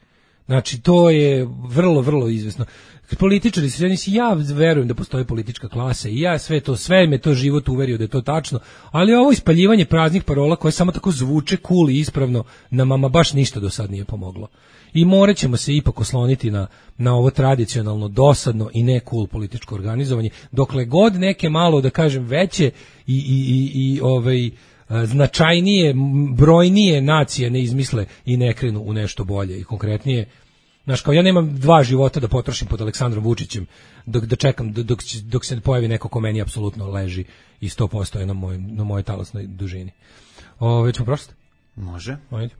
Speaker 7: Znači, to je vrlo, vrlo izvesno. Političari se, ja verujem da postoji politička klasa i ja sve me to život uverio da je to tačno, ali ovo ispaljivanje praznih parola koje samo tako zvuče cool i ispravno nam ama baš ništa do sad nije pomoglo. I morat ćemo se ipak osloniti na ovo tradicionalno, dosadno i ne cool političko organizovanje, dokle god neke malo, da kažem, veće i značajnije, brojnije nacije ne izmisle i ne krenu u nešto bolje i konkretnije. Znaš, kao ja nemam 2 života da potrošim pod Aleksandrom Vučićem da čekam dok se pojavi neko ko meni apsolutno leži i 100% je na mojoj talasnoj dužini. Ćemo prošli?
Speaker 6: Može.
Speaker 7: Ajde.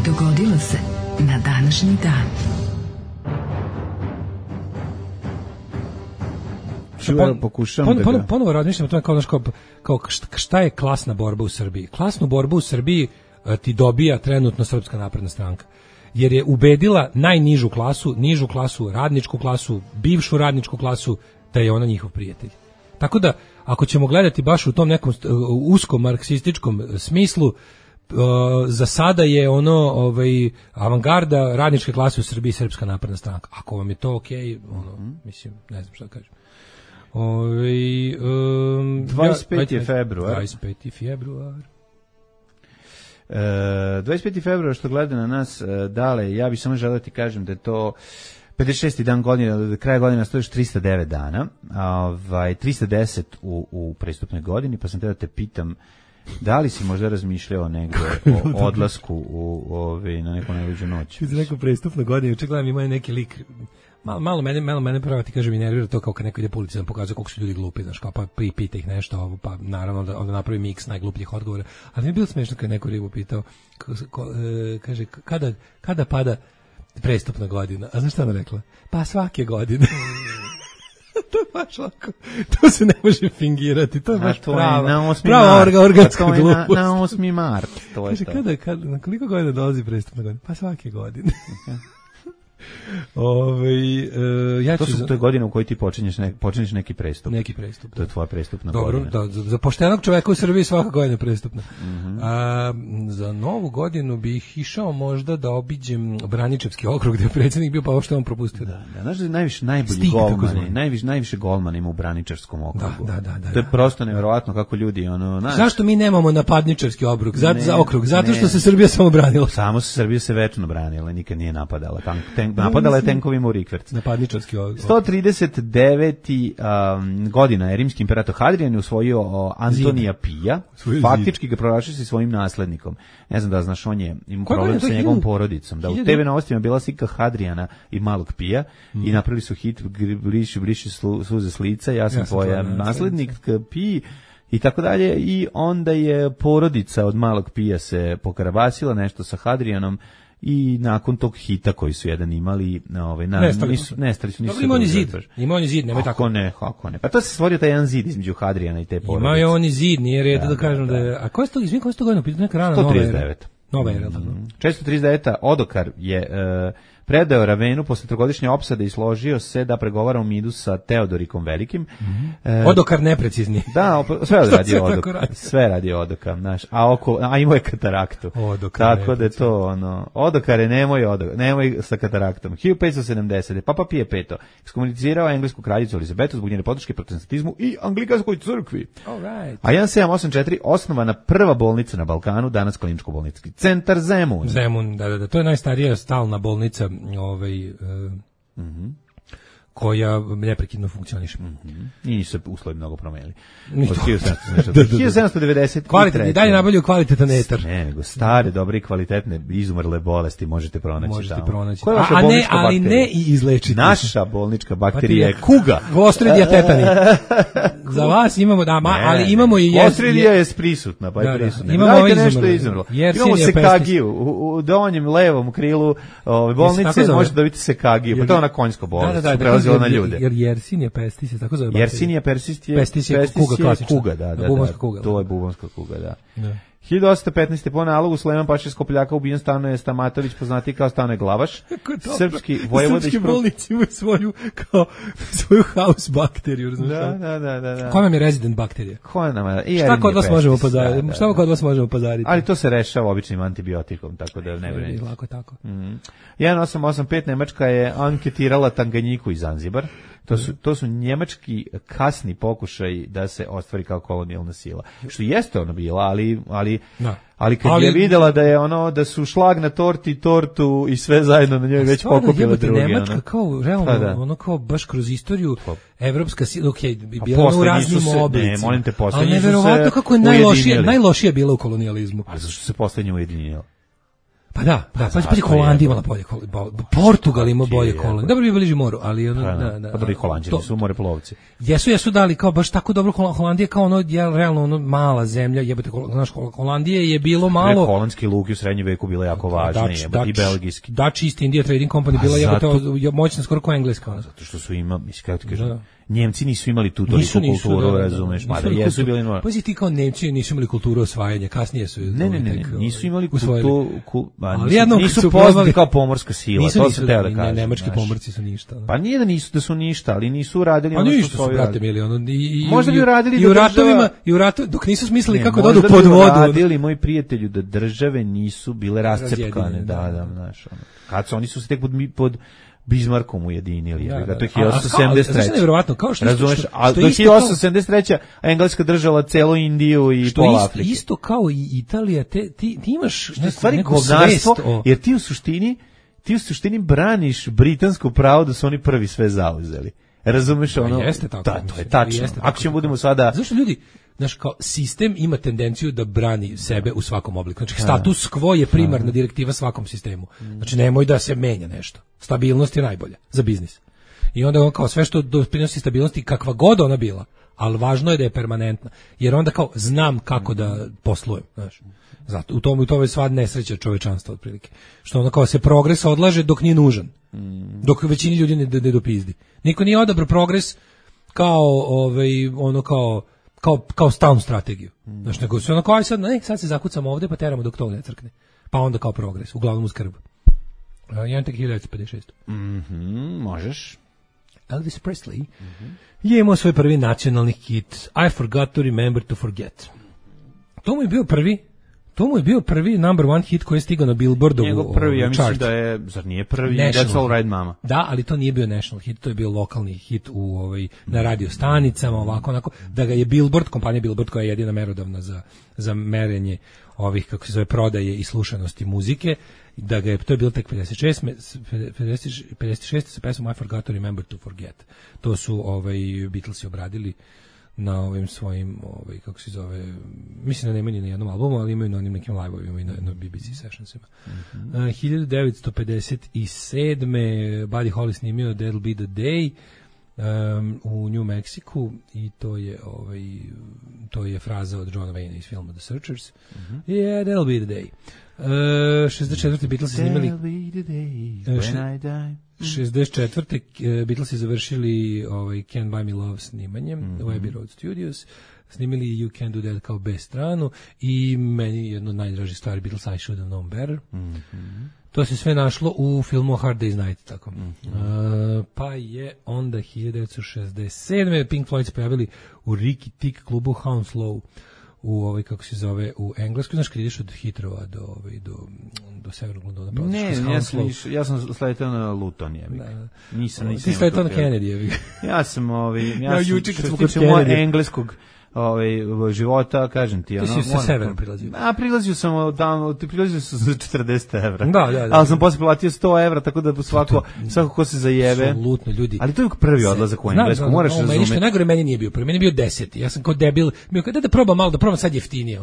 Speaker 3: Dogodilo se na današnji dan.
Speaker 7: Ponovo razmišljam o tome kao šta je klasna borba u Srbiji. Klasnu borbu u Srbiji ti dobija trenutno Srpska napredna stranka. Jer je ubedila najnižu klasu, nižu klasu, radničku klasu, bivšu radničku klasu, da je ona njihov prijatelj. Tako da, ako ćemo gledati baš u tom nekom uskom marksističkom smislu, za sada je ono avangarda radničke klase u Srbiji Srpska napredna stranka. Ako vam je to okej, mislim, ne znam šta da kažem.
Speaker 6: 25. februar.
Speaker 7: 25. februar.
Speaker 6: 25. februar što gleda na nas, Dale, ja bih samo želeo ti kažem da je to 56. dan godine, do kraja godine stojiš 309 dana, 310 u prestupnoj godini, pa sam te da te pitam da li si možda razmišljao negde o odlasku na neku najluđu noć?
Speaker 7: Za neku prestupnu godinu, juče gledam ima neki lik, malo mene pravo ti kažem i nervira to kao kad neko ide po ulici da pokazuje koliko su ljudi glupi, znaš, kao pa pita ih nešto, pa naravno onda napravi miks najglupljih odgovora, ali mi je bilo smešno kad neko ribu pitao, kaže, kada pada prestupna godina, a znaš šta ona rekla? Pa svake godine. To je baš lako. To se ne može fingirati. To je baš prava organska glupost.
Speaker 6: Na 8. mart. To je
Speaker 7: kaže, na koliko godina dolazi prestupna godina? Pa svake godine.
Speaker 6: To je godina u kojoj ti počinješ neki prestup.
Speaker 7: Neki prestup.
Speaker 6: To je tvoja prestupna godina.
Speaker 7: Dobro, za poštenog čoveka u Srbiji svaka godina je prestupna. Za novu godinu bih išao možda da obiđem Braničevski okrug gde je predsjednik bio, pa ovo što je on propustio.
Speaker 6: Da, znaš da je najbolji golmani, najviše golmana ima u Braničevskom okrugu.
Speaker 7: Da.
Speaker 6: To je prosto nevjerovatno kako ljudi
Speaker 7: Zašto mi nemamo napadničarski okrug? Zato što se Srbija samo branila.
Speaker 6: Samo se Srbija večno branila, nikad nije napadala. Napadala je tenkovima u rikverc.
Speaker 7: Napadničarski okrug.
Speaker 6: 139. godina je rimski imperator Hadrian je usvojio Antonija Pija, faktički ga proglasio sa svojim naslednikom. Ne znam da znaš, on je imao problem sa njegovom porodicom. Da u TV novostima bila slika Hadriana i malog Pija i napravili su hit briši suze s lica, ja sam tvoj naslednik Pij i tako dalje, i onda je porodica od malog Pija se pokarabasila nešto sa Hadrianom i nakon tog hita koji su jedan imali, nestali su.
Speaker 7: Dobro, ima on je zid, nemoj tako.
Speaker 6: Kako ne. Pa to se stvorio taj jedan zid između Hadriana i te porodice.
Speaker 7: Ima je on i zid, nije red da kažem da je. A ko je to, izvin, ko je to godina? Neka rana
Speaker 6: 139.
Speaker 7: Nova era, tako.
Speaker 6: 439. Odokar je predao Ravenu posle trogodišnje opsade i složio se da pregovara u miru sa Teodorikom Velikim.
Speaker 7: Odokar neprecizni.
Speaker 6: Da, sve radi Odokar. Sve radi Odokar, znaš. A imao je kataraktu. Tako da je to Odokare, nemoj sa kataraktom. 1570. Papa Pije V ekskomunicirao englesku kraljicu Elizabetu zbog njene podrške protestantizmu i anglikanskoj crkvi. A 1784 osnovana prva bolnica na Balkanu, danas kliničko-bolnički centar Zemun.
Speaker 7: Zemun, da, to je najstarija stalna bolnica koja neprekidno funkcioniše.
Speaker 6: I nisu se uslovi mnogo promenili. Od 1793.
Speaker 7: I dalje nabavljaju kvalitetan etar.
Speaker 6: Ne, nego stare, dobre i kvalitetne izumrle bolesti možete pronaći tamo.
Speaker 7: Koja je vaša bolnička bakterija? Ali ne i izlečiti.
Speaker 6: Naša bolnička bakterija je kuga.
Speaker 7: Gostridija tetani. Za vas imamo, ali imamo i
Speaker 6: Gostridija je prisutna, pa je prisutna.
Speaker 7: Imamo
Speaker 6: izumrlo. Imamo sekagiju. U donjem levom krilu bolnice možete dobiti sekagiju. Pa to je ona konjska bolest. Na ljude.
Speaker 7: Jer Yersinia pestis je tako zove.
Speaker 6: Yersinia pestis je kuga, da. To je bubonska kuga, da. 1815. po nalogu Sleman Paša Skopljaka ubijen Stanoje Stamatović, poznati kao Stanoje Glavaš. Srpski vojvoda
Speaker 7: Srpski bolnici imaju svoju house bakteriju, razumiješ?
Speaker 6: Da.
Speaker 7: Koja nam je resident bakterija? Šta kod vas možemo pozariti?
Speaker 6: Ali to se rešava običnim antibiotikom, tako da ne brinite.
Speaker 7: Lako tako.
Speaker 6: 1885 Nemačka je anketirala Tanganjiku i Zanzibar. To su njemački kasni pokušaj da se ostvari kao kolonijalna sila. Što jeste ono bila, ali kad je videla da je da su šlag na tortu i sve zajedno na njoj već pokupile drugi.
Speaker 7: Nemačka kao realno, kao baš kroz istoriju evropska sila, bila u raznim oblicima.
Speaker 6: Ne, molim te,
Speaker 7: ali neverovatno kako je najlošija bila u kolonijalizmu.
Speaker 6: A zašto se poslednje ujedinila?
Speaker 7: Pa da, Holandija imala bolje kolonije, Portugal ima bolje kolonije. Dobro bi bliži moru, ali
Speaker 6: Pa dobro, i Holanđani su moreplovci.
Speaker 7: Jesu dali kao baš tako dobro. Holandija kao realno mala zemlja, jebote, znaš, Holandije je bilo malo.
Speaker 6: Holandski luki u srednjem veku bile jako važne, i belgijski.
Speaker 7: Dutch East India Trading Company bila jebote moćna skoro kao engleska.
Speaker 6: Zato što su kako ti kažem, Njemci nisu imali tu toliku kulturu, razumeš, mada jesu bili.
Speaker 7: Pa ti kao Nemci nisu imali kulturu osvajanja, kasnije su.
Speaker 6: Ne, nisu imali kulturu,
Speaker 7: Ali jednom
Speaker 6: nisu poznati kao pomorska sila, to sam teo da kažem.
Speaker 7: Nemački pomorci su ništa.
Speaker 6: Pa nije da su ništa, ali nisu radili
Speaker 7: ono što su brate mili,
Speaker 6: možda bi radili
Speaker 7: i u ratovima, dok nisu smislili kako da odu pod vodu.
Speaker 6: Radili, moji prijatelju, da države nisu bile rascepkane, da, znaš, kad su, oni su se tek pod Bismarckom ujedinili, to je 1873.
Speaker 7: Znači nevjerovatno, kao što
Speaker 6: razumeš, a do 1873. Engleska držala celu Indiju i pola Afrike.
Speaker 7: Isto kao i Italija, ti imaš
Speaker 6: neko svest, jer ti u suštini braniš britansko pravo da su oni prvi sve zauzeli. Razumeš ono?
Speaker 7: Jeste tako.
Speaker 6: Da, to je tačno. Ako ćemo budemo sada...
Speaker 7: Zašto ljudi, znaš, kao sistem ima tendenciju da brani sebe u svakom obliku. Znači, status quo je primarna direktiva svakom sistemu. Znači, nemoj da se menja nešto. Stabilnost je najbolja za biznis. I onda on kao sve što doprinosi stabilnosti, kakva god ona bila, ali važno je da je permanentna. Jer onda kao znam kako da poslujem, znaš. Zato, u tome je sva nesreća čovečanstva otprilike. Što ono kao se progres odlaže dok nije nužan. Dok većini ljudi ne dopizdi. Niko nije odabrao progres kao stalnu strategiju. Znači, nego se ono kao, sad se zakucamo ovde pa teramo dok to ne crkne. Pa onda kao progres, uglavnom uz krb. Jedan tek 1956.
Speaker 6: Možeš.
Speaker 7: Elvis Presley je imao svoj prvi nacionalni hit I Forgot to Remember to Forget. To mu je bio prvi number one hit koji je stigao na Billboardovu
Speaker 6: njegov prvi, ja mislim
Speaker 7: chart.
Speaker 6: da je, zar nije prvi That's All Right Mama?
Speaker 7: Da, ali to nije bio national hit, to je bio lokalni hit na radio stanicama, ovako, onako, da ga je Billboard, kompanija Billboard koja je jedina merodavna za merenje ovih, kako se zove, prodaje i slušanosti muzike, da ga je, to je bilo tek 56. sa pesmom I Forgot to Remember to Forget. To su Beatlesi obradili na ovim svojim, kako se zove, mislim da nemaju ni na jednom albumu, ali imaju na onim nekim live-ovima i na BBC sessionsima. 1957. Buddy Holly snimio That'll Be the Day u New Mexico i to je fraza od Johna Wayne iz filma The Searchers. Yeah, that'll be the day. 64. Beatlesi snimali 64. Beatlesi završili Can't Buy Me Love snimanjem u Abbey Road Studios, snimili You Can't Do That kao B stranu i meni jedno od najdražih stvari Beatles I Should Have Known Better. To se sve našlo u filmu Hard Day's Night, tako. Pa je onda 1967. Pink Floyd se pojavili u Ricky Tick klubu Hounslow u kako se zove, u Engleskoj. Znaš kad ideš od Hitrova do Severnog Londona?
Speaker 6: Ne, ja sam sletao na Luton, jebik. Nisam.
Speaker 7: Ti sletao na Kennedy, jebik.
Speaker 6: Ja sam, što se tiče mojeg engleskog života, kažem ti.
Speaker 7: Ti si sa severa prilazio.
Speaker 6: Prilazio sam za 40 evra.
Speaker 7: Da.
Speaker 6: Ali sam posle platio 100 evra, tako da svako ko se zajebe.
Speaker 7: Apsolutno, ljudi.
Speaker 6: Ali to je prvi odlazak u Englesku, moraš razumeti.
Speaker 7: Meni što najgore meni nije bio prvi, meni je bio 10. Ja sam kao debil, da probam malo, da probam sad jeftinije.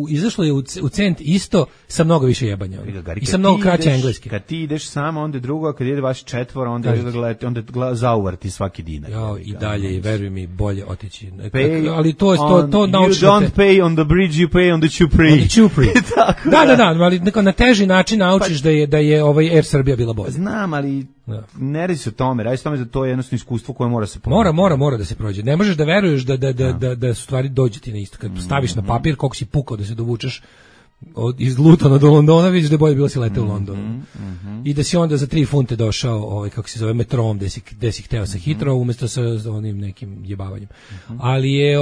Speaker 7: Izašlo je u cent isto sa mnogo više jebanja. I sa mnogo kraće engleski.
Speaker 6: Kad ti ideš samo, onda je drugo, a kad ide vaš četvora, onda zauvarti svaki dinar.
Speaker 7: I dalje, veruj mi, bolje otići.
Speaker 6: Ali to you don't pay on the bridge, you pay on the Chupri.
Speaker 7: Da, ali na teži način naučiš da je Air Srbija bila bolja.
Speaker 6: Znam, ali ne radi se o tome, da to je jednostavno iskustvo koje mora se
Speaker 7: proći. Mora da se prođe. Ne možeš da veruješ da stvari dođe ti na isto. Kad staviš na papir koliko si pukao da se dovučeš iz Lutona do Londona, vidiš da je bolje bilo si leteo u Londonu. I da si onda za 3 funte došao, kako se zove, metrom, gde si hteo sa hitro, umjesto sa onim nekim jebavanjem. Ali je,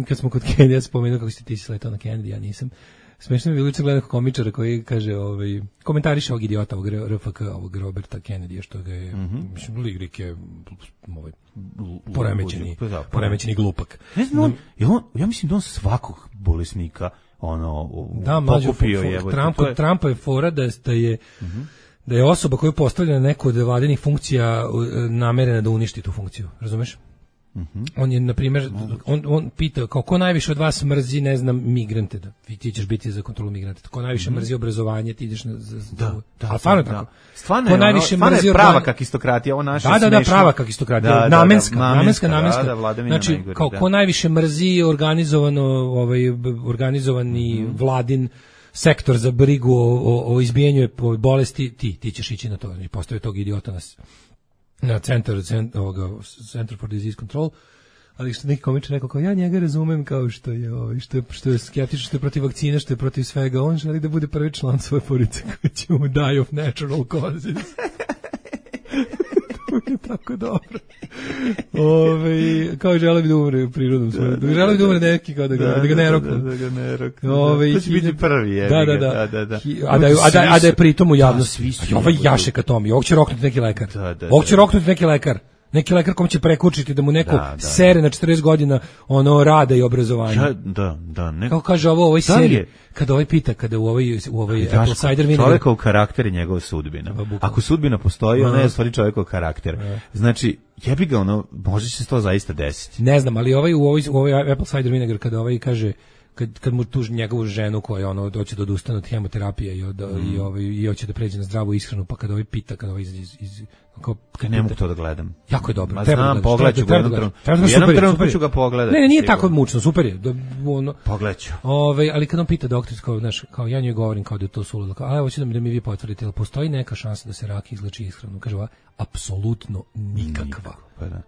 Speaker 7: kad smo kod Kennedy, spomenuo kako ti si letao na Kennedy, ja nisam. Smešno mi je bilo juče gledati komičara koji kaže, komentariše ovog idiota, ovog RFK, ovog Roberta Kennedy, što ga je, mislim, Ligrik je poremećeni glupak.
Speaker 6: Ne znam, ja mislim da on svakog bolesnika pokupio je.
Speaker 7: Trumpa je fora da je osoba koju postavlja na neku od vladinih funkcija namerena da uništi tu funkciju, razumeš? On je, na primjer, on pita ko najviše od vas mrzi, ne znam, migrante, ti ćeš biti za kontrolu migranta, ko najviše mrzi obrazovanje, ti ideš ali stvarno je tako.
Speaker 6: Stvarno je prava kakistokratija, ovo naše smešno.
Speaker 7: Da, prava kakistokratija, namenska. Znači, ko najviše mrzi organizovani vladin sektor za brigu o izbijanju bolesti, ti ćeš ići na to, i postoje tog idiota na Center for Disease Control, ali što neki komičar rekao kao ja njega razumem kao što je što je skeptičan, što je protiv vakcine, što je protiv svega, on želi da bude prvi član svoje porodice koji će mu die of natural causes. To je tako dobro. Kao žele bi da umre prirodnom svojom. Žele bi da umre neki kao da ga ne roknu.
Speaker 6: To će biti prvi.
Speaker 7: Da. A da je pritom u javnosti. Ovaj jašek atomi, ovog će roknuti neki lekar. Ovog će roknuti neki lekar. Neki lekar kom će prekučiti da mu neko sere na 40 godina ono rada i obrazovanja.
Speaker 6: Ne.
Speaker 7: Kao kaže ovoj seriji, kada ovaj pita, kada u ovoj Apple cider vinegar.
Speaker 6: Čovjekov karakter je njegova sudbina. Ako sudbina postoji, ona je u stvari čovjekov karakter. Znači, jebi ga ono, može se to zaista desiti.
Speaker 7: Ne znam, ali u ovoj Apple cider vinegar, kada ovaj kaže, kad mu tuži njegovu ženu koja ono doće da odustane od hemoterapije i hoće da pređe na zdravu ishranu, pa kada ovaj pita, kada ovaj iz
Speaker 6: ne mogu to da gledam.
Speaker 7: Jako je dobro.
Speaker 6: Znam, pogledaću ga jednom trenutku ću ga pogledati.
Speaker 7: Ne, nije tako mučno, super je.
Speaker 6: Pogledaću.
Speaker 7: Ali kad on pita doktor, kao ja njoj govorim kao da je to suludo, a evo ću da mi vi potvrdite, jel postoji neka šansa da se rak izleči ishranom? Kaže ova, apsolutno nikakva.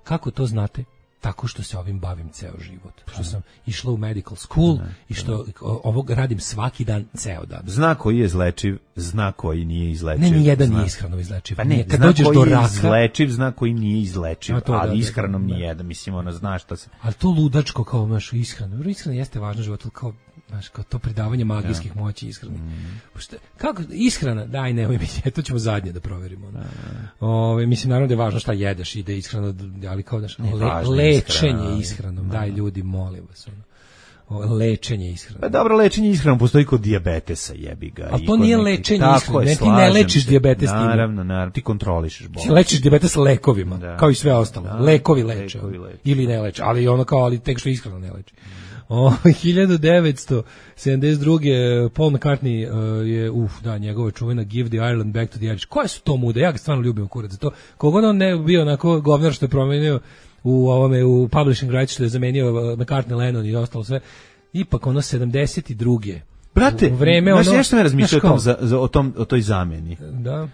Speaker 7: Kako to znate? Tako što se ovim bavim ceo život. Što sam išla u medical school i što ovog radim svaki dan, ceo dan.
Speaker 6: Zna koji je izlečiv, zna koji nije izlečiv.
Speaker 7: Ne, nijedan nije ishranom izlečiv.
Speaker 6: Pa ne,
Speaker 7: kad
Speaker 6: zna
Speaker 7: dođeš
Speaker 6: koji
Speaker 7: do
Speaker 6: je
Speaker 7: raka,
Speaker 6: izlečiv, zna koji nije izlečiv, ali ishranom nijedan. Mislim, ono, zna šta se...
Speaker 7: Ali to ludačko kao našu ishranu. Ishrana jeste važno životu, kao to pridavanje magijskih moći ishrani. Kako ishrana? Daj, nemoj mi, to ćemo zadnje da proverimo. Mislim, naravno da je važno šta jedeš i da je ishrana, ali kao lečenje ishranom. Daj, ljudi, molim vas. Lečenje ishranom.
Speaker 6: Pa dobro, lečenje ishranom postoji kod dijabetesa, jebi ga.
Speaker 7: Ali to nije lečenje ishranom. Ne, ti ne lečiš dijabetes time.
Speaker 6: Naravno, ti kontrolišeš bolest.
Speaker 7: Ti lečiš dijabetes lekovima, kao i sve ostalo. Lekovi leče. Ili ne leče, ali ono kao, ali tek što ishrana ne leči. 1972. Paul McCartney je, njegova čuvena Give the Ireland Back to the Irish. Koje su to mude? Ja ga stvarno ljubim kurac za to. Kogod on ne bio onako govnar što je promenio u publishing rights, što je zamenio McCartney, Lennon i ostalo sve. Ipak ono 72.
Speaker 6: Brate, znaš nešto me razmišljao o toj zamjeni.
Speaker 7: Da.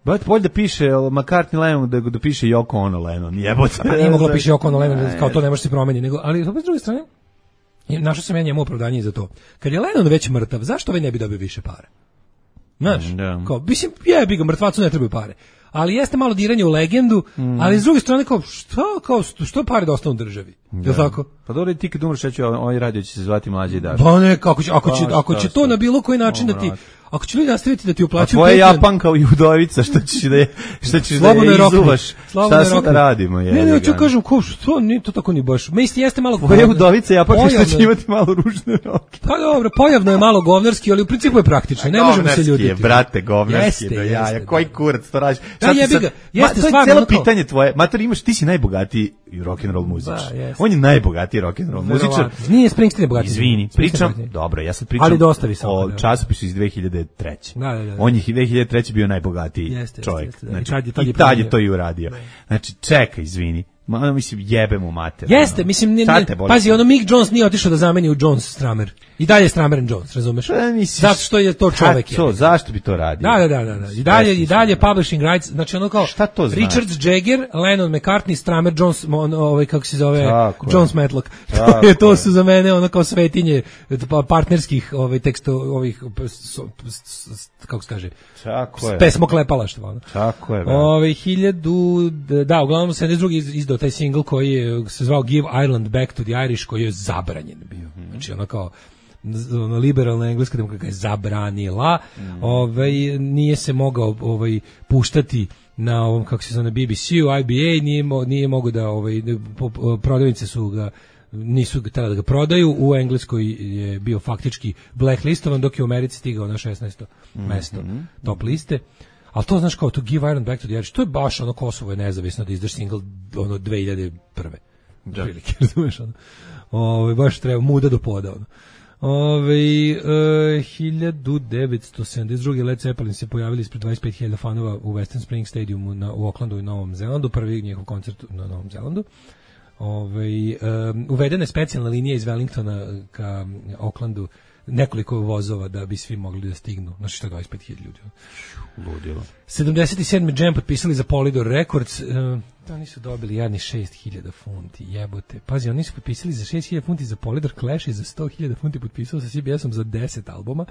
Speaker 6: Brate, bolje da piše McCartney Lennon da piše Yoko Ono Lennon. Jebote.
Speaker 7: Pa nije moglo piše Yoko Ono Lennon, kao to ne može se promeniti. Ali s druge strane, našao sam ja njemu opravdanje za to. Kad je Lennon već mrtav, zašto ovaj ne bi dobio više para? Znaš, mislim, jebi ga, mrtvacu ne trebaju pare. Ali jeste malo diranje u legendu, ali s druge strane, što pare da ostanu državi? Je tako?
Speaker 6: Pa dobro, ti kad umreš, ovaj radio će se zvati Mlađe i Daš.
Speaker 7: Pa ne, ako će to na bilo koji način da ti... Ako će ljudi nastaviti da ti uplaćuju...
Speaker 6: A tvoja Japanka i udovica, što ćeš da je izuvaš? Šta sad da radimo?
Speaker 7: Ne, ću kažem, što nije to tako ni baš. Mislim, jeste malo...
Speaker 6: Tvoja udovica Japanka što će imati malo ružne roke.
Speaker 7: Pa dobro, pojavno je malo govnarski, ali u principu je praktično. Ne možemo se ljutiti.
Speaker 6: Govnarski je, brate, govnarski. Jeste. Koji kurac to radiš?
Speaker 7: Jeste
Speaker 6: stvarno... To je cijelo pitanje tvoje. Mator, ti si najbogatiji rock'n'roll muzičar. On je najbogatiji rock'n'roll muzičar.
Speaker 7: Nije Springsteen bogatiji.
Speaker 6: Izvini, pričam, dobro, ja sad pričam o časopisu iz 2003. On je 2003. bio najbogatiji čovjek. I tad je to i uradio. Znači, čekaj, izvini. Mislim, jebemo mater.
Speaker 7: Jeste, mislim, pazi, Mick Jones nije otišao da zameni u Jones Stramer. I dalje je Stramer and Jones, razumeš? Zato što je to čovek.
Speaker 6: Zašto bi to radio?
Speaker 7: Da. I dalje publishing rights, znači ono kao Richards, Jagger, Lennon, McCartney, Stramer, Jones, kako se zove, Jones Matlock. To su za mene ono kao svetinje partnerskih kako se kaže, pesmoklepalaštva.
Speaker 6: Tako je.
Speaker 7: Uglavnom 72. izdao taj single koji se zvao Give Ireland Back to the Irish, koji je zabranjen bio. Znači ono kao liberalna engleska demokratka je zabranila, nije se mogao puštati na ovom, kako se zove, na BBC-u, IBA nije mogao da prodavnice su ga nisu htjeli da ga prodaju, u Engleskoj je bio faktički blacklistovan, dok je u Americi stigao na 16. mesto top liste. Ali to znaš kao to Give Ireland Back to the Irish, to je baš ono Kosovo je nezavisno da izdaš single 2001. Prilike, razumeš ono. Baš treba muda do poda ono. 1972. Led Zeppelin se pojavili ispred 25.000 fanova u Western Springs Stadiumu u Aucklandu i Novom Zelandu, prvi njihov koncert na Novom Zelandu. Uvedena je specijalna linija iz Wellingtona ka Aucklandu, nekoliko vozova da bi svi mogli da stignu. Znači što je 25.000 ljudi.
Speaker 6: Ludilo.
Speaker 7: 77. Jam potpisali za Polydor Records. To oni su dobili jadni 6.000 funti, jebote. Pazi, oni su potpisali za 6.000 funti za Polydor Clash i za 100.000 funti potpisao sa CBS-om za 10 albuma.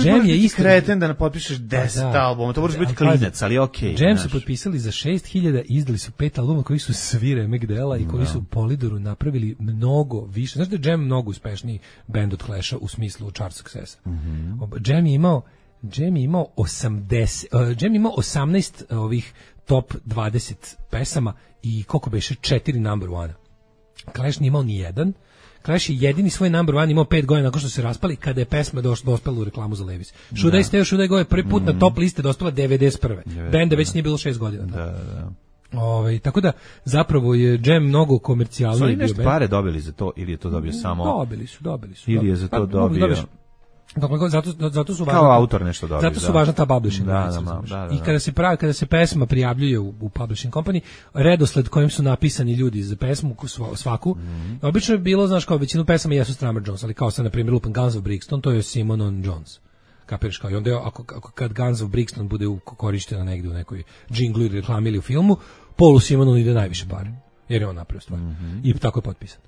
Speaker 6: Jam je isti kreten da ne potpišeš 10 albuma, to možeš biti klinac, ali okej.
Speaker 7: Jam su potpisali za 6.000, izdali su 5 albuma koji su svi remek dela i koji su Polydoru napravili mnogo više. Znaš da je Jam mnogo uspešniji band od Clasha u smislu chart successa. Jam je imao 18 ovih top 20 pesama i koliko beše 4 number one. Clash nije imao ni jedan. Clash je jedini svoj number one imao 5 godina nakon što se raspali kada je pesma dospela u reklamu za Levi's. Should I Stay or Should I Go je prvi put na top liste dospela 91. Benda već nije bilo 6 godina.
Speaker 6: Da.
Speaker 7: Tako da zapravo je Jam mnogo komercijalniji.
Speaker 6: Su li nešto pare dobili za to ili je to dobio samo?
Speaker 7: Dobili su.
Speaker 6: Ili je za to dobio?
Speaker 7: Zato su
Speaker 6: kao autor nešto dobio.
Speaker 7: Zato su važna ta publishing.
Speaker 6: Da.
Speaker 7: I kada se pesma prijavljuje u publishing company, redosled kojim su napisani ljudi za pesmu svaku, obično je bilo, znaš, kao većinu pesama jesu Strummer Jones, ali kao sad, na primjer, lupan Guns of Brixton, to je Simon on Jones. Kapiraš, kao i onda ako kad Guns of Brixton bude korištena negde u nekoj džinglu ili reklami ili u filmu, Paulu Simonu ide najviše pare, jer je on napravio stvar. I tako je potpisan.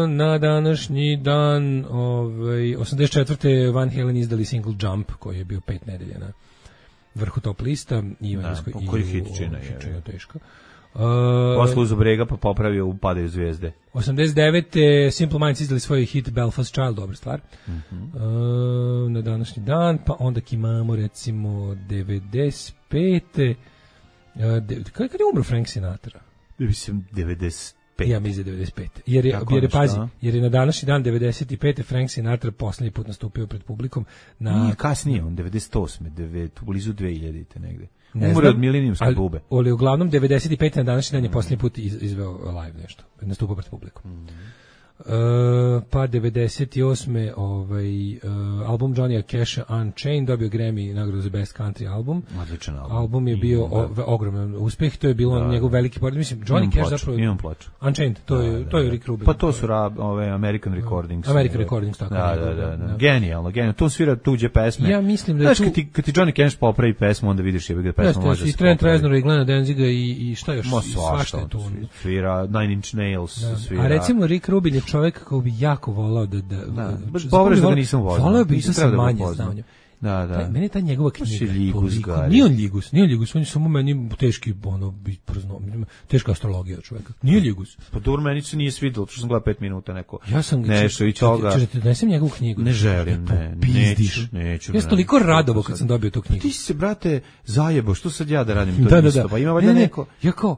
Speaker 7: Na današnji dan 84. Van Halen izdali single Jump koji je bio 5 nedelja na vrhu top lista i
Speaker 6: koji hit čina je
Speaker 7: teško.
Speaker 6: Posle uz brega pa popravio u Padaju zvijezde.
Speaker 7: 89. Simple Minds izdali svoj hit Belfast Child, dobra stvar. Na današnji dan, pa onda imamo recimo 95. Kada je umro Frank Sinatra?
Speaker 6: Mislim 95.
Speaker 7: Ja mislim 95. Jer je na današnji dan 95. Frank Sinatra poslednji put nastupio pred publikom na
Speaker 6: kasnije on 98. blizu 2000-te negde. Umro od milenijumske bube.
Speaker 7: Ali uglavnom 95. na današnji dan je poslednji put izveo live nešto, nastupao pred publikom. Pa 98. album Johnny Casha Unchained dobio Grammy nagradu za Best Country album.
Speaker 6: Odličan album.
Speaker 7: Album je bio ogroman uspeh, to je bilo njegov veliki pored. Mislim, Johnny Cash zapravo...
Speaker 6: Imam ploču.
Speaker 7: Unchained, to je Rick Rubin.
Speaker 6: Pa to su American Recordings.
Speaker 7: American Recordings, tako.
Speaker 6: Da. Genijalno. To svira tuđe pesme.
Speaker 7: Ja mislim da je
Speaker 6: znaš, kad ti Johnny Cash popravi pesmu, onda vidiš da pesma može se popravi.
Speaker 7: I Trent Reznor i Glena Danziga i šta još?
Speaker 6: Svašta je tu. Svira Nine Inch Nails.
Speaker 7: A recimo Rick Rubin je čovjek koji bi jako volao da
Speaker 6: povreš da ga nisam volao.
Speaker 7: Volao bi da sam manje znao.
Speaker 6: Da.
Speaker 7: Meni ta njegova knjiga
Speaker 6: toliko.
Speaker 7: Nije on Ljigus, on je samo meni teški, teška astrologija čovjeka. Nije Ljigus.
Speaker 6: Pa dobro, meni se nije svidjelo, što sam gledao 5 minuta neko.
Speaker 7: Ja sam
Speaker 6: nešto i toga.
Speaker 7: Čekajte, donesem njegovu knjigu.
Speaker 6: Ne želim, neću.
Speaker 7: Ja sam toliko radovao kad sam dobio tu knjigu.
Speaker 6: Ti si se, brate, zajebo, što sad ja da radim to isto? Pa ima valjda neko.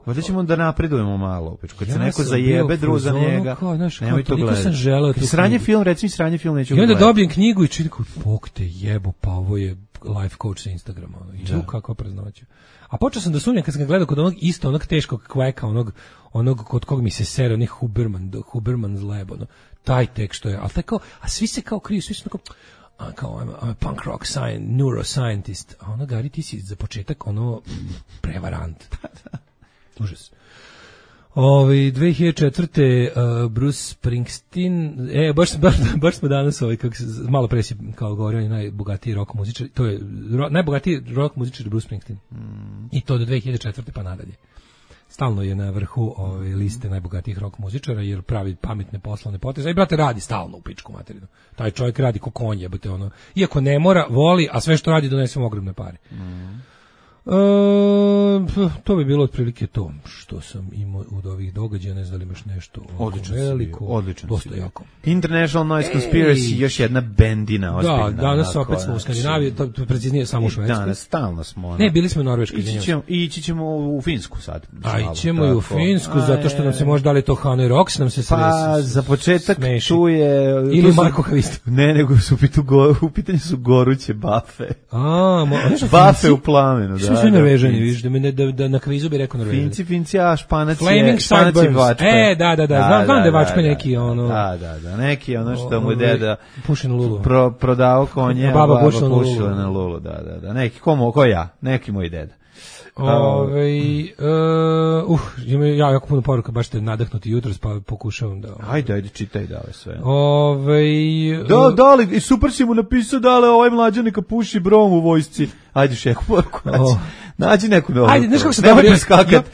Speaker 6: Valjda ćemo da napredujemo malo. Kad se neko zajebe drugo za njega, nemoj to gledati. Sranje film, recimo sranje film neću gledati.
Speaker 7: I onda dobijem knjigu i čitam, bog te jebo, pa ovo je life coach sa Instagrama. I kako preznoću. A počeo sam da sumnjam kad sam ga gledao kod onog teškog kveka, onog kod kog mi se sere, onih Huberman's Lab, taj tek što je, ali tako, a svi se kao kriju, svi su kao I'm a punk rock neuroscientist, a ono, Gari, ti si za početak prevarant. Užas. 2004. Bruce Springsteen, baš smo danas malo pre si kao govorio, on je najbogatiji rock muzičar, to je najbogatiji rock muzičar Bruce Springsteen. I to do 2004. pa nadalje. Stalno je na vrhu liste najbogatijih rock muzičara jer pravi pametne poslovne poteze. I brate, radi stalno u pičku materinu. Taj čovjek radi ko konj, jebote, iako ne mora, voli, a sve što radi donese mu ogromne pare. To bi bilo otprilike to što sam imao od ovih događaja, ne znam da li imaš nešto veliko,
Speaker 6: odlično,
Speaker 7: dosta jako.
Speaker 6: International Noise Conspiracy, još jedna bendina ozbiljna.
Speaker 7: Da, danas opet smo u Skandinaviji, to preciznije samo u Švedskoj.
Speaker 6: Danas stalno smo.
Speaker 7: Ne, bili smo u Norveškoj.
Speaker 6: Ići ćemo u Finsku sad.
Speaker 7: Ićemo i u Finsku, zato što nam se može dali to Hanoi Rocks, nam se
Speaker 6: pa za početak tu je...
Speaker 7: Ili Marko Havisto.
Speaker 6: Ne, nego u pitanju su goruće bafe. Bafe u plamenu, da.
Speaker 7: Sve Norvežani, vidiš, da na kvizu bi rekao Norvežani.
Speaker 6: Finci, a Španac
Speaker 7: je
Speaker 6: vačpe.
Speaker 7: Da, znam da je vačpe neki
Speaker 6: Da, neki što mu je deda
Speaker 7: pušen lulu.
Speaker 6: Prodao konje, a baba pušila na lulu, da, neki, ko ja, neki moj deda.
Speaker 7: Ima jako puno poruka, baš ste nadahnuti jutros, pa pokušavam da...
Speaker 6: Ajde, čitaj dale sve.
Speaker 7: Ove...
Speaker 6: Dale, super si mu napisao, dale, ovaj mlađa neka puši brom u vojsci. Ajde šeku poruku. Nađi neku novu.
Speaker 7: Ajde, znaš kako se
Speaker 6: nemoj preskakati.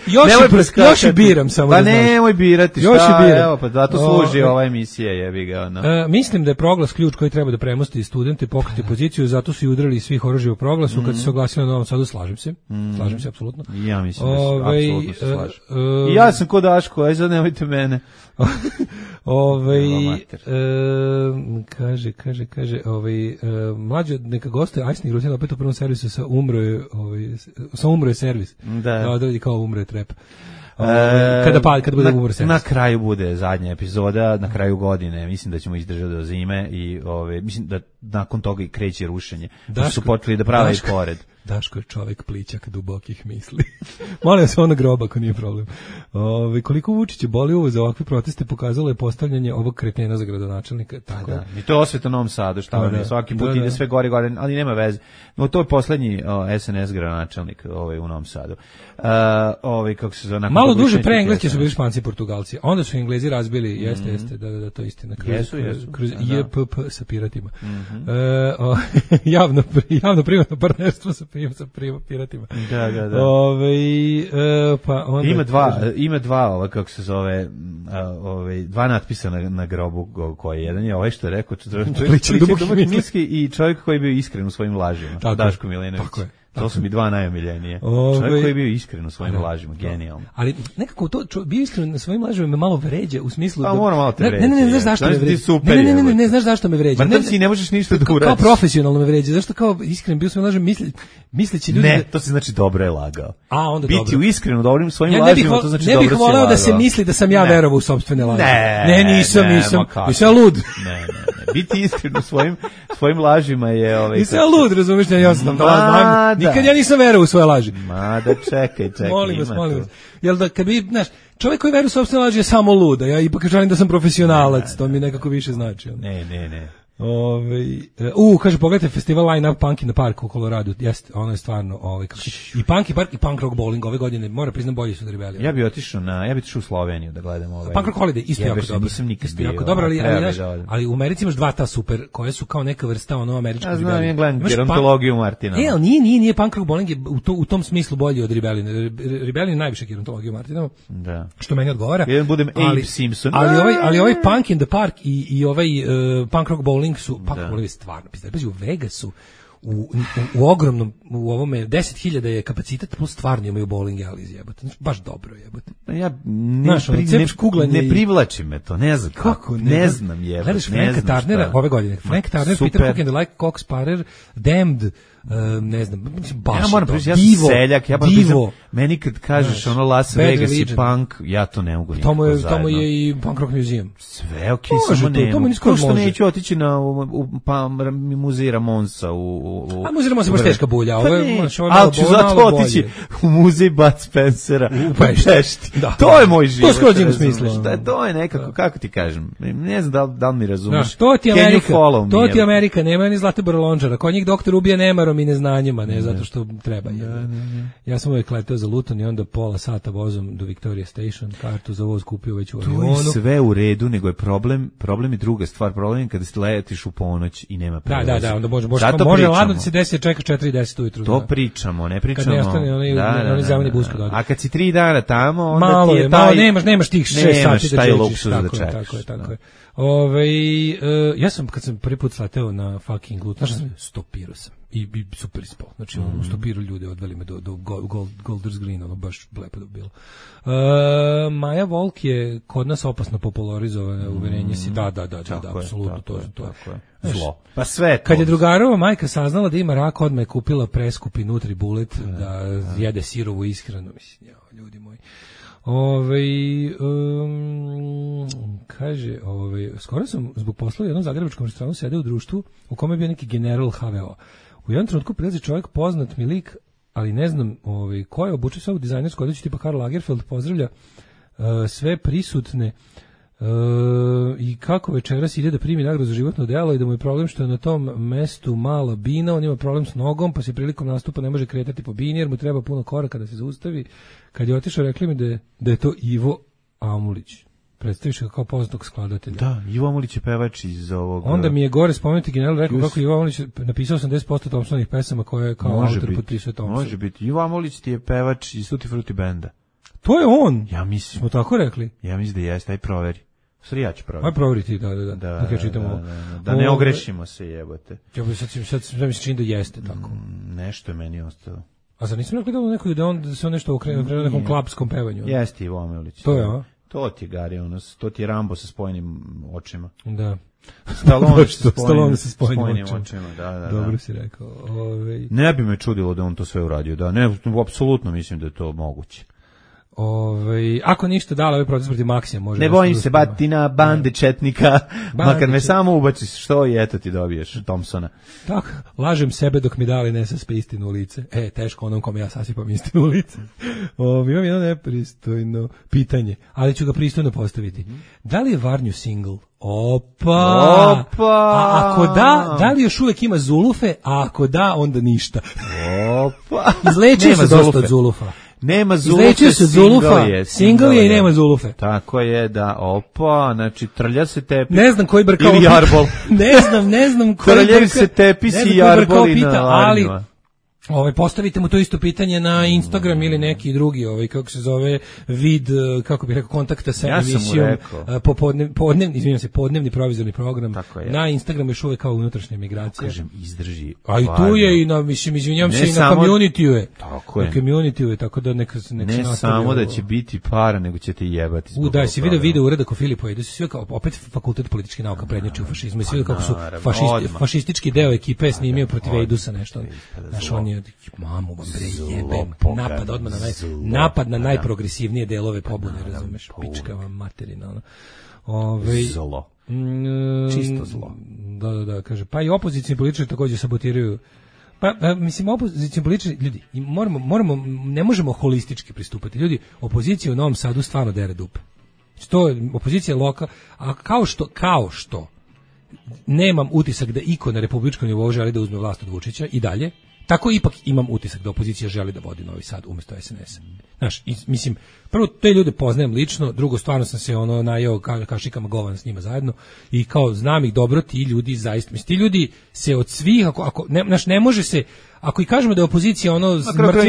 Speaker 7: Još i biram samo.
Speaker 6: Pa nemoj birati,
Speaker 7: još
Speaker 6: šta?
Speaker 7: Biram.
Speaker 6: Evo, pa zato služi ova emisija, jebi ga. No.
Speaker 7: Mislim da je proglas ključ koji treba da premosti studente, pokriti poziciju, zato su i udrali svih oružja u proglasu, kad se oglasili na Novom Sadu, slažem se, apsolutno.
Speaker 6: Ja mislim da apsolutno se slažem. I ja sam ko Daško, aj sad nemojte mene.
Speaker 7: Kaže, mlađe neka goste Ajsnih Rutina opet u prvom servisu sa umro je servis. Da odradi kao umro je trep. Kada bude umro servis.
Speaker 6: Na kraju bude zadnja epizoda, na kraju godine, mislim da ćemo izdržati do zime i mislim da nakon toga i kreće rušenje. Da su počeli da prave i pored.
Speaker 7: Daško je čovek plićak dubokih misli. Molim se, ono groba, ako nije problem. Koliko Vučića boli uvo za ovakve proteste pokazalo je postavljanje ovog kretena za gradonačelnika. Tako
Speaker 6: da. I to je osveta Novom Sadu, šta vam je, svaki put ide sve gore, ali nema veze. No, to je poslednji SNS gradonačelnik u Novom Sadu. Kako se zove,
Speaker 7: malo duže pre Engleske su bili Španci i Portugalci, onda su Englezi razbili, jeste, da, to je istina. Kroz JPP sa piratima. Javno-privatno partnerstvo sa piratima.
Speaker 6: Da.
Speaker 7: Pa onda
Speaker 6: ima dva kako se zove, dva natpisa na grobu koji jedan je ovaj što je rekao čovjek i čovjek koji je bio iskren u svojim lažima. Daško Milinović. To su mi dva najomiljenije. Čovjek koji je bio iskren u svojim lažima, genijalno.
Speaker 7: Ali nekako to bio iskren na svojim lažima me malo vređa u smislu
Speaker 6: da mora malo te vređa.
Speaker 7: Ne, znaš zašto me vređa. Ne, znaš zašto me vređa.
Speaker 6: Ma ti ne možeš ništa da uradiš.
Speaker 7: Kao profesionalno me vređa. Zašto kao iskren bio svojim lažima misleći ljudi.
Speaker 6: Ne, to se znači dobro je lagao.
Speaker 7: A onda dobro.
Speaker 6: Biti u iskreno dobrim svojim lažima, to znači dobro.
Speaker 7: Ne bih voleo da se misli da sam ja verovao u sopstvene laži. Ne, nisam lud.
Speaker 6: Ne. Biti iskren u svojim lažima je
Speaker 7: nisam lud, razumiješ, ja sam nikad ja nisam verovao u svoje laži.
Speaker 6: Ma da čekaj.
Speaker 7: Molim vas. Jel da kad bi, znaš, čovjek koji veruje u sopstvene laži je samo lud, a ja ipak želim da sam profesionalac, to mi nekako više znači.
Speaker 6: Ne.
Speaker 7: Kaže, pogledajte festival Line Up Punk in the Park u Koloradu. Jeste, ono je stvarno i Punk i Park i Punk Rock Bowling ove godine, mora priznam, bolji su od Rebellion.
Speaker 6: Ja bih otišao u Sloveniju da gledam
Speaker 7: Punk Rock Holiday isto jako dobro.
Speaker 6: Nisam nikad bio.
Speaker 7: Jako dobro, ali u Americi imaš dva ta super koje su kao neka vrsta američkog
Speaker 6: Rebellion. Ja znam, ja gledam gerontologiju Martina.
Speaker 7: Ali nije Punk Rock Bowling je u tom smislu bolji od Rebellion. Rebellion je najviše gerontologiju Martina. Da. Što meni odgovara.
Speaker 6: Ja budem Abe Simpson.
Speaker 7: Ali ovaj Punk in the Park i ovaj Punk Rock Bowling su je stvarno pizda. U Vegasu u ogromnom, u ovome 10.000 je kapacitet, plus stvarno imaju bowling alley, jebote. Znači, baš dobro, jebote.
Speaker 6: Ja ne privlači me to, ne znam kako. Ne znam, jebote.
Speaker 7: Gledaš Franka Turnera ove godine. Frank Turner, Peter Hook and the Like, Cox Sparrer, Damned, ne znam, baš
Speaker 6: ja moram priznati, ja sam seljak, ja moram priznati, meni kad kažeš ono Las Vegas i punk, ja to ne mogu nikako zajedno.
Speaker 7: Tamo je i Punk Rock Museum.
Speaker 6: Sve okej, samo nema. Ko što neću otići na muzej Ramonsa
Speaker 7: a muzej Ramonsa je baš teška bulja.
Speaker 6: Ali ću zato otići u muzej Bud Spencera u Pešti. To je moj život.
Speaker 7: To skroz ima smisla.
Speaker 6: To je nekako, kako ti kažem, ne znam da li mi razumeš.
Speaker 7: To ti Amerika, nema ni Zlatibora Lončara. Kod njih doktor ubija nemarom i neznanjima, ne zato što treba. Ja sam uvijek letao za Luton i onda pola sata vozom do Victoria Station, kartu za voz kupio već u avionu.
Speaker 6: To je sve u redu, nego je problem je druga stvar. Problem je kada letiš u ponoć i nema prevoza.
Speaker 7: Da, onda može ladno da se desi, čeka 4:10 ujutru.
Speaker 6: To pričamo, ne pričamo.
Speaker 7: Kad ne ostane oni zeleni bus kod.
Speaker 6: A kad si 3 dana tamo, onda
Speaker 7: malo
Speaker 6: ti je taj...
Speaker 7: nemaš tih 6 sati da čečiš.
Speaker 6: Tako je.
Speaker 7: Ja sam, kad sam prvi put sleteo na fucking Luton, stopirao sam. I super ispao. Znači, u stopiru ljude odveli me do Golders Green, ono baš lepo da bilo. Maja Volk je kod nas opasno popularizovana, uverenje si, da, apsolutno, to je.
Speaker 6: Zlo. Pa sve.
Speaker 7: Kad je drugarova majka saznala da ima rak, odmah je kupila preskupi Nutribullet da jede sirovu ishranu, mislim, ljudi moji. Kaže, skoro sam zbog posla u jednom zagrebačkom restoranu sedeo u društvu u kome je bio neki general HVO. U jednom trenutku prilazi čovjek, poznat mi lik, ali ne znam ko je, obučio se ovu dizajnersku odjeću tipa Karl Lagerfeld, pozdravlja sve prisutne i kako večeras ide da primi nagradu za životno delo i da mu je problem što je na tom mestu mala bina, on ima problem s nogom, pa se prilikom nastupa ne može kretati po bini jer mu treba puno koraka da se zaustavi. Kad je otišao, rekli mi da je to Ivo Amulić. predstaviš ga kao poznatog skladatelja.
Speaker 6: Da, Ivo Amulić je pevač iz ovog...
Speaker 7: Onda mi je gore spomenuti general rekao kako Ivo Amulić napisao 80% Thompsonovih pesama koje kao autor potpisuje Thompson.
Speaker 6: Može biti. Ivo Amulić ti je pevač iz Tutti Frutti benda.
Speaker 7: To je on?
Speaker 6: Ja mislim.
Speaker 7: Smo tako rekli?
Speaker 6: Ja mislim da jeste, aj proveri. Sve ja ću proveriti.
Speaker 7: Aj proveriti, da ja čitamo.
Speaker 6: Da ne ogrešimo se, jebote.
Speaker 7: Ja sad mi se čini da jeste tako.
Speaker 6: Nešto je meni ostalo.
Speaker 7: A sad nisam rekli da se on nešto okrenuo nekom klapskom pevanju?
Speaker 6: Jeste Ivo Amulić.
Speaker 7: To je, a?
Speaker 6: To ti je Gari, to ti je Rambo sa spojenim očima.
Speaker 7: Da.
Speaker 6: Stallone sa spojenim očima. Da.
Speaker 7: Dobro si rekao.
Speaker 6: Ne bi me čudilo da on to sve uradio, da. Ne, apsolutno mislim da je to moguće.
Speaker 7: Ako ništa dala ovaj proces protiv Maksija može.
Speaker 6: Ne bojim se batina bande četnika, makar me samo ubaciš što i eto ti dobiješ Thompsona.
Speaker 7: Tako, lažem sebe dok mi dali ne saspe istinu u lice. Teško onom kome ja sasipam istinu u lice. Imam jedno nepristojno pitanje, ali ću ga pristojno postaviti. Da li je Varnju single? Opa! A ako da li još uvek ima zulufe, a ako da, onda ništa.
Speaker 6: Opa!
Speaker 7: Izlečio se dosta od zulufa.
Speaker 6: Nema zulufe,
Speaker 7: single je i nema zulufe.
Speaker 6: Tako je, da, opa, znači trlja se tepis.
Speaker 7: Ne znam koji brkao
Speaker 6: ili jarbol.
Speaker 7: ne znam koji
Speaker 6: trljaju se tepis i jarboli na arnjima.
Speaker 7: Postavite mu to isto pitanje na Instagram ili neki drugi, kako se zove, vid, kako bih rekao, kontakta sa emisijom, podnevni provizorni program. Na Instagramu još uvek kao unutrašnja migracija.
Speaker 6: Kažem, izdrži.
Speaker 7: A i tu je i na, izvinjam se, i na community-u je. Tako je. Na community-u je, tako da neka se
Speaker 6: ne samo da će biti para, nego će te jebati.
Speaker 7: Da, si video uradak o Filipu, da su sve kao, opet fakultet političkih nauka prednjači u fašizmu, i svi kako su fašistički deo ekipe snimio protiv Ejdusa nešto. Znaš, on je mamu vam bre jebem, napad na najprogresivnije delove pobune, razumeš, pička vam materina.
Speaker 6: Zlo. Čisto zlo.
Speaker 7: Da, kaže, pa i opozicioni političari također sabotiraju. Pa, mislim, opozicioni političari, ljudi, ne možemo holistički pristupati. Ljudi, opozicija u Novom Sadu stvarno dere dupe. To je opozicija loka, a kao što nemam utisak da iko na republičkom nivou želi da uzme vlast od Vučića i dalje, tako ipak imam utisak da opozicija želi da vodi Novi Sad umjesto SNS-a. Znaš, mislim, prvo te ljude poznajem lično, drugo stvarno sam se najeo kašikama govan s njima zajedno i kao znam ih dobro, ti ljudi zaista, mislim, ti ljudi se od svih, ne može se, ako i kažemo da je opozicija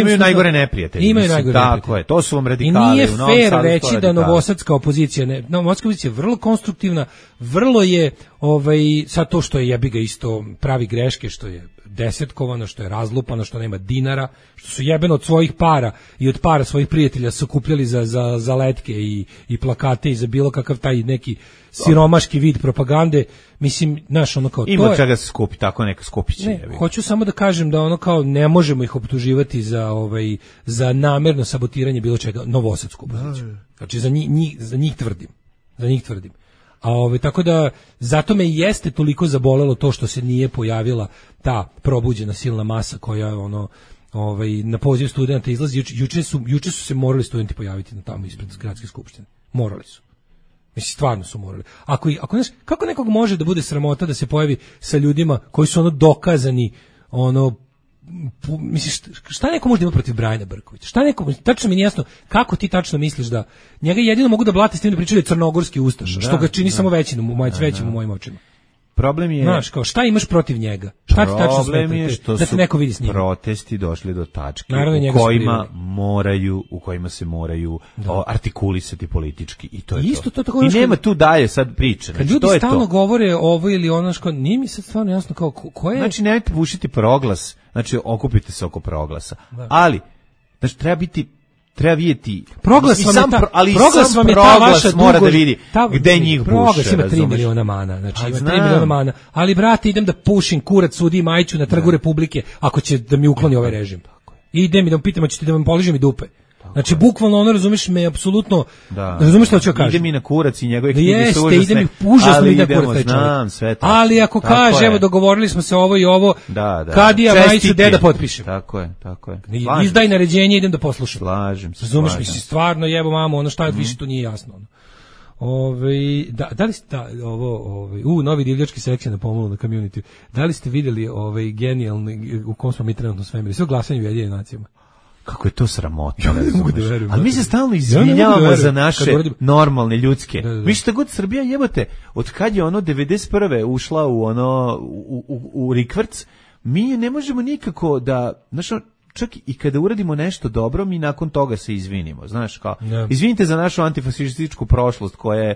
Speaker 6: imaju najgore neprijatelje. Tako je, to su vam radikali.
Speaker 7: I nije fair reći da novosadska opozicija, novosadska opozicija je vrlo konstruktivna, vrlo je, sad to što je jebiga isto pravi greške, što je desetkovano, što je razlupano, što nema dinara, što su jebeno od svojih para i od para svojih prijatelja sakupljali za letke i plakate i za bilo kakav taj neki siromaški vid propagande, mislim, znaš, kao
Speaker 6: ima to čega se skupi, tako neka skupiće.
Speaker 7: Ne, hoću samo da kažem da kao ne možemo ih optuživati za namerno sabotiranje bilo čega, novosadsku opoziciju. Znači za njih tvrdim. A tako da zato me jeste toliko zabolelo to što se nije pojavila ta probuđena silna masa koja na poziv studenta izlazi. Juče su se morali studenti pojaviti na tamo ispred gradske skupštine. Morali su. Mislim, stvarno su morali. Kako nekog može da bude sramota da se pojavi sa ljudima koji su dokazani, misliš, šta neko može da ima protiv Brajana Brkovića? Tačno mi nije jasno kako ti tačno misliš da njega jedino mogu da blate s tim da pričaju crnogorski ustaš, što ga čini samo većim u mojim očima.
Speaker 6: Problem je,
Speaker 7: znaš, kao šta imaš protiv njega? Šta ti tačno smeta da te neko vidi s njim?
Speaker 6: Protesti došli do tačke u kojima se moraju artikulisati politički i to je to. I nema tu dalje sad priče.
Speaker 7: Kad ljudi stalno govore ovo ili ono što nije mi sad stvarno jasno kao ko je.
Speaker 6: Znači nemojte pušiti proglas, znači okupite se oko proglasa. Ali znači treba vidjeti
Speaker 7: proglas vam je ta vaša
Speaker 6: mora da vidi gde njih buše.
Speaker 7: Proglas ima 3 miliona mana, znači ima 3 miliona mana, ali brate idem da pušim kurac sudi Majiću na Trgu Republike ako će da mi ukloni ovaj režim. Idem i da pitam hoćete da vam poližem i dupe. Znači bukvalno razumeš me apsolutno. Razumeš šta ću kažem?
Speaker 6: Ide mi na kurac i njegove knjige su užasne.
Speaker 7: Ide mi užasno ide kurac.
Speaker 6: Znam sve to.
Speaker 7: Ali ako kaže evo dogovorili smo se ovo i ovo, kad ja Majiću da potpišem.
Speaker 6: Tako je.
Speaker 7: Izdaj naređenje, idem da poslušam.
Speaker 6: Slažem se.
Speaker 7: Razumeš mi se stvarno jebo mamu, šta više to nije jasno. Da li ste novi divljački sekcija na pomolu na community. Da li ste vidjeli genijalni u kom smo mi trenutno svemiru? Sve glasanje u Ujedinjenim nacijama.
Speaker 6: Kako je to sramotno, ali mi se stalno izvinjavamo za naše normalne ljudske. Mi šta god Srbija jebote, od kad je ono 91. ušla u ono u rikvrc, mi ne možemo nikako da, znaš, čak i kada uradimo nešto dobro, mi nakon toga se izvinimo, znaš, kao, izvinite za našu antifašističku prošlost koja je,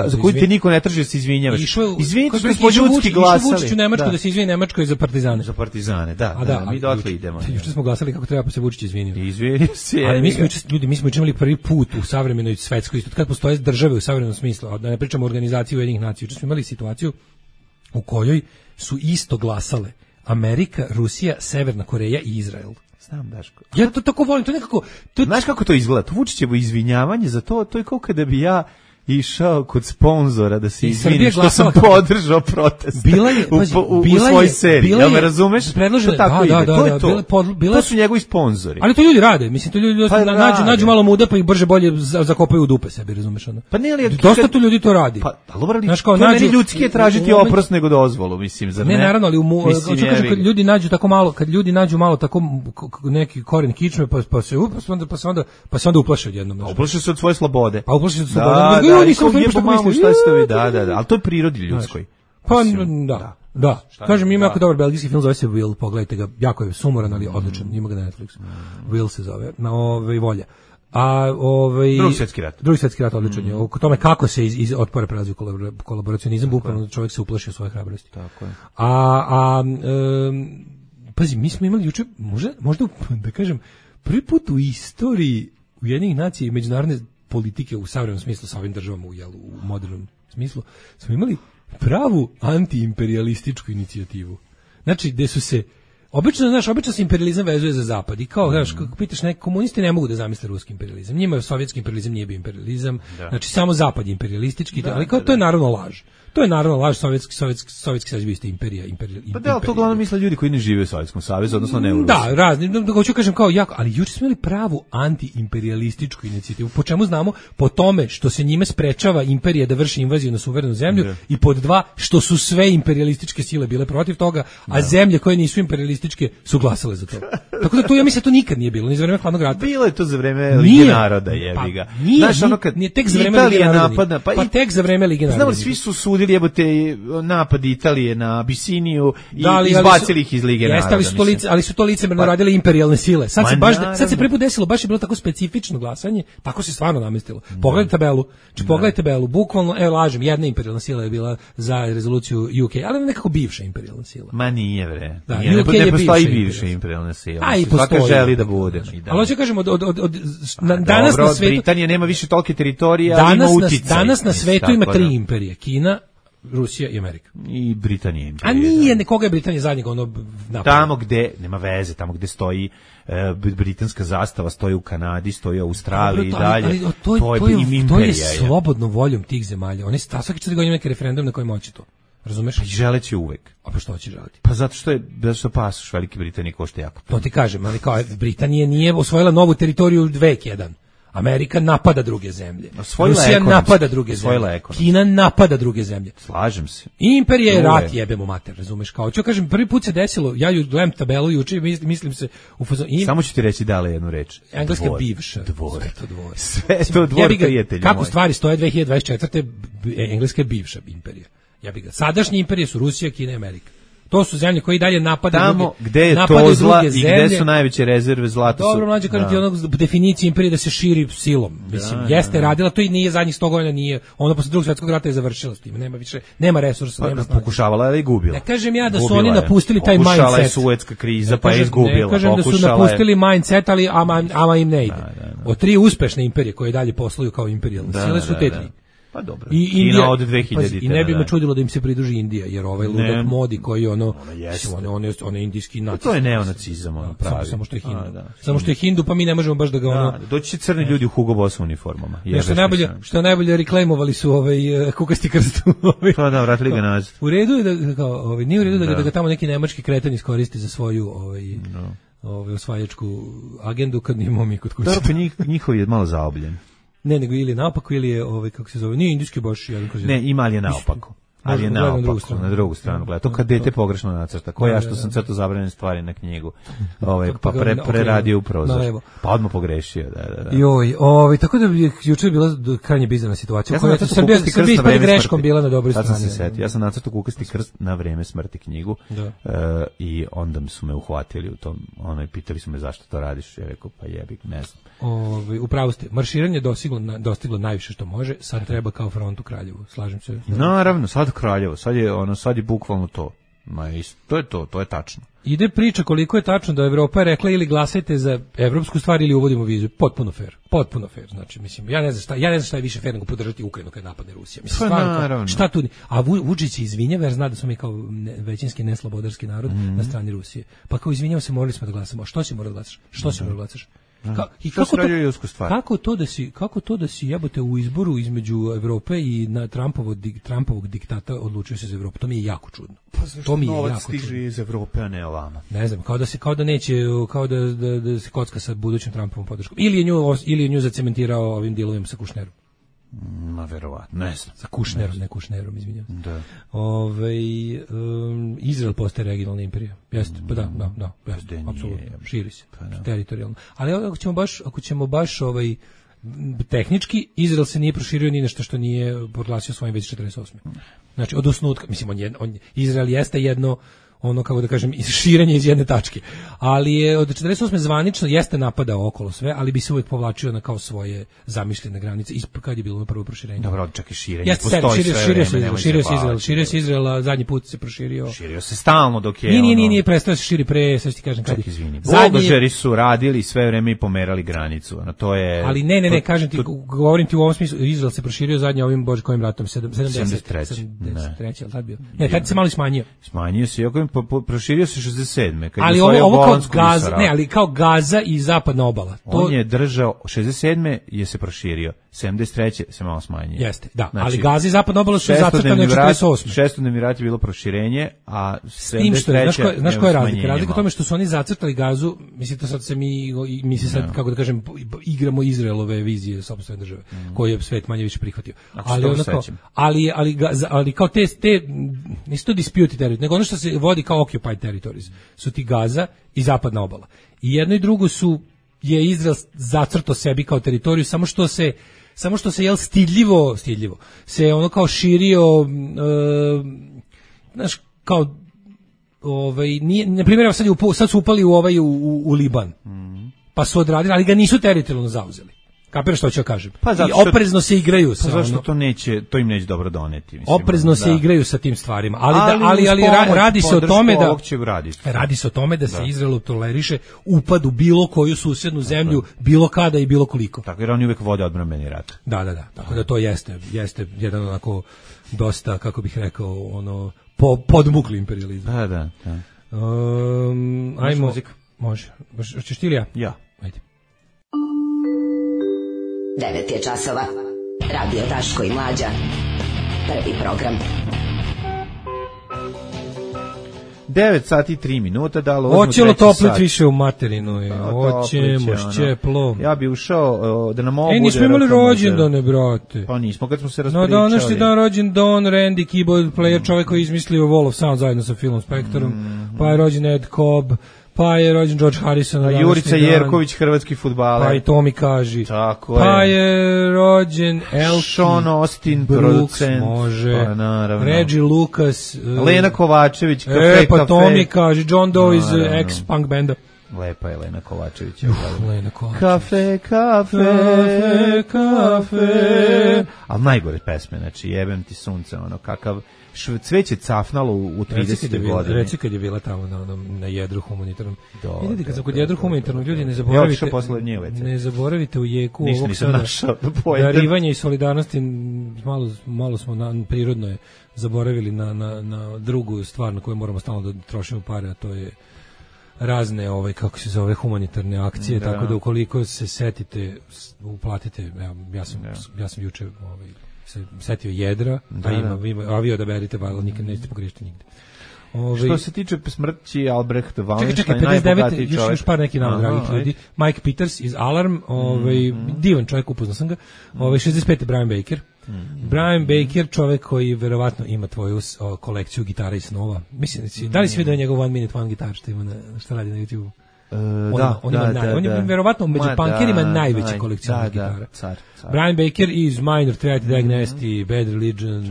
Speaker 6: za koju te niko ne traži da se izvinjavaš. Izvinite što smo ljudski glasali.
Speaker 7: Vučić u Nemačku da se izvini Nemačkoj za partizane.
Speaker 6: Za partizane, da, mi dotle idemo.
Speaker 7: Juče smo glasali kako treba, pa se Vučić izvinio.
Speaker 6: Izvinio se.
Speaker 7: Ali mi smo imali prvi put u savremenoj svetskoj, isto kad postoje države u savremenom smislu, a da ne pričamo o organizaciji Ujedinjenih nacija. Juče smo imali situaciju u kojoj su isto glasale Amerika, Rusija, Severna Koreja i Izrael.
Speaker 6: Znam, Daško.
Speaker 7: Ja to tako volim, to nekako...
Speaker 6: Znaš kako to izgleda? To Vučićevo izvinjavanje za to je kao kada bi ja išao kod sponzora da se izvini što sam podržao protest u svoj seriji. Jel me razumeš? To tako ide. To je to. To su njegovi sponzori.
Speaker 7: Ali to ljudi rade. Mislim, to ljudi nađu malo muda pa ih brže bolje zakopaju u dupe sebi, razumeš?
Speaker 6: Pa ne, ali
Speaker 7: dosta tu ljudi to radi.
Speaker 6: Pa meni ljudski je tražiti oprost nego dozvolu, mislim.
Speaker 7: Ne, naravno, ali kad ljudi nađu malo tako neki koren kičme pa se onda uplaše odjednom.
Speaker 6: Uplaše se od svoje slobode.
Speaker 7: Pa uplaše se od slobode.
Speaker 6: Nisam šta ste vi, da, ali to je prirodi ljudskoj.
Speaker 7: Pa da. Kažem, ima jako dobar belgijski film, zove se Will, pogledajte ga, jako je sumoran, ali odličan, ima ga na Netflixu. Will se zove, na Volja. Drugi svjetski rat odličan je. O tome kako se iz otpora prelazi u kolaboracionizam, bukvalno čovjek se uplaši u svoje hrabrosti.
Speaker 6: Tako je.
Speaker 7: Pazi, mi smo imali juče, možda da kažem, prvi put u istoriji Ujedinjenih nacija i međunarodne politike u savremenom smislu sa ovim državama u modernom smislu, smo imali pravu antiimperialističku inicijativu. Znači, gde su se obično se imperializam vezuje za zapad i kao, znaš, kako pitaš, neki komunisti ne mogu da zamisle ruski imperializam. Njima sovjetski imperializam nije bio imperializam, znači samo zapad je imperialistički, ali kao to je naravno laž. To je naravno laž, Sovjetski savez bio isto imperija.
Speaker 6: Pa da, to uglavnom misle ljudi koji ne žive u Sovjetskom savezu, odnosno ne u Rusiji.
Speaker 7: Da, razni, da hoću kažem kao jako, ali juče smo imali pravu antiimperialističku inicijativu. Po čemu znamo? Po tome što se njime sprečava imperija da vrši invaziju na suverenu zemlju i pod dva, što su sve imperialističke sile bile protiv toga, a zemlje koje nisu imperialističke su glasale za to. Tako da to, ja mislim, to nikad nije bilo, ni za vreme Hladnog rata.
Speaker 6: Bilo je to za vreme Lige naroda, jebi ga.
Speaker 7: Nije tek za vreme Lige naroda. Pa tek za vreme Lige naroda.
Speaker 6: Znamo, svi su sudili jebote napad Italije na Abisiniju i izbacili ih iz Lige naroda.
Speaker 7: Ali su to licemerno radile imperijalne sile. Sad se prvi put desilo, baš je bilo tako specifično glasanje, tako se stvarno namestilo. Pogledajte tabelu, bukvalno, lažem, jedna imperijalna sila je bila za rezoluciju UK, ali nekako bivša imperijalna sila.
Speaker 6: Ma nije, bre. Ne postoji bivša imperijalna sila. Svaka želi da bude.
Speaker 7: Ali hoću kažem, danas na svetu...
Speaker 6: Britanija nema više tolike teritorije, ali ima uticaj.
Speaker 7: Danas na svetu ima 3 imperije. Kina, Rusija i Amerika.
Speaker 6: I Britanija imperija.
Speaker 7: A nije, koga je Britanija zadnjega napravila?
Speaker 6: Tamo gde, nema veze, tamo gde stoji britanska zastava, stoji u Kanadi, stoji u Australiji i dalje.
Speaker 7: To je slobodno voljom tih zemalja. Oni svaki 4 godine neki referendum na kojem hoće to. Razumeš?
Speaker 6: Pa želeći uvek.
Speaker 7: A pa što će želiti?
Speaker 6: Pa zato što pasoš Velike Britanije košta jako.
Speaker 7: To ti kažem, ali kao Britanija nije osvojila novu teritoriju vek jedan. Amerika napada druge zemlje. Rusija napada druge zemlje. Kina napada druge zemlje.
Speaker 6: Slažem se.
Speaker 7: I imperija je rat, jebemo mater, razumeš? Kao ću kažem, prvi put se desilo, ja gledam tabelu juče, mislim se u fazonu.
Speaker 6: Samo ću ti reći dale jednu reč.
Speaker 7: Engleska bivša.
Speaker 6: Sve to dvor, prijatelji.
Speaker 7: Kako stvari stoje 2024. Engleska je bivša imperija. Sadašnje imperije su Rusija, Kina i Amerika. To su zemlje koje i dalje napadaju
Speaker 6: tamo gde je to zla i gde su najveće rezerve zlata.
Speaker 7: Dobro, mlađe, kažem ti onog definiciji imperije da se širi silom. Mislim, jeste radila to i nije zadnjih 100 godina, nije. Ona posle Drugog svjetskog rata je završila s tim. Nema resursa, nema snage.
Speaker 6: Pokušavala je i gubila.
Speaker 7: Ne kažem ja da su oni napustili taj mindset.
Speaker 6: Pokušala je Suetska kriza, pa je izgubila.
Speaker 7: Ne kažem da su napustili mindset, ali ama im ne ide. Od 3 uspešne imperije koje dalje posluju kao imperijalne sile su te 3.
Speaker 6: Pa dobro. Kina od 2000.
Speaker 7: I ne bi me čudilo da im se pridruži Indija, jer ovaj ludak Modi koji on je indijski nacist.
Speaker 6: To je neonacizam, pravi.
Speaker 7: Samo što je Hindu, pa mi ne možemo baš da ga
Speaker 6: doći će crni ljudi u Hugo Boss uniformama.
Speaker 7: Što najbolje reklamovali su kukasti krst.
Speaker 6: Pa da, vratili ga nazad.
Speaker 7: U redu je nije u redu da ga tamo neki nemački kreten iskoristi za svoju osvajačku agendu kad nimamo mi kod kuće.
Speaker 6: Dobro, pa njihov je malo zaobljen.
Speaker 7: Ne, nego ili naopako, ili je, kako se zove, nije indijski baš jedan kroz jedan.
Speaker 6: Ne, ima li je naopako. Ali je naopako, na drugu stranu gleda. To kad dete pogrešno nacrta. Ko ja što sam crtao zabranjene stvari na knjigu. Pa preradio upravo zašto. Pa odmah pogrešio, da.
Speaker 7: Joj, tako da bi juče bila krajnje bizarna situacija. Koja je Srbija ispred greškom bila na dobroj strani.
Speaker 6: Sad sam se setio. Ja sam nacrtao Kukasti krst na vreme smrti knjigu. I onda su me uhvatili u tom, pitali su me zašto to radiš. Ja rekao, pa jebik, ne znam.
Speaker 7: Upravo ste, marširanje dostiglo najviše što može, sad treba kao front u Kraljevu, slažem se.
Speaker 6: Naravno, sad Kraljevo, sad je bukvalno to. To je tačno.
Speaker 7: Ide priča koliko je tačno da Evropa je rekla ili glasajte za evropsku stvar ili uvodimo vizu. Potpuno fair. Znači, mislim, ja ne znam šta je više fair nego podržati Ukrajinu kad napadne Rusija. Mislim, stvarno, šta tu? A Vučić se izvinjava jer zna da smo mi kao većinski neslobodarski narod na strani Rusije. Pa kao izvinjava se, morali smo da glasamo. A što si morao da glasaš? I kako to da si jebote u izboru između Evrope i na Trumpovog diktata odlučio se za Evropu? To mi je jako čudno. To mi je jako čudno.
Speaker 6: Stiže iz Evrope, a ne ovamo.
Speaker 7: Ne znam, kao da se se kocka sa budućim Trumpovom podrškom. Ili je nju zacementirao ovim dilovima sa Kušnerom.
Speaker 6: Ma verovatno, ne znam.
Speaker 7: Sa Kušnerom, ne Kušnerom, izvinjam se.
Speaker 6: Da.
Speaker 7: Izrael postaje regionalna imperija. Jeste, pa da, jeste, apsolutno. Širi se, teritorijalno. Ali ako ćemo baš tehnički, Izrael se nije proširio ni nešto što nije proglasio svojim već 48. Znači, od osnutka, mislim, Izrael jeste jedno, kako da kažem, širenje iz jedne tačke. Ali je od 48. zvanično jeste napadao okolo sve, ali bi se uvijek povlačio na kao svoje zamišljene granice kad je bilo prvo proširenje.
Speaker 6: Dobro, čak i širenje. Postoji
Speaker 7: Širio se Izrael, a zadnji put se proširio.
Speaker 6: Širio se stalno dok je...
Speaker 7: Nije prestao se širi pre, sad ti kažem kad je.
Speaker 6: Čak izvini. Buldožeri su radili sve vreme i pomerali granicu. To je...
Speaker 7: Ali ne, kažem ti, govorim ti u ovom smislu, Izrael se proširio zadnji ovim bože kojim ratom, 73. ali tad bio. Ne, tad se malo smanjio.
Speaker 6: Smanjio se, proširio se 67.
Speaker 7: Ali ovo kao Gaza, ali kao Gaza i zapadna obala.
Speaker 6: On je držao 67. je se proširio, 73. se malo smanjio.
Speaker 7: Jeste, da. Znači, ali Gaza i zapadna obala su zacrtane od 48.
Speaker 6: Šestodnevni rat je bilo proširenje, a 73.
Speaker 7: Znaš koja je razlika? Razlika u tome što su oni zacrtali Gazu, mislim, to sad se mi se sad, kako da kažem, igramo Izraelove vizije sopstvene države, koje je svet manje više prihvatio. Ali kao te nisu to disputed territories, nego ono što se vodi kao occupied territories su ti Gaza i zapadna obala. I jedno i drugo je Izrael zacrtao sebi kao teritoriju, samo što se stidljivo se ono kao širio, znaš, kao nije, na primjer, sad su upali u Liban, pa su odradili, ali ga nisu teritorijalno zauzeli. Kapiraš što ću kažem? I oprezno se igraju sa
Speaker 6: zašto to im neće dobro doneti, mislim.
Speaker 7: Oprezno se igraju sa tim stvarima, ali radi se o tome da se Izraelu toleriše upad u bilo koju susednu zemlju, bilo kada i bilo koliko.
Speaker 6: Tako, jer oni uvek vode odbrambeni rat.
Speaker 7: Da. Tako da to jeste jedan onako dosta, kako bih rekao, podmukli imperializam.
Speaker 6: Da.
Speaker 7: Ajmo. Može. Hoćeš ti ili ja?
Speaker 6: Ja.
Speaker 7: Ajde.
Speaker 8: 9 je časova. Radio Daško i Mlađa. Prvi program.
Speaker 6: 9 sati i 3 minuta.
Speaker 7: Hoćelo toplet više u materinu. Hoćemo šćeplo.
Speaker 6: Ja bi ušao da nam ovo bude...
Speaker 7: nismo imali rođendane, brate.
Speaker 6: Pa nismo, kad smo se raspričali.
Speaker 7: No, današnji dan rođen Don Randy, keyboard player, čovjek koji je izmislio Wall of Sound zajedno sa Philom Spectorom. Pa je rođen Ed Cobb. Pa je rođen George Harrison.
Speaker 6: A Jurica Jerković, hrvatski fudbaler.
Speaker 7: Pa i to mi kaži.
Speaker 6: Tako
Speaker 7: pa je rođen
Speaker 6: Sean Austin, producent.
Speaker 7: Može.
Speaker 6: Pa naravno.
Speaker 7: Reggie Lucas.
Speaker 6: Lena Kovačević, Kafe.
Speaker 7: Pa to mi kaži. John Doe iz ex-punk benda.
Speaker 6: Lepa je Lena Kovačević.
Speaker 7: Lena Kovačević. Kafe.
Speaker 6: Ali najgore pesme, znači jebem ti sunce, kakav cveće cafnalo u 30. godine.
Speaker 7: Reci kad je bila tamo na jedru humanitarnom. Vidite, kad sam kod jedru humanitarnom, ljudi ne zaboravite u jeku ovog sada darivanja i solidarnosti, malo smo prirodno je zaboravili na drugu stvar na koju moramo stalno da trošimo pare, a to je razne kako se zove humanitarne akcije, tako da ukoliko se setite, uplatite, ja sam juče se setio jedra, ima avio da berite, ali nikad nećete pogriješiti nigde.
Speaker 6: Što se tiče smrti Albrecht Wallenstein,
Speaker 7: čekaj, 59. Još par neki nama dragih ljudi. Mike Peters iz Alarm, divan čovjek, upoznao sam ga. 65. Brian Baker. Brian Baker, čovjek koji verovatno ima tvoju kolekciju gitara i snova. Mislim, da li si vidio njegov One Minute One Guitar što radi na YouTube? On je verovatno među punkerima najveći kolekcionar gitara. Brian Baker iz Minor Threat, Dag Nasty, Bad Religion,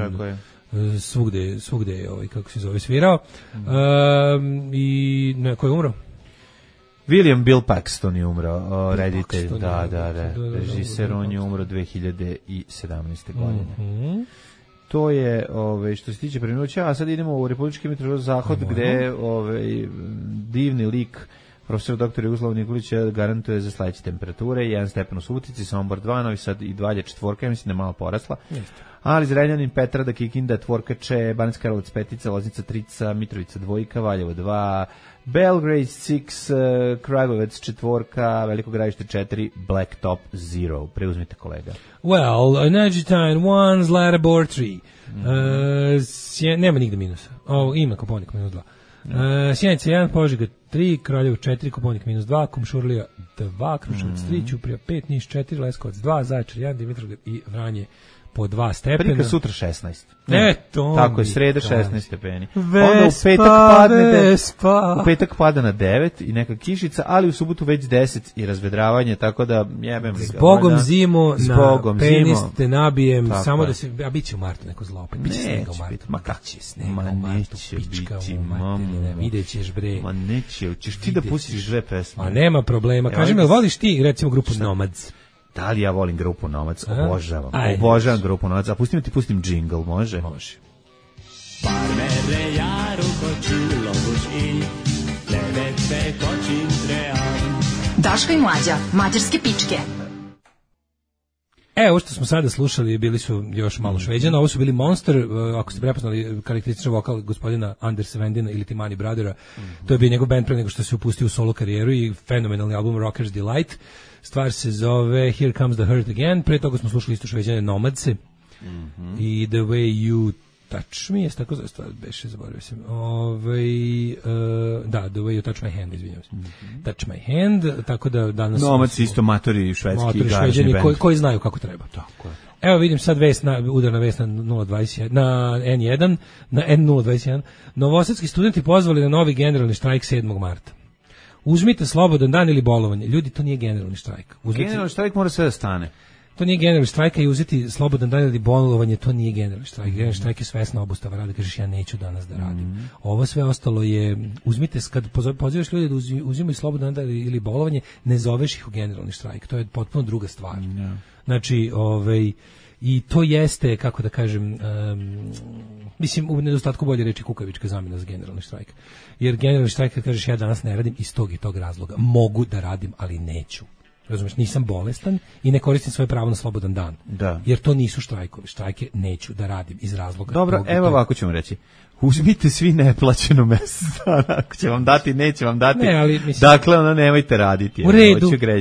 Speaker 7: svugde je kako se zove svirao. I ko je umro?
Speaker 6: William Bill Paxton je umro, reditelj, režiser, on je umro 2017. godine. To je, što se tiče preminuća, a sad idemo u Republički meteorološki zahod, gde divni lik profesor dr. Jugoslav Nikolić garantuje za sledeće temperature, 1 stepen u Subotici, Sombor 2, Novi Sad i Valje 4, ja mislim da je malo porasla. Ali Zrenjanin, Petrada, Kikinda, Tvorkače, Banacki Karlovac 5, Loznica 3, Mitrovica 2, Valjevo 2, Belgrade 6, Kragujevac 4, Veliko Gradište 4, Blacktop 0. Preuzmite, kolega.
Speaker 7: Well, Neđetajn 1, Zlatibor 3. Nema nigde minusa. Ima Koponik minus 2. Sjenica 1, Požega 3, Kraljevo 4, Koponik minus 2, Kumšurlija 2, Kruševac 3, Ćuprija 5, Niš 4, Leskovac 2, Zaječar 1, Dimitrovgrad i Vranje po 2 stepena.
Speaker 6: Prika sutra 16.
Speaker 7: Tako
Speaker 6: je, sreda 16 stepeni.
Speaker 7: Vespa.
Speaker 6: U petak pada na 9 i neka kišica, ali u subotu već 10 i razvedravanje, tako da jebem li ga.
Speaker 7: Zbogom zimu, na penis te nabijem, tako samo da se, a bit će u martu neko zlo opet. Biće snega u martu.
Speaker 6: Ma kako će snega u martu? Pička u martu.
Speaker 7: Vidjet ćeš, bre.
Speaker 6: Ma neće, ćeš ti da pustiš dve pesme.
Speaker 7: Ma nema problema. Kaži mi, voliš ti recimo grupu Nomads?
Speaker 6: Da li ja volim grupu Nomads? Obožavam grupu Nomads. A pustim džingl, može?
Speaker 7: Može.
Speaker 3: Daško i Mlađa, mađarske pičke.
Speaker 7: Ovo što smo sada slušali bili su još malo Šveđana, ovo su bili Monster, ako ste prepoznali karakterističan vokal gospodina Anders Vendina ili Timani Brothera, to je bio njegov band pre nego što se upustio u solo karijeru i fenomenalni album Rocker's Delight. Stvar se zove Here Comes the Hurt Again, pre toga smo slušali isto Šveđane Nomadse i The Way You Touch Me, jeste tako zove stvar, beše, zaboravio sam. Da, The Way You Touch My Hand, izvinjam se. Touch My Hand, tako da danas...
Speaker 6: Nomadsi isto matori švedski garažni band.
Speaker 7: Koji znaju kako treba.
Speaker 6: Tako je.
Speaker 7: Evo vidim sad udarna vest na 021, na N1, na N021. Novosadski studenti pozvali na novi generalni štrajk 7. marta. Uzmite slobodan dan ili bolovanje. Ljudi, to nije generalni štrajk.
Speaker 6: Generalni štrajk mora sve da stane.
Speaker 7: To nije generalni štrajk i uzeti slobodan dan ili bolovanje, to nije generalni štrajk. Generalni štrajk je svesna obustava rada, kažeš ja neću danas da radim. Ovo sve ostalo je, uzmite, kad pozivaš ljudi da uzimaju slobodan dan ili bolovanje, ne zoveš ih u generalni štrajk. To je potpuno druga stvar. Znači, i to jeste, kako da kažem, mislim, u nedostatku bolje reči kukavička zamjena za generalni štrajk. Jer generalni štrajk, kad kažeš ja danas ne radim, iz tog i tog razloga. Mogu da radim, ali neću. Razumeš, nisam bolestan i ne koristim svoje pravo na slobodan dan.
Speaker 6: Da.
Speaker 7: Jer to nisu štrajkovi. Štrajke neću da radim iz razloga.
Speaker 6: Dobro, evo ovako ćemo reći. Uzmite svi neplaćeno mesec dana. Ako će vam dati, neće vam dati.
Speaker 7: Ne, ali, mislim,
Speaker 6: dakle, ono nemojte raditi.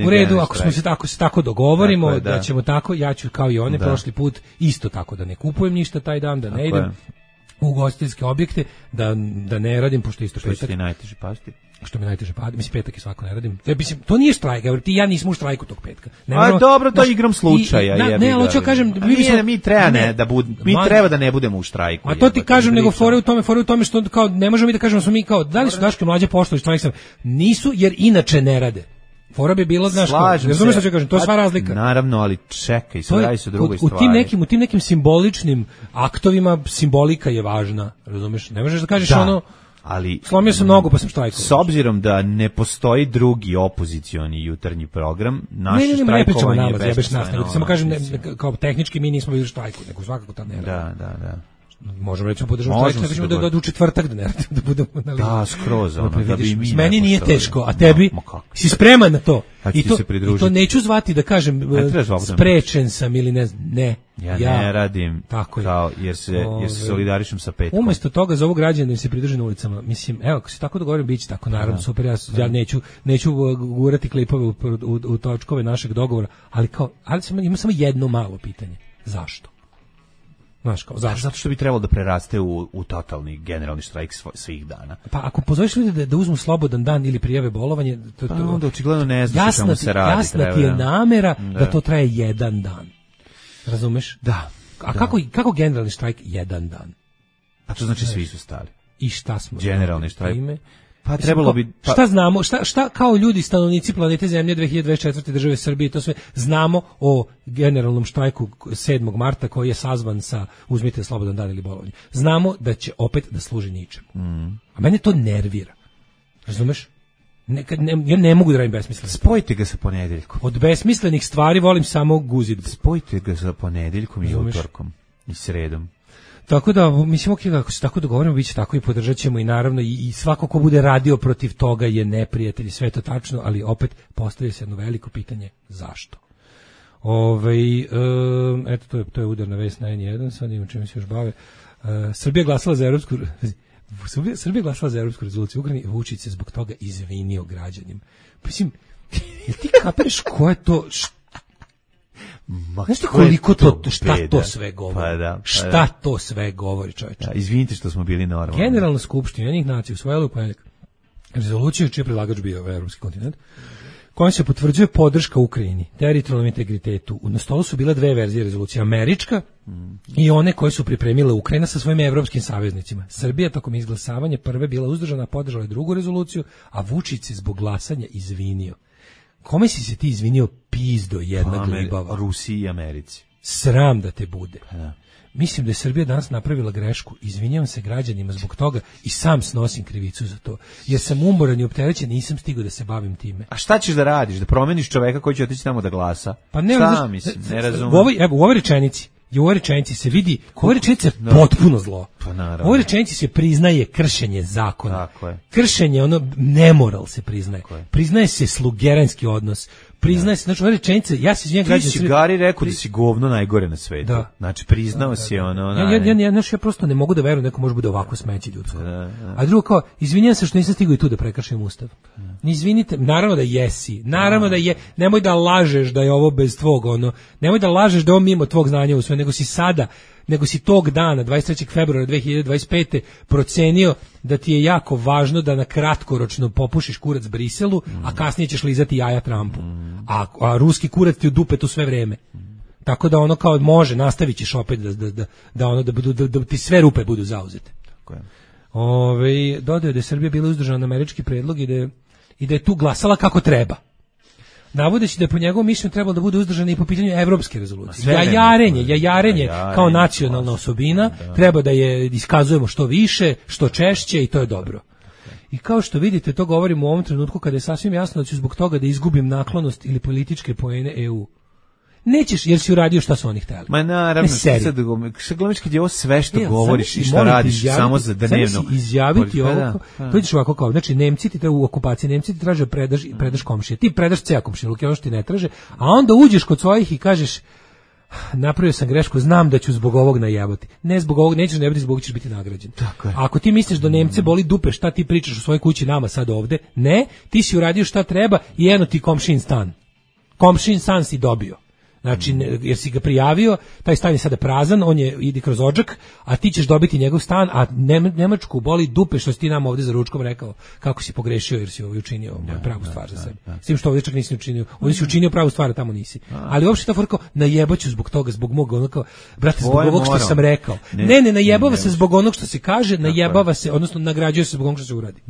Speaker 7: U redu, ako se tako dogovorimo, tako je, da ćemo tako, ja ću kao i one prošli put isto tako da ne kupujem ništa taj dan, da ne idem u ugostiteljske objekte, da ne radim, pošto isto petak.
Speaker 6: Što ti najteže pasti?
Speaker 7: Što mi najteže pada, mislim petak i svako ne radim. Mislim, to nije štrajk, ti ja nismo u štrajku tog petka.
Speaker 6: Dobro, to je igram slučaja.
Speaker 7: Ne, ali hoću kažem,
Speaker 6: mi treba da ne budemo u štrajku.
Speaker 7: A to ti kažem, nego fore u tome što kao ne možemo mi da kažemo smo mi kao da li su Daško i Mlađa poštovali štrajk, nisu jer inače ne rade. Fora bi bilo, znaš, razumiješ što ću kažem, to je sva razlika.
Speaker 6: Naravno, ali čekaj, sve radi se o drugoj stvari.
Speaker 7: U tim nekim simboličnim aktovima simbolika je važna, razumiješ? Ne možeš da kažeš ono,
Speaker 6: ali
Speaker 7: slomio sam nogu pa sam štrajkovao.
Speaker 6: S obzirom da ne postoji drugi opozicioni jutarnji program, naše štrajkovanje je besmisleno.
Speaker 7: Samo kažem, kao tehnički mi nismo bili u štrajku, nego svakako tam ne radi.
Speaker 6: Da.
Speaker 7: Možemo reći podržati štrajk, da u četvrtak da budemo na liniji.
Speaker 6: Da, skroz, da bi mi.
Speaker 7: Meni nije teško, a tebi si spreman na to.
Speaker 6: I
Speaker 7: to neću zvati da kažem sprečen sam ili ne znam, ne.
Speaker 6: Ja ne radim kao jer se solidarišem sa petkom.
Speaker 7: Umesto toga za ovog građana da se pridruže na ulicama. Mislim, evo, ako se tako dogovorim, biće tako, naravno, super, ja neću gurati klipove u točkove našeg dogovora, ali imam samo jedno malo pitanje. Zašto? Znaš, kao, zašto?
Speaker 6: Zato što bi trebalo da preraste u totalni generalni štrajk svih dana.
Speaker 7: Pa ako pozoveš ljude da uzmu slobodan dan ili prijave bolovanje,
Speaker 6: pa onda očigledno ne znaš o čemu se radi.
Speaker 7: Jasna ti je namera da to traje jedan dan. Razumeš?
Speaker 6: Da.
Speaker 7: A kako generalni štrajk jedan dan?
Speaker 6: A to znači svi su stali.
Speaker 7: I šta smo?
Speaker 6: Generalni štrajk. Pa trebalo bi
Speaker 7: šta znamo, šta kao ljudi stanovnici planete Zemlje 2024. države Srbije, to sve znamo o generalnom štrajku 7. marta koji je sazvan sa uzmite slobodan dan ili bolovanje. Znamo da će opet da služi ničemu. A mene to nervira. Razumeš? Ja ne mogu da radim besmisleno.
Speaker 6: Spojite ga sa ponedeljkom.
Speaker 7: Od besmislenih stvari volim samo guzidbu.
Speaker 6: Spojite ga sa ponedeljkom i utorkom i sredom.
Speaker 7: Tako da, mislim, ako se tako dogovorimo, bit će tako i podržat ćemo i naravno i svako ko bude radio protiv toga je neprijatelj, sve to tačno, ali opet postavlja se jedno veliko pitanje, zašto? Eto, to je udarna vest na N1, sad imam čemu se još bave. Srbija glasala za evropsku rezoluciju Ukrajine i Vučić se zbog toga izvinio građanima. Mislim, jel ti kapiraš ko je to... Znaš ti koliko šta to sve govori? Šta to sve govori, čovječe?
Speaker 6: Izvinite što smo bili normalni.
Speaker 7: Generalna skupština Ujedinjenih nacija usvojila u ponedjeljak rezoluciju čiji je predlagač bio evropski kontinent, kojom se potvrđuje podrška Ukrajini, teritorijalnom integritetu. Na stolu su bile dve verzije rezolucije, američka i one koje su pripremile Ukrajina sa svojim evropskim saveznicima. Srbija tokom izglasavanja prve bila uzdržana, podržala je drugu rezoluciju, a Vučić se zbog glasanja izvinio. Kome si se ti izvinio, pizdo jedna glibava?
Speaker 6: Rusiji i Americi.
Speaker 7: Sram da te bude. Mislim da je Srbija danas napravila grešku. Izvinjavam se građanima zbog toga i sam snosim krivicu za to. Jer sam umoran i opterećen, nisam stigao da se bavim time.
Speaker 6: A šta ćeš da radiš? Da promeniš čoveka koji će otići tamo da glasa?
Speaker 7: Pa ne,
Speaker 6: ne razumem.
Speaker 7: U ovoj rečenici se vidi, u ovoj rečenici je potpuno zlo.
Speaker 6: Pa naravno.
Speaker 7: U ovoj rečenici se priznaje kršenje zakona. Kršenje, nemoral se priznaje. Priznaje se slugeranski odnos. Priznaje se, znači ove rečenice, ja se izvinjam građanima.
Speaker 6: Ti si Gari rekao da si govno najgore na svetu. Da. Znači priznao si ono.
Speaker 7: Ja prosto ne mogu da verujem neko može bude ovako smeće ljudsko. A drugo kao, izvinjam se što nisam stigao i tu da prekršim ustav. Izvinite, naravno da jesi. Naravno da je, nemoj da lažeš da je ovo bez tvog nemoj da lažeš da je ovo mimo tvog znanja u sve, nego si tog dana, 23. februara 2025. procenio da ti je jako važno da na kratkoročno popušiš kurac Briselu, a kasnije ćeš lizati jaja Trumpu. A ruski kurac ti u dupetu sve vreme. Tako da kao može, nastavit ćeš opet da ti sve rupe budu zauzete. Dodao je da je Srbija bila uzdržana na američki predlog i da je tu glasala kako treba. Navodeći da je po njegovom mišljenju trebalo da bude uzdržana i po pitanju evropske rezolucije. Jajarenje kao nacionalna osobina, treba da je iskazujemo što više, što češće i to je dobro. I kao što vidite, to govorim u ovom trenutku kada je sasvim jasno da ću zbog toga da izgubim naklonost ili političke poene EU. Nećeš, jer si uradio šta su oni htjeli.
Speaker 6: Ma naravno, sad gledaš kad je ovo sve što govoriš i šta radiš samo za dnevno.
Speaker 7: Izjaviti ovo, to ideš ovako kao, znači Nemci ti u okupaciji, Nemci ti traže predaš komšije, ti predaš ceo komšiluk, ono što ti ne traže, a onda uđeš kod svojih i kažeš, napravio sam grešku, znam da ću zbog ovog najebati. Ne zbog ovog, nećeš najebati, zbog ćeš biti nagrađen. A ako ti misliš da Nemce boli dupe, šta ti pričaš u svojoj kući nama sad ovde? Ne, ti si uradio šta treba i eno ti komšin stan. Komšin stan si dobio. Znači, jer si ga prijavio, taj stan je sada prazan, on ide kroz odžak, a ti ćeš dobiti njegov stan, a Nemačku boli dupe što si ti nam ovdje za ručkom rekao kako si pogrešio jer si učinio pravu stvar za sebe. S tim što ovdje čak nisi učinio, ovdje si učinio pravu stvar, a tamo nisi. Ali uopšte ta fora kao, najebaću zbog toga, zbog mog, kao, brate, zbog ovog što sam rekao. Ne, najebava se zbog onog što se kaže, najebava se, odnosno nagrađuje se zbog onog što se uradi.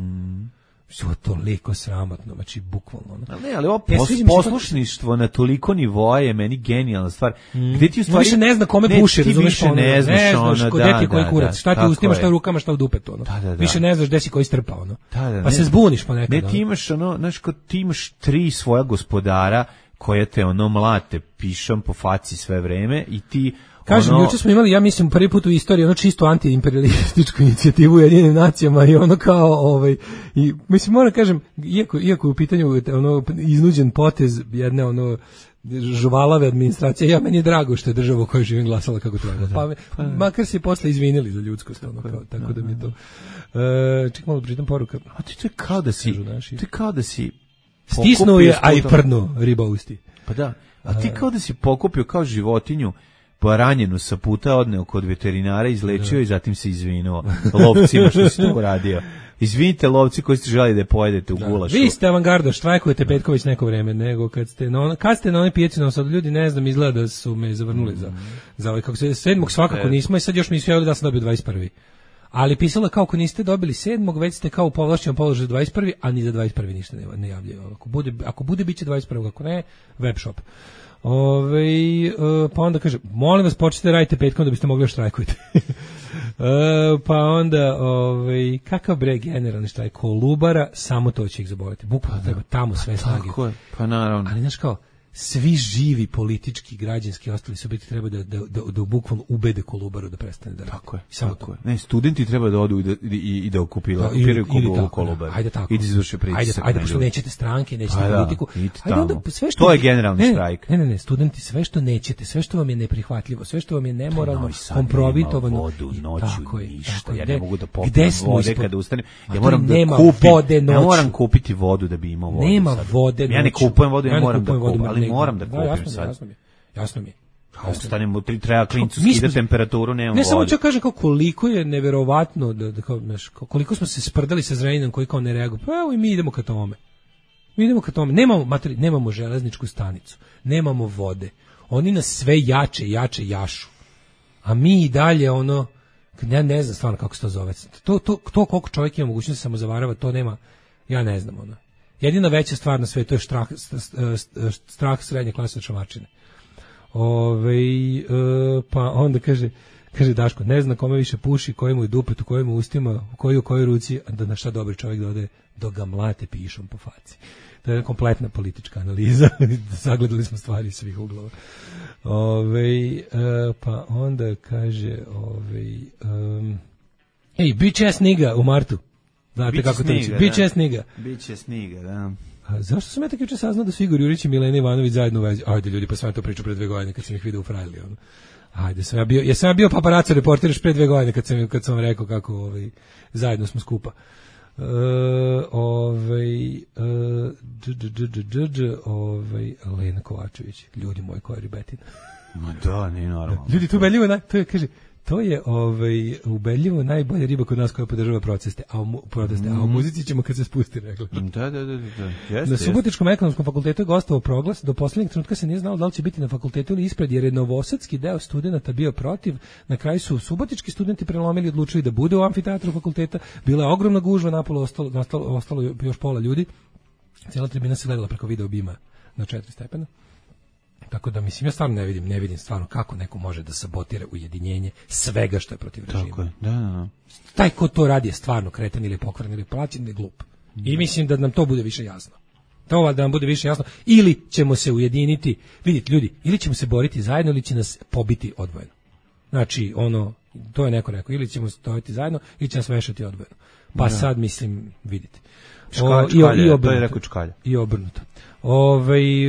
Speaker 7: Što je toliko sramotno, znači bukvalno.
Speaker 6: Ali ovo poslušništvo na toliko nivoa je meni genijalna stvar. Gde ti u stvari
Speaker 7: više ne zna kome puši, razumeš,
Speaker 6: ne znaš
Speaker 7: gde ti koji kurac, šta ti u ustima, šta u rukama, šta u dupetu, Više ne znaš gde si koji strpa, Pa se zbuniš ponekad.
Speaker 6: Ne, ti imaš znaš, ti imaš 3 svoja gospodara koje te mlate pišom po faci sve vreme i ti
Speaker 7: kažem, juče smo imali, ja mislim, prvi put u istoriji čisto antiimperialističku inicijativu u Ujedinjenim nacijama i kao, i mislim, moram kažem, iako je u pitanju iznuđen potez jedne žuvalave administracije, meni je drago što je država u kojoj živim glasala kako treba. Makar se posle izvinili za ljudskost, tako da mi je to. Ček malo pritam poruka.
Speaker 6: A to je kao da si
Speaker 7: stisnuo je, a i prdnuo riba usti.
Speaker 6: Pa da, a ti kao da si pokupio kao životinju pa ranjenu sa puta odneo kod veterinara, izlečio i zatim se izvinuo lovcima što si to uradio. Izvinite lovci koji ste želi da pojedete u gulašu.
Speaker 7: Vi ste avangarda, štrajkujete Petković neko vreme, nego kad ste na onoj pijaci na Osadu, ljudi ne znam, izgleda da su me zavrnuli za ovaj, kako se 7. svakako nismo i sad još mi su javili da sam dobio 21. Ali pisalo kao ako niste dobili 7. već ste kao u povlašćenom položaju 21. a ni za 21. ništa ne javljaju. Ako bude biće 21. ako ne, web shop. Pa onda kaže, molim vas počnite radite petkom da biste mogli štrajkujete. Pa onda kakav bre generalni štrajk Kolubara, samo to će ih zaboliti. Bukvalno treba tamo sve snage.
Speaker 6: Tako je, pa naravno.
Speaker 7: Ali znaš kao, svi živi politički, građanski ostali subjekti treba da bukvalno ubede Kolubaru da prestane da radi.
Speaker 6: Tako je, tako je. Ne, studenti treba da odu i da okupiraju Kolubaru.
Speaker 7: Ajde tako.
Speaker 6: I da izvrše pritisak.
Speaker 7: Ajde, pošto nećete stranke, nećete politiku.
Speaker 6: Ajde onda sve što... To je generalni štrajk.
Speaker 7: Ne, studenti, sve što nećete, sve što vam je neprihvatljivo, sve što vam je nemoralno, kompromitovano.
Speaker 6: Vodu, noću, ništa. Ja ne mogu da popijem vode kada ustanem. Ja moram kupiti vodu da bi imao vodu.
Speaker 7: Nema vode.
Speaker 6: Ja ne kupujem vodu, ja moram da kupim. Moram da kupim sad.
Speaker 7: Jasno mi je.
Speaker 6: Ostanemo, treba klincu skida temperaturu, nemam vode.
Speaker 7: Ne samo ću kažem kao koliko je neverovatno, koliko smo se sprdali sa Zrenjaninom koji kao ne reaguje. Pa evo i mi idemo ka tome. Nemamo železničku stanicu, nemamo vode. Oni nas sve jače jašu. A mi i dalje ja ne znam stvarno kako se to zove. To koliko čovjek ima mogućnost da samo zavarava, to nema, ja ne znam Jedina veća stvar na svetu je strah srednje klase od šamarčine. Pa onda kaže Daško, ne zna kome više puši, kojemu je dupet, u kojemu ustima, u kojoj ruci, a da na šta dobri čovjek dode, dok ga mlate pišom po faci. To je kompletna politička analiza, sagledali smo stvari iz svih uglova. Pa onda kaže, bitch ass nigga u martu. Znate kako to će. Biće sniga.
Speaker 6: Biće sniga, da.
Speaker 7: A zašto sam ja tako juče saznao da su Igor Jurić i Milena Ivanović zajedno u vezi? Ajde ljudi, pa sam to pričao pre 2 godine kad sam ih vidio u Frajli. Ajde, sam ja bio paparaco reporter još pre 2 godine kad sam vam rekao kako zajedno smo skupa. Lena Kovačević, ljudi moji, koja je ribetina.
Speaker 6: Ma da, nije normalno.
Speaker 7: Ljudi, to ubedljivo, to je, kaže, to je ubedljivo najbolja riba kod nas koja podržava proteste, a u muzici ćemo kad se spusti, rekla.
Speaker 6: Da.
Speaker 7: Na Subotičkom ekonomskom fakultetu je gostovao proglas, do poslednjeg trenutka se nije znalo da li će biti na fakultetu ili ispred, jer je novosadski deo studenata bio protiv. Na kraju su subotički studenti prelomili i odlučili da bude u amfiteatru fakulteta. Bila je ogromna gužva, napolo ostalo još pola ljudi. Cijela tribina se gledala preko video bima na 4 stepena. Tako da, mislim, ja stvarno ne vidim stvarno kako neko može da sabotira ujedinjenje svega što je protiv režima.
Speaker 6: Tako je, da.
Speaker 7: Taj ko to radi je stvarno kretan ili pokvaren ili plaćen ili glup. I mislim da nam to bude više jasno. Da nam bude više jasno. Ili ćemo se ujediniti, vidite ljudi, ili ćemo se boriti zajedno ili će nas pobiti odvojeno. Znači, to je neko rekao, ili ćemo stojiti zajedno ili će nas vešati odvojeno. Pa sad, mislim, vidite.
Speaker 6: To je rekao Čkalja.
Speaker 7: I obrnuto.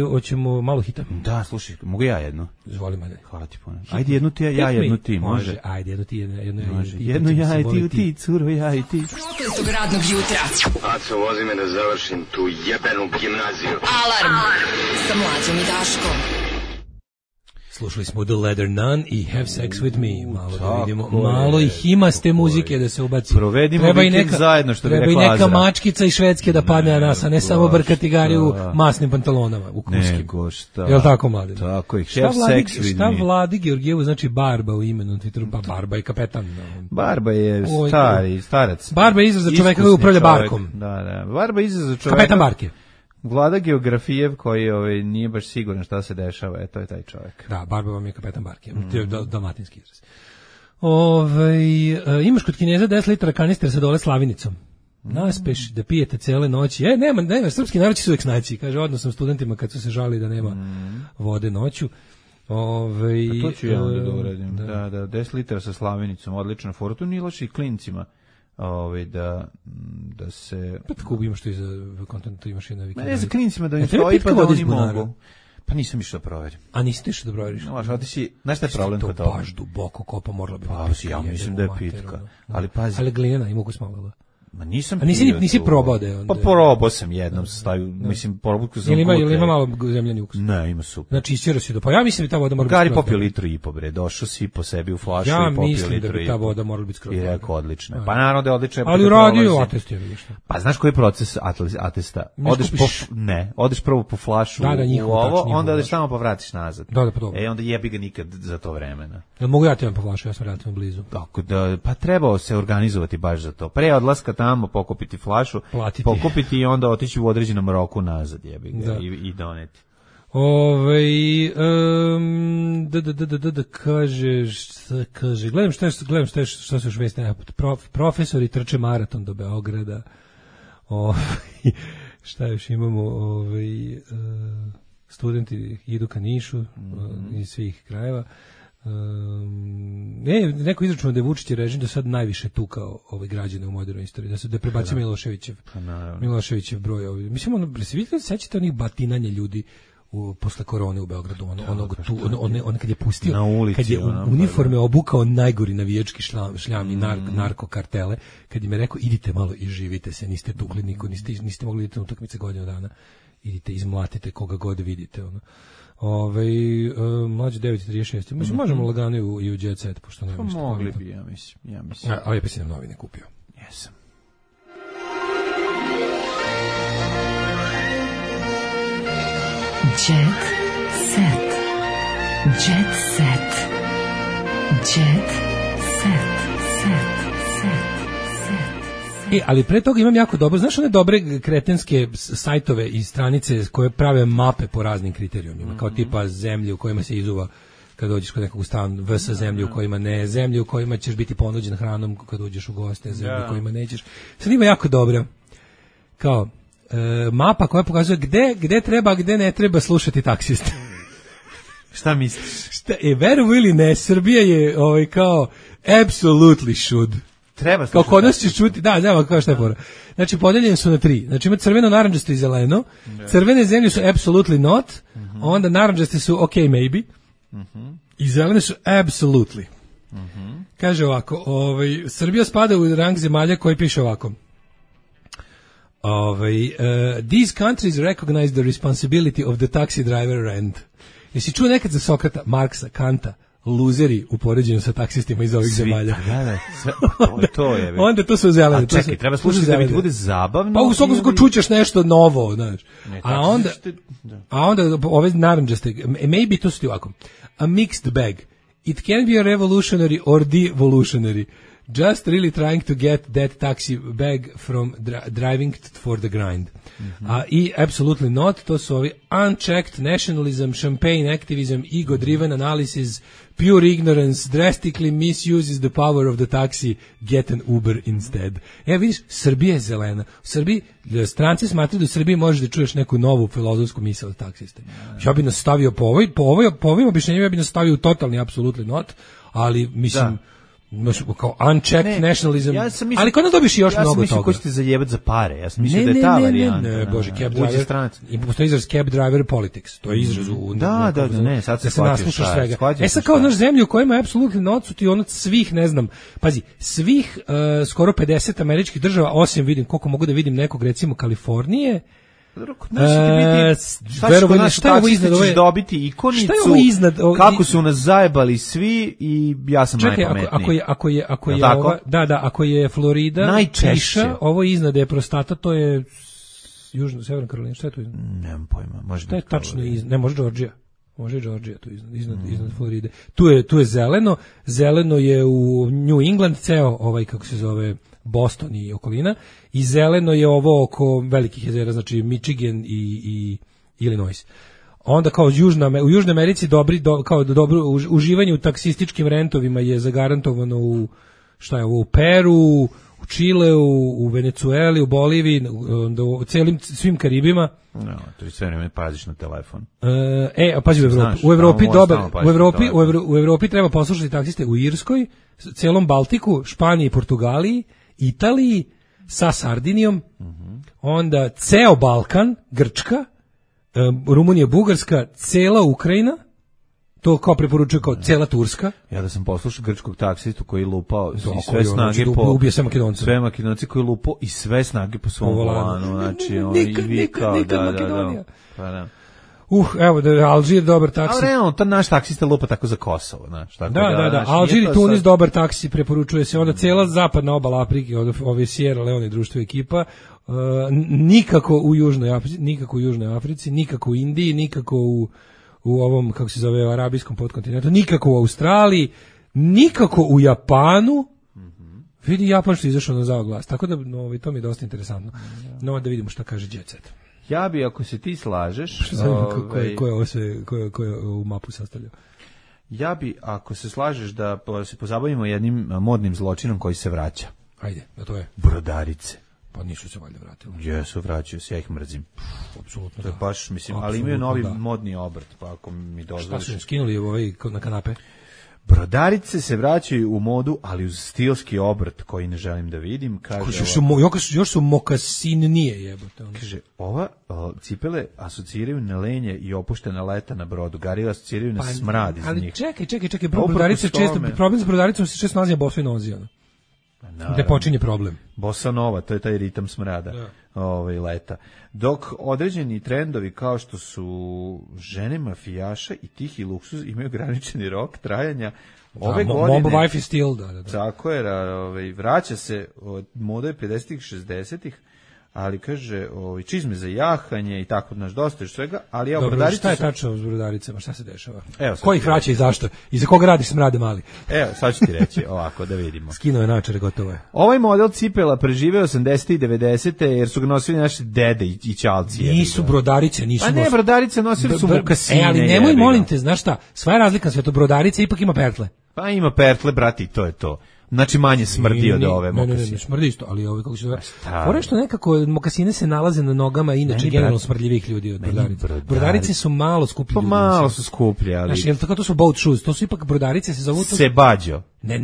Speaker 7: Hoćemo malo hita.
Speaker 6: Da, slušaj, mogu ja jedno?
Speaker 7: Zvoli mene.
Speaker 6: Hvala ti puno. Ajde jednu ti, ja jednu ti, može.
Speaker 7: Ajde, jednu ti,
Speaker 6: jednu ja i ti, curo, ja i ti.
Speaker 3: Prokletog radnog jutra.
Speaker 4: Aco, vozi me da završim tu jebenu gimnaziju.
Speaker 3: Alarm sa Mlađom i Daškom.
Speaker 7: Slušali smo The Leather Nun i Have Sex With Me. Malo da vidimo, malo ih ima s te muzike da se ubaci.
Speaker 6: Provedimo vikend zajedno, što bi rekla Azra.
Speaker 7: Treba i neka mačkica iz Švedske da padne na nas, a ne samo brkati gari u masnim pantalonama, u kuskim.
Speaker 6: Nego šta.
Speaker 7: Jel' tako, mladen?
Speaker 6: Tako ih, Have Sex With Me.
Speaker 7: Šta Vladi Georgijevu znači Barba u imenu na Twitteru? Pa Barba je kapetan.
Speaker 6: Barba je starac.
Speaker 7: Barba je izraz za čoveka koji upravlja barkom.
Speaker 6: Da. Barba je izraz za čoveka.
Speaker 7: Kapetan barke.
Speaker 6: Vlada Geografijev koji nije baš siguran šta se dešava, to je taj čovjek.
Speaker 7: Da, Barba vam je kapetan barke, to je dalmatinski izraz. Imaš kod Kineza 10 litara kanister sa dole slavinicom. Naspeš da pijete cele noći. Nema, srpski narod će se uvek snaći. Kaže, odnosno studentima kad su se žali da nema vode noću.
Speaker 6: To ću ja onda da uradim. Da, 10 litara sa slavinicom, odlična fora. To nije loši i klincima. Da se...
Speaker 7: Pa tako imaš to i za kontentu, imaš i na Wikipediji.
Speaker 6: Ne za klinicima da im stoji pa da oni mogu. Pa nisam išao da proverim.
Speaker 7: A nisi ti išao da proveriš?
Speaker 6: Znaš šta je problem kod toga?
Speaker 7: Baš duboko kopa morala bi.
Speaker 6: Pa ja mislim da je pitka. Ali pazi.
Speaker 7: Ali glinena ima ukus malo.
Speaker 6: Ma nisam.
Speaker 7: A nisi probao da je onda.
Speaker 6: Pa probao sam jednom, stavio, mislim, probao sam.
Speaker 7: Ili ima malo zemljani ukus?
Speaker 6: Ne, ima super.
Speaker 7: Znači isčerao si do. Pa ja mislim da ta voda mora biti.
Speaker 6: Gari popio litru i po bre, došao si po sebi u flašu i popio litru.
Speaker 7: Ja mislim da bi ta voda morala biti skroz.
Speaker 6: I rekao odlično. Pa naravno da je odlično.
Speaker 7: Ali radio atest je vidiš.
Speaker 6: Pa znaš koji je proces atesta? Odeš prvo po flašu u ovo, onda odeš tamo pa vratiš nazad.
Speaker 7: Da, pa dobro.
Speaker 6: Onda jebi ga nikad za to vremena.
Speaker 7: Jel mogu ja ti po flašu, ja sam relativno blizu.
Speaker 6: Tako da, pa trebao se organizovati baš za to. Pre odlaska tamo pokupiti flašu, pokupiti i onda otići u određenom roku nazad, jebi ga, i doneti.
Speaker 7: Kaže, gledam šta se još vesti, profesori trče maraton do Beograda. Šta još imamo, studenti idu ka Nišu iz svih krajeva. Neko izračunao da je Vučić režim do sad najviše tukao građane u modernoj istoriji, da prebacio Miloševićev broj. Mislim, sećate onih batinanja ljudi posle korone u Beogradu, ono kad je pustio, kad je uniforme obukao najgori navijački šljam i narkokartele, kad im je rekao idite malo i živite se, niste tukli niko, niste mogli idete na utakmice godinu dana, idite izmlatite koga god vidite, mlađe 9:36. Mislim, možemo lagano i u Jet Set, pošto nema ništa.
Speaker 6: Mogli bi, ja mislim.
Speaker 7: A ja pa si nam novine kupio.
Speaker 6: Jesam.
Speaker 3: Jet Set. Jet Set. Jet Set.
Speaker 7: Ali pre toga imam jako dobro, znaš one dobre kretenske sajtove i stranice koje prave mape po raznim kriterijumima, kao tipa zemlje u kojima se izuva kad dođeš kod nekog u stan, vs zemlje u kojima ne, zemlje u kojima ćeš biti ponuđen hranom kad uđeš u goste, zemlje u kojima nećeš. Sad ima jako dobro, kao mapa koja pokazuje gde treba, gde ne treba slušati taksiste.
Speaker 6: Šta misliš?
Speaker 7: Veruj ili ne, Srbija je kao absolutely should.
Speaker 6: Treba
Speaker 7: kao kod nas ćeš čuti, kao šta je fora. Znači, podeljeni su na 3. Znači, ima crveno, narandžasto i zeleno. Crvene zemlje su absolutely not, onda narandžaste su okay, maybe, i zelene su absolutely. Kaže ovako, Srbija spada u rang zemalja koji piše ovako. These countries recognize the responsibility of the taxi driver rent. Jesi čuo nekad za Sokrata, Marksa, Kanta, luzeri u poređenju sa taksistima iz ovih zemalja?
Speaker 6: To je.
Speaker 7: Onda to su zelene.
Speaker 6: A čekaj, treba slušati da mi bude zabavno.
Speaker 7: Pa u svakom čućeš nešto novo, znaš. A onda ove narandžaste, maybe to su ti ovako. A mixed bag. It can be a revolutionary or devolutionary. Just really trying to get that taxi bag from driving for the grind. I absolutely not, to su ovi unchecked nationalism, champagne activism, ego-driven analysis, pure ignorance, drastically misuses the power of the taxi, get an Uber instead. Vidiš, Srbija je zelena. U Srbiji, stranci smatraju da u Srbiji možeš da čuješ neku novu filozofsku misao od taksiste. Ja bi nas stavio po ovim objašnjenjima, ja bi nas stavio u totalni absolutely not, ali mislim... kao unchecked nationalism, ali kod nas dobiš još mnogo toga. Ja sam mislio ko ćete
Speaker 6: zajebati za pare, ja sam mislio da je ta varijanta.
Speaker 7: Ne, bože, cab driver, i postoji izraz cab driver politics, to je izraz u...
Speaker 6: sad se shvatio šta.
Speaker 7: Sad kao naš zemlju u kojima je apsolutno nocuti od svih, ne znam, pazi, svih skoro 50 američkih država, osim vidim, koliko mogu da vidim nekog, recimo Kalifornije,
Speaker 6: šta je ovo iznad ove... dobiti ikonicu, kako su nas zajebali svi i ja sam najpametniji.
Speaker 7: Ako je Florida, najčešće, ovo iznad je prostata, to je Severna Karolina, šta je to iznad?
Speaker 6: Nemam pojma, može biti
Speaker 7: tačno iznad, ne, može Georgia. Može Georgia tu iznad Floride. Tu je zeleno je u New England, ceo kako se zove Boston i okolina, i zeleno je ovo oko velikih jezera, znači Michigan i Illinois. Onda kao u Južnoj Americi dobro uživanje u taksističkim rentovima je zagarantovano u Peru, u Čileu, u Venecueli, u Boliviji, u svim Karibima.
Speaker 6: No, to je sve vreme paziš na telefon.
Speaker 7: Pazi u Evropi treba poslušati taksiste u Irskoj, celom Baltiku, Španiji, Portugaliji, Italiji, sa Sardinijom, onda ceo Balkan, Grčka, Rumunija, Bugarska, cela Ukrajina, To kao preporučuje kao cela Turska.
Speaker 6: Ja da sam poslušao grčkog taksistu koji lupao i sve snage po...
Speaker 7: Ubije sve Makedonce.
Speaker 6: Sve Makedonci koji lupao i sve snage po svom volanu. Znači, on i vikao, da. Pa da.
Speaker 7: Evo da Alžir dobar taksi.
Speaker 6: A realno, ta naš taksista lupa tako za Kosovo, znaš.
Speaker 7: Da. Alžir i Tunis dobar taksi, preporučuje se. Onda cela zapadna obala Afrike, od ove Sierra Leone društvo ekipa, nikako u Južnoj Africi, nikako u Indiji, nikako u ovom, kako se zove, arabijskom podkontinentu, nikako u Australiji, nikako u Japanu. Vidi, Japan što je izašao na zao glas. Tako da, to mi je dosta interesantno. No, da vidimo šta kaže Jet Set.
Speaker 6: Ja bi, ako se ti slažeš...
Speaker 7: Ko je u mapu sastavljao?
Speaker 6: Ja bi, ako se slažeš, da se pozabavimo jednim modnim zločinom koji se vraća.
Speaker 7: Ajde, da to je?
Speaker 6: Brodarice.
Speaker 7: Pa nisu se valjda vratili.
Speaker 6: Jesu, vraćaju se, ja ih mrzim.
Speaker 7: Apsolutno.
Speaker 6: To je baš, mislim, ali imaju novi modni obrt, pa ako mi dozvoliš...
Speaker 7: Šta su im skinuli na kanape?
Speaker 6: Brodarice se vraćaju u modu, ali uz stilski obrt koji ne želim da vidim. Kaže,
Speaker 7: još su mokasinije jebote.
Speaker 6: Kaže, ova cipele asociraju na lenje i opuštena leta na brodu. Garila asociraju na smrad iz njih.
Speaker 7: Ali čekaj, problem s brodaricom se često nalazi na bosoj nozi. Gde počinje problem.
Speaker 6: Bossa nova, to je taj ritam smrada leta. Dok određeni trendovi kao što su žene mafijaša i tihi luksuz imaju ograničeni rok trajanja, ove godine...
Speaker 7: Mob Wife is still, da.
Speaker 6: Tako je, vraća se od mode 50-ih, 60-ih, ali kaže čizme za jahanje i tako, dosta još svega, ali
Speaker 7: dobro, šta je tačno s brodaricama, šta se dešava? Ko ih vraća i zašto? I za koga radiš smrade mali?
Speaker 6: Evo, sad ću ti reći ovako, da vidimo.
Speaker 7: Skinuo je načare, gotovo je.
Speaker 6: Ovaj model cipela preživeo 80. i 90. jer su ga nosili naši dede i ćalci.
Speaker 7: Nisu brodarice, nisu.
Speaker 6: Pa ne, brodarice nosili su mokasine.
Speaker 7: Ali nemoj, molim te, znaš šta, sva je razlika sve to, brodarice ipak ima pertle.
Speaker 6: Pa ima pertle, brati, to je to. Znači manje smrdi od ove mokasine.
Speaker 7: Ne, smrdi isto, ali ove kako se zove. Fore što nekako mokasine se nalaze na nogama inače generalno smrdljivih ljudi od brodarica. Brodarice su malo skuplje.
Speaker 6: Pa malo su skuplje, ali.
Speaker 7: Znači, jel tako to su boat shoes, to su ipak brodarice se zovu.
Speaker 6: Sebađo.
Speaker 7: Ne.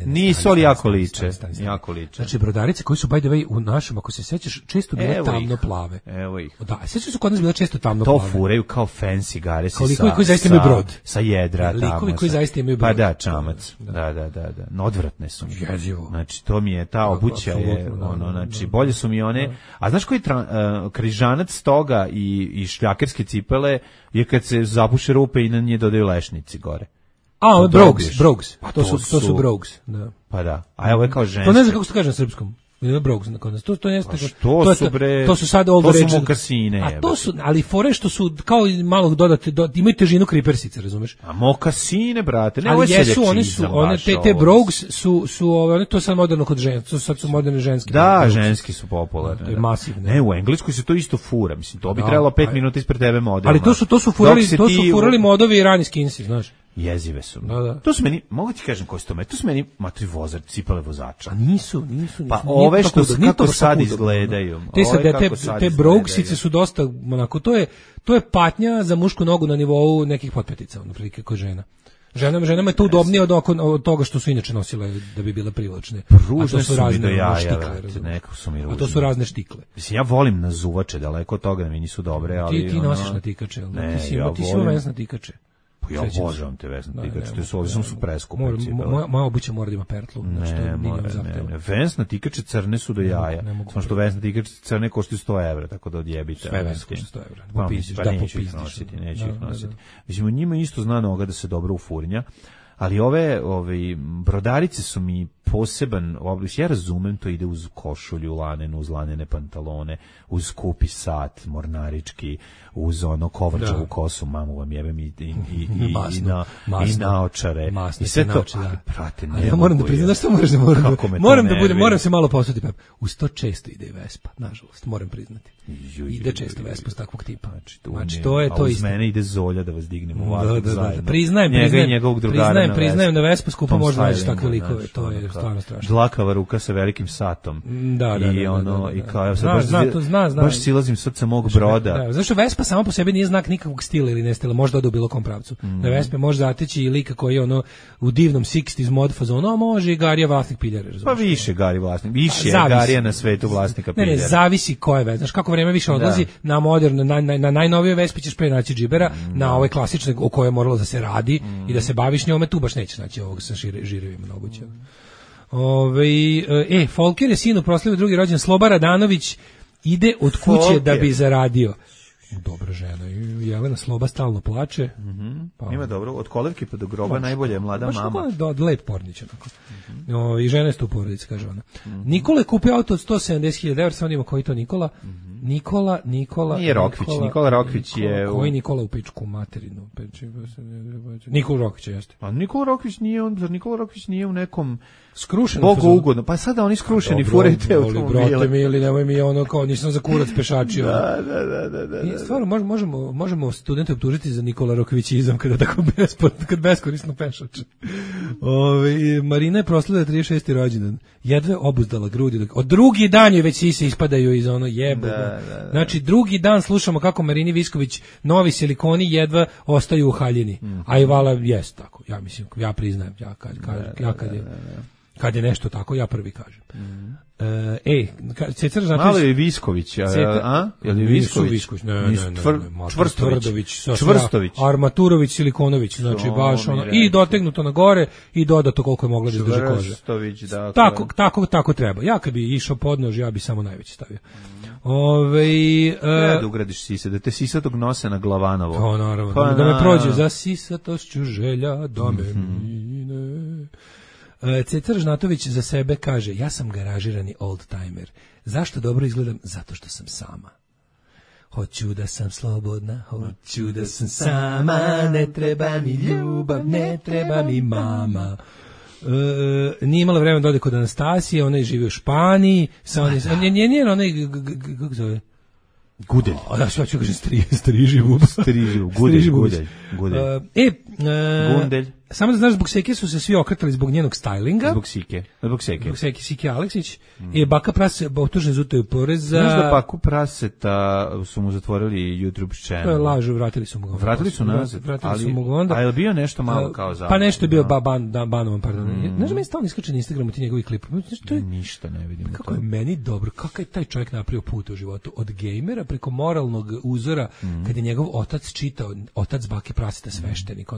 Speaker 6: Nisu ali jako liče. Jako liče.
Speaker 7: Znači brodarice koji su by the way u našem, ako se sećaš, često bile tamno plave.
Speaker 6: Evo ih.
Speaker 7: Da, sećaš su kod nas bile često tamno plave.
Speaker 6: To furaju kao fancy gare sa.
Speaker 7: Koji zaista imaju brod.
Speaker 6: Sa jedra tamo.
Speaker 7: Likovi koji zaista imaju brod.
Speaker 6: Pa da, čamac. Da. Odvratne su.
Speaker 7: Jezivo.
Speaker 6: Znači to mi je ta obuća je znači bolje su mi one. A znaš koji križanac toga i šljakerske cipele je kad se zapuše rupe i na nje dodaju lešnici gore.
Speaker 7: Brogues. Pa to su Brogues, da.
Speaker 6: Pa da. A evo je kao ženski.
Speaker 7: To ne znam kako se kaže na srpskom. Brogues na kod nas. To jeste. To su sad old
Speaker 6: rage. To su mokasine.
Speaker 7: A to su, ali fore što su kao malo dodate, imaju težinu kripersice, razumeš?
Speaker 6: A mokasine, brate, ne
Speaker 7: ovo je one te Brogues su one to sad moderno kod žena, to sad su moderne ženske.
Speaker 6: Da, ženski su popularne.
Speaker 7: To je masivno.
Speaker 6: Ne, u Engleskoj se to isto fura, mislim, to bi trebalo 5 minuta ispred tebe model.
Speaker 7: Ali to su furali modovi i rani skinsi, znaš.
Speaker 6: Jezive su.
Speaker 7: Da.
Speaker 6: To su meni, mogu ti kažem koji su to su meni matri vozač, cipele vozača.
Speaker 7: A nisu.
Speaker 6: Pa ove što kako sad izgledaju.
Speaker 7: Te Broguesice su dosta, onako, to je patnja za mušku nogu na nivou nekih potpetica, otprilike kod žena. Ženama je to udobnije od toga što su inače nosile da bi bile privlačne.
Speaker 6: Pružne su mi do jaja, nekako su mi ružne.
Speaker 7: A to su razne štikle.
Speaker 6: Mislim, ja volim nazuvače, daleko od toga da mi nisu dobre, ali...
Speaker 7: Ti nosiš na tikače, ti si ima vesna tikače.
Speaker 6: Ja obožavam te vesne tikače, te su preskupe.
Speaker 7: Moja obuća mora da ima pertlu.
Speaker 6: Ne. Vesna tikače crne su do jaja. Samo što vesna tikače crne koštaju 100 evra, tako da odjebite.
Speaker 7: Sve vesne koštaju 100 evra.
Speaker 6: Pa neću ih nositi. Mislim, u njima isto zna noga da se dobro ufurnja. Ali ove brodarice su mi poseban oblik. Ja razumem, to ide uz košulju lanenu, uz lanene pantalone, uz skupi sat mornarički, uz ono kovrčavu kosu, mamu vam jebem i naočare.
Speaker 7: Masno
Speaker 6: i sve to.
Speaker 7: Prate, ja moram da priznam, što moram se malo posvetiti. Uz to često ide i Vespa, nažalost, moram priznati. Ide često Vespa s takvog tipa. Znači, to je to isto.
Speaker 6: A uz mene ide Zolja da vas dignemo ovako zajedno.
Speaker 7: Priznajem, na Vespa skupo možda naći takve likove, to je stvarno strašno.
Speaker 6: Dlakava ruka sa velikim satom.
Speaker 7: Da.
Speaker 6: I kao evo sad baš silazim srca mog broda.
Speaker 7: Da, zašto Vespa sama po sebi nije znak nikakvog stila ili nestila, možda ode u bilo kom pravcu. Da Vespa može zateći i lika koji je u divnom 60s mod fazonu, može i Garija vlasnik piljare, razumiješ?
Speaker 6: Pa više Gari vlasnik, više je Garija na svetu vlasnika piljare.
Speaker 7: Ne, zavisi ko je Vespa. Znaš kako vreme više odlazi, na moderno, na najnovije Vespi ćeš pre naći džibera, na ove klasične o koje je moralo da se radi i da se baviš njome, tu baš nećeš naći ovog sa žirevima na obuću. Folker je sinu proslavio drugi rođendan, Sloba Radanović ide od kuće da bi zaradio. Dobra žena, Jelena Sloba stalno plače.
Speaker 6: Pa ima dobro, od kolevke pa do groba najbolje je mlada mama.
Speaker 7: Baš lep pornić. I žena je tu porodica, kaže ona. Nikola je kupio auto od 170.000 €, samo nima koji to Nikola. Nikola.
Speaker 6: Nije Rokvić, Nikola Rokvić je...
Speaker 7: Koji Nikola u pičku materinu? Nikola Rokvić jeste.
Speaker 6: A Nikola Rokvić nije u nekom...
Speaker 7: Skrušeno.
Speaker 6: Bogu ugodno. Pa sada oni skrušeni furajte automobile.
Speaker 7: Brate mi, ili nemoj mi ono kao nisam za kurac pešačio.
Speaker 6: Da.
Speaker 7: I stvarno možemo studente optužiti za Nikola Rokvićizam kada tako beskorisno pešače. Marina je proslavila 36. rođendan. Jedva obuzdala grudi. Od drugi dan joj već sise ispadaju iz ono jebo. Znači drugi dan slušamo kako Marini Visković novi silikoni jedva ostaju u haljini. A i vala jest tako. Ja mislim, ja priznajem, kad je nešto tako, ja prvi kažem. Cecar znači...
Speaker 6: Malo je Visković, Je li Visković?
Speaker 7: Ne. Čvrstović. Armaturović, Silikonović, znači baš ono, i dotegnuto na gore i dodato koliko je mogla da izdrži kože.
Speaker 6: Čvrstović, dakle.
Speaker 7: Tako treba. Ja kad bi išao podnož, ja bi samo najveći stavio.
Speaker 6: Da ugradiš sise, da te sisatog nose na Glavanovo.
Speaker 7: To naravno, da me prođe za sisatošću želja, da me mine. Cecar Žnatović za sebe kaže, ja sam garažirani old-timer. Zašto dobro izgledam? Zato što sam sama. Hoću da sam slobodna, hoću da sam sama, ne treba mi ljubav, ne treba mi mama. Nije imala vremena da ode kod Anastasije, ona je živi u Španiji, njen onaj, kako zove?
Speaker 6: Gudelj.
Speaker 7: Ja ću kažem striživu.
Speaker 6: Gudelj.
Speaker 7: Gundelj. Samo da znaš, zbog Seke su se svi okretali zbog njenog stylinga.
Speaker 6: Zbog Seke.
Speaker 7: Sike Aleksić. Baka Prase optužen za utaju poreza.
Speaker 6: Znaš da Baku Praseta su mu zatvorili YouTube channel?
Speaker 7: To je lažu, vratili su mu ga.
Speaker 6: Vratili su mu ga onda. A je li bio nešto malo kao za?
Speaker 7: Pa nešto je bio banovan, pardon. Znaš da meni stalno iskače na Instagramu ti njegovi klip.
Speaker 6: Ništa ne vidim.
Speaker 7: Kako je meni dobro, kako je taj čovjek napravio put u životu. Od gejmera preko moralnog uzora, kad je njegov otac čitao, otac Bake Praseta sveštenik,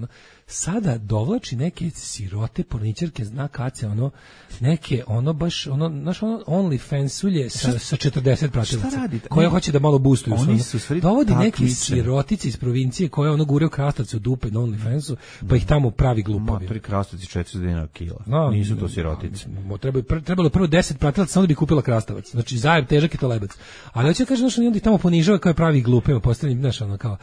Speaker 7: sada dovlači neke sirote porničarke, zna kace, neke, baš, znaš, OnlyFansulje sa 40 pratilaca, koja hoće da malo boostuju. Dovodi neke sirotice iz provincije koje gure u krastavce u dupe na OnlyFansu, pa ih tamo pravi glupovi.
Speaker 6: Pri krastavci 400 dinara kila. Nisu to sirotice.
Speaker 7: Trebalo prvo 10 pratilaca, samo da bi kupila krastavac. Znači, zajem težak je to lebac. Ali hoće kaže, znaš, onda ih tamo ponižava kao je pravi glupima, postavljeni, znaš, kao,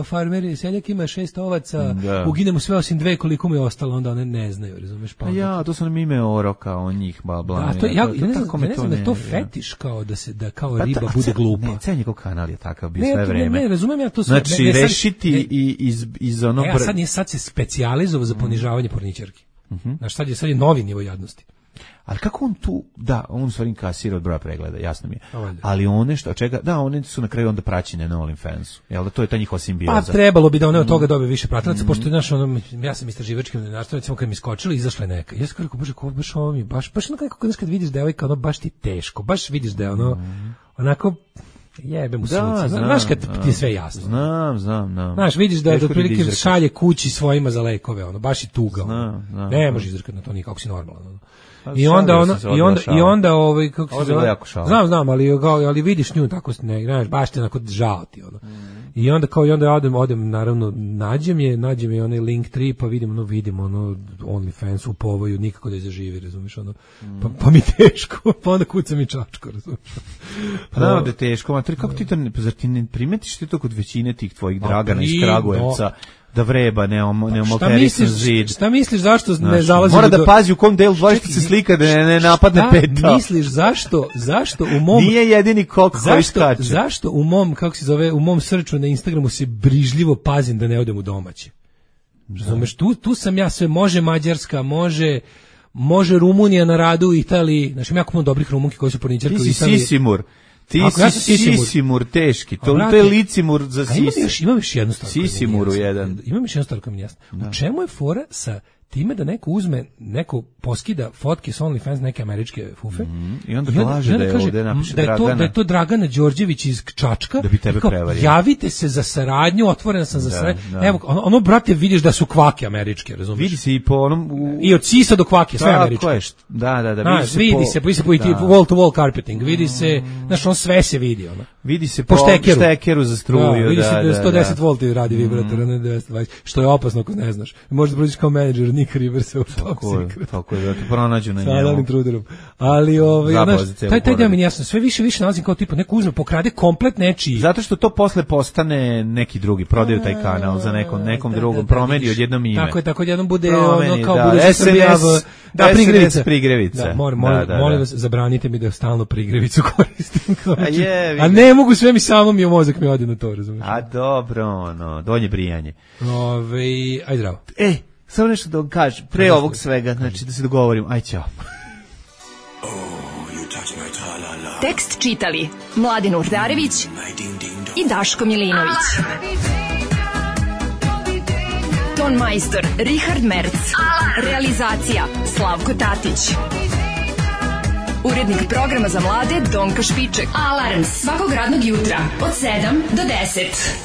Speaker 7: farmer, seljak ima 6 ovaca, uginemo sve osim 2 koliko mi je ostalo, onda one ne znaju, razumeš? Pa
Speaker 6: to sam ime oroka, on njih blame.
Speaker 7: Ja ne znam da je to fetiš kao da kao riba bude glupa.
Speaker 6: Ne, ceo njegov kanal je takav bio sve vreme.
Speaker 7: Ne, razumem ja to sve.
Speaker 6: Znači, rešiti iz ono...
Speaker 7: Sad se specijalizovao za ponižavanje porničarki. Znaš, sad je novi nivo jadnosti.
Speaker 6: Ali kako on tu, on stvari inkasira od broja pregleda, jasno mi je. Ali one one su na kraju onda praćene na OnlyFansu. Jel da to je ta njihova simbioza?
Speaker 7: Pa trebalo bi da one od toga dobije više pratilaca, pošto ja sam istraživačkim novinarstvom, recimo kad mi skočili, izašla je neka. Ja sam rekao, bože, ko baš ovo mi, baš nekako kad vidiš devojka, baš ti teško, baš vidiš da je onako jebe mu sunce. Znaš kad ti je sve jasno.
Speaker 6: Znam.
Speaker 7: Znaš, vidiš da otprilike šalje kući svojima za lekove, baš i tuga. Ne može izrkati na to nikako, si normalan. I onda kako se zove? Znam, ali vidiš nju tako ne, znaš, baš te onako žao ti I onda odem naravno nađem je onaj Linktree, pa vidim OnlyFans u povoju, nikako da je zaživi, razumiješ, pa mi teško, pa onda kucam i čačko, razumiješ.
Speaker 6: Pa da je teško, materi, kako ti to, zar ti ne primetiš ti to kod većine tih tvojih Dragana iz Kragujevca, da vreba, ne omoterisan zid.
Speaker 7: Šta misliš zašto ne zalazi?
Speaker 6: Mora da pazi u kom delu dvorišta se slika da ne napadne peta.
Speaker 7: Šta misliš zašto u mom...
Speaker 6: Nije jedini kok koji skače.
Speaker 7: Zašto u mom, kako se zove, u mom srču na Instagramu se brižljivo pazim da ne odem u domaće? Razumeš, tu sam ja sve, može Mađarska, može Rumunija na radu u Italiji, znači ima jako puno dobrih Rumunki koji su porničarke u Italiji.
Speaker 6: Sisimur. Ti si Sisimur teški, to je licimur za Sisi.
Speaker 7: Imam još jednu stvar.
Speaker 6: Sisimuru jedan.
Speaker 7: Imam još jednu stvar koja mi je jasna. U čemu je fora sa time da neko poskida fotke s OnlyFans neke američke fufe
Speaker 6: i onda kaže da je ovde napiše Dragana.
Speaker 7: Da je to Dragana Đorđević iz Čačka.
Speaker 6: Da bi tebe prevario.
Speaker 7: Javite se za saradnju, otvoren sam za saradnju. Evo, ono, brate, vidiš da su kvake američke, razumiješ?
Speaker 6: Vidi se i po onom...
Speaker 7: I od Sisa do kvake, sve američke.
Speaker 6: Da,
Speaker 7: vidi se po wall to wall carpeting, vidi se, znaš, on sve se vidi, ono.
Speaker 6: Vidi se po štekeru za struju.
Speaker 7: Vidi se da 110 volti radi vibrator, ne 220, što je opasno ako ne znaš. Možda prođeš kao menadžer Nick Riversa u Toxic.
Speaker 6: Tako je, da te pronađu na njemu.
Speaker 7: Sa Alan Truderom. Ali, znaš, taj deo mi jasno, sve više nalazim kao tipa, neko uzme, pokrade komplet nečiji.
Speaker 6: Zato što to posle postane neki drugi, prodaju taj kanal za nekom drugom, promeni odjednom ime.
Speaker 7: Tako odjednom bude ono, kao bude Srbija prigrevica. Da, molim vas, zabranite mi da stalno prigrevicu koristim. A ne mogu, sve mi samo mi mozak mi ode na to, razumiješ?
Speaker 6: A dobro, ono, donje brijanje.
Speaker 7: Ajde, zdravo.
Speaker 6: Samo nešto da vam kažem, pre ovog svega, znači da se dogovorim, aj ćao.
Speaker 3: Tekst čitali Mladin Urdarević i Daško Milinović. Ton majstor Richard Merc. Realizacija Slavko Tatić. Urednik programa za mlade Donka Špiček. Alarms svakog radnog jutra od 7 do 10.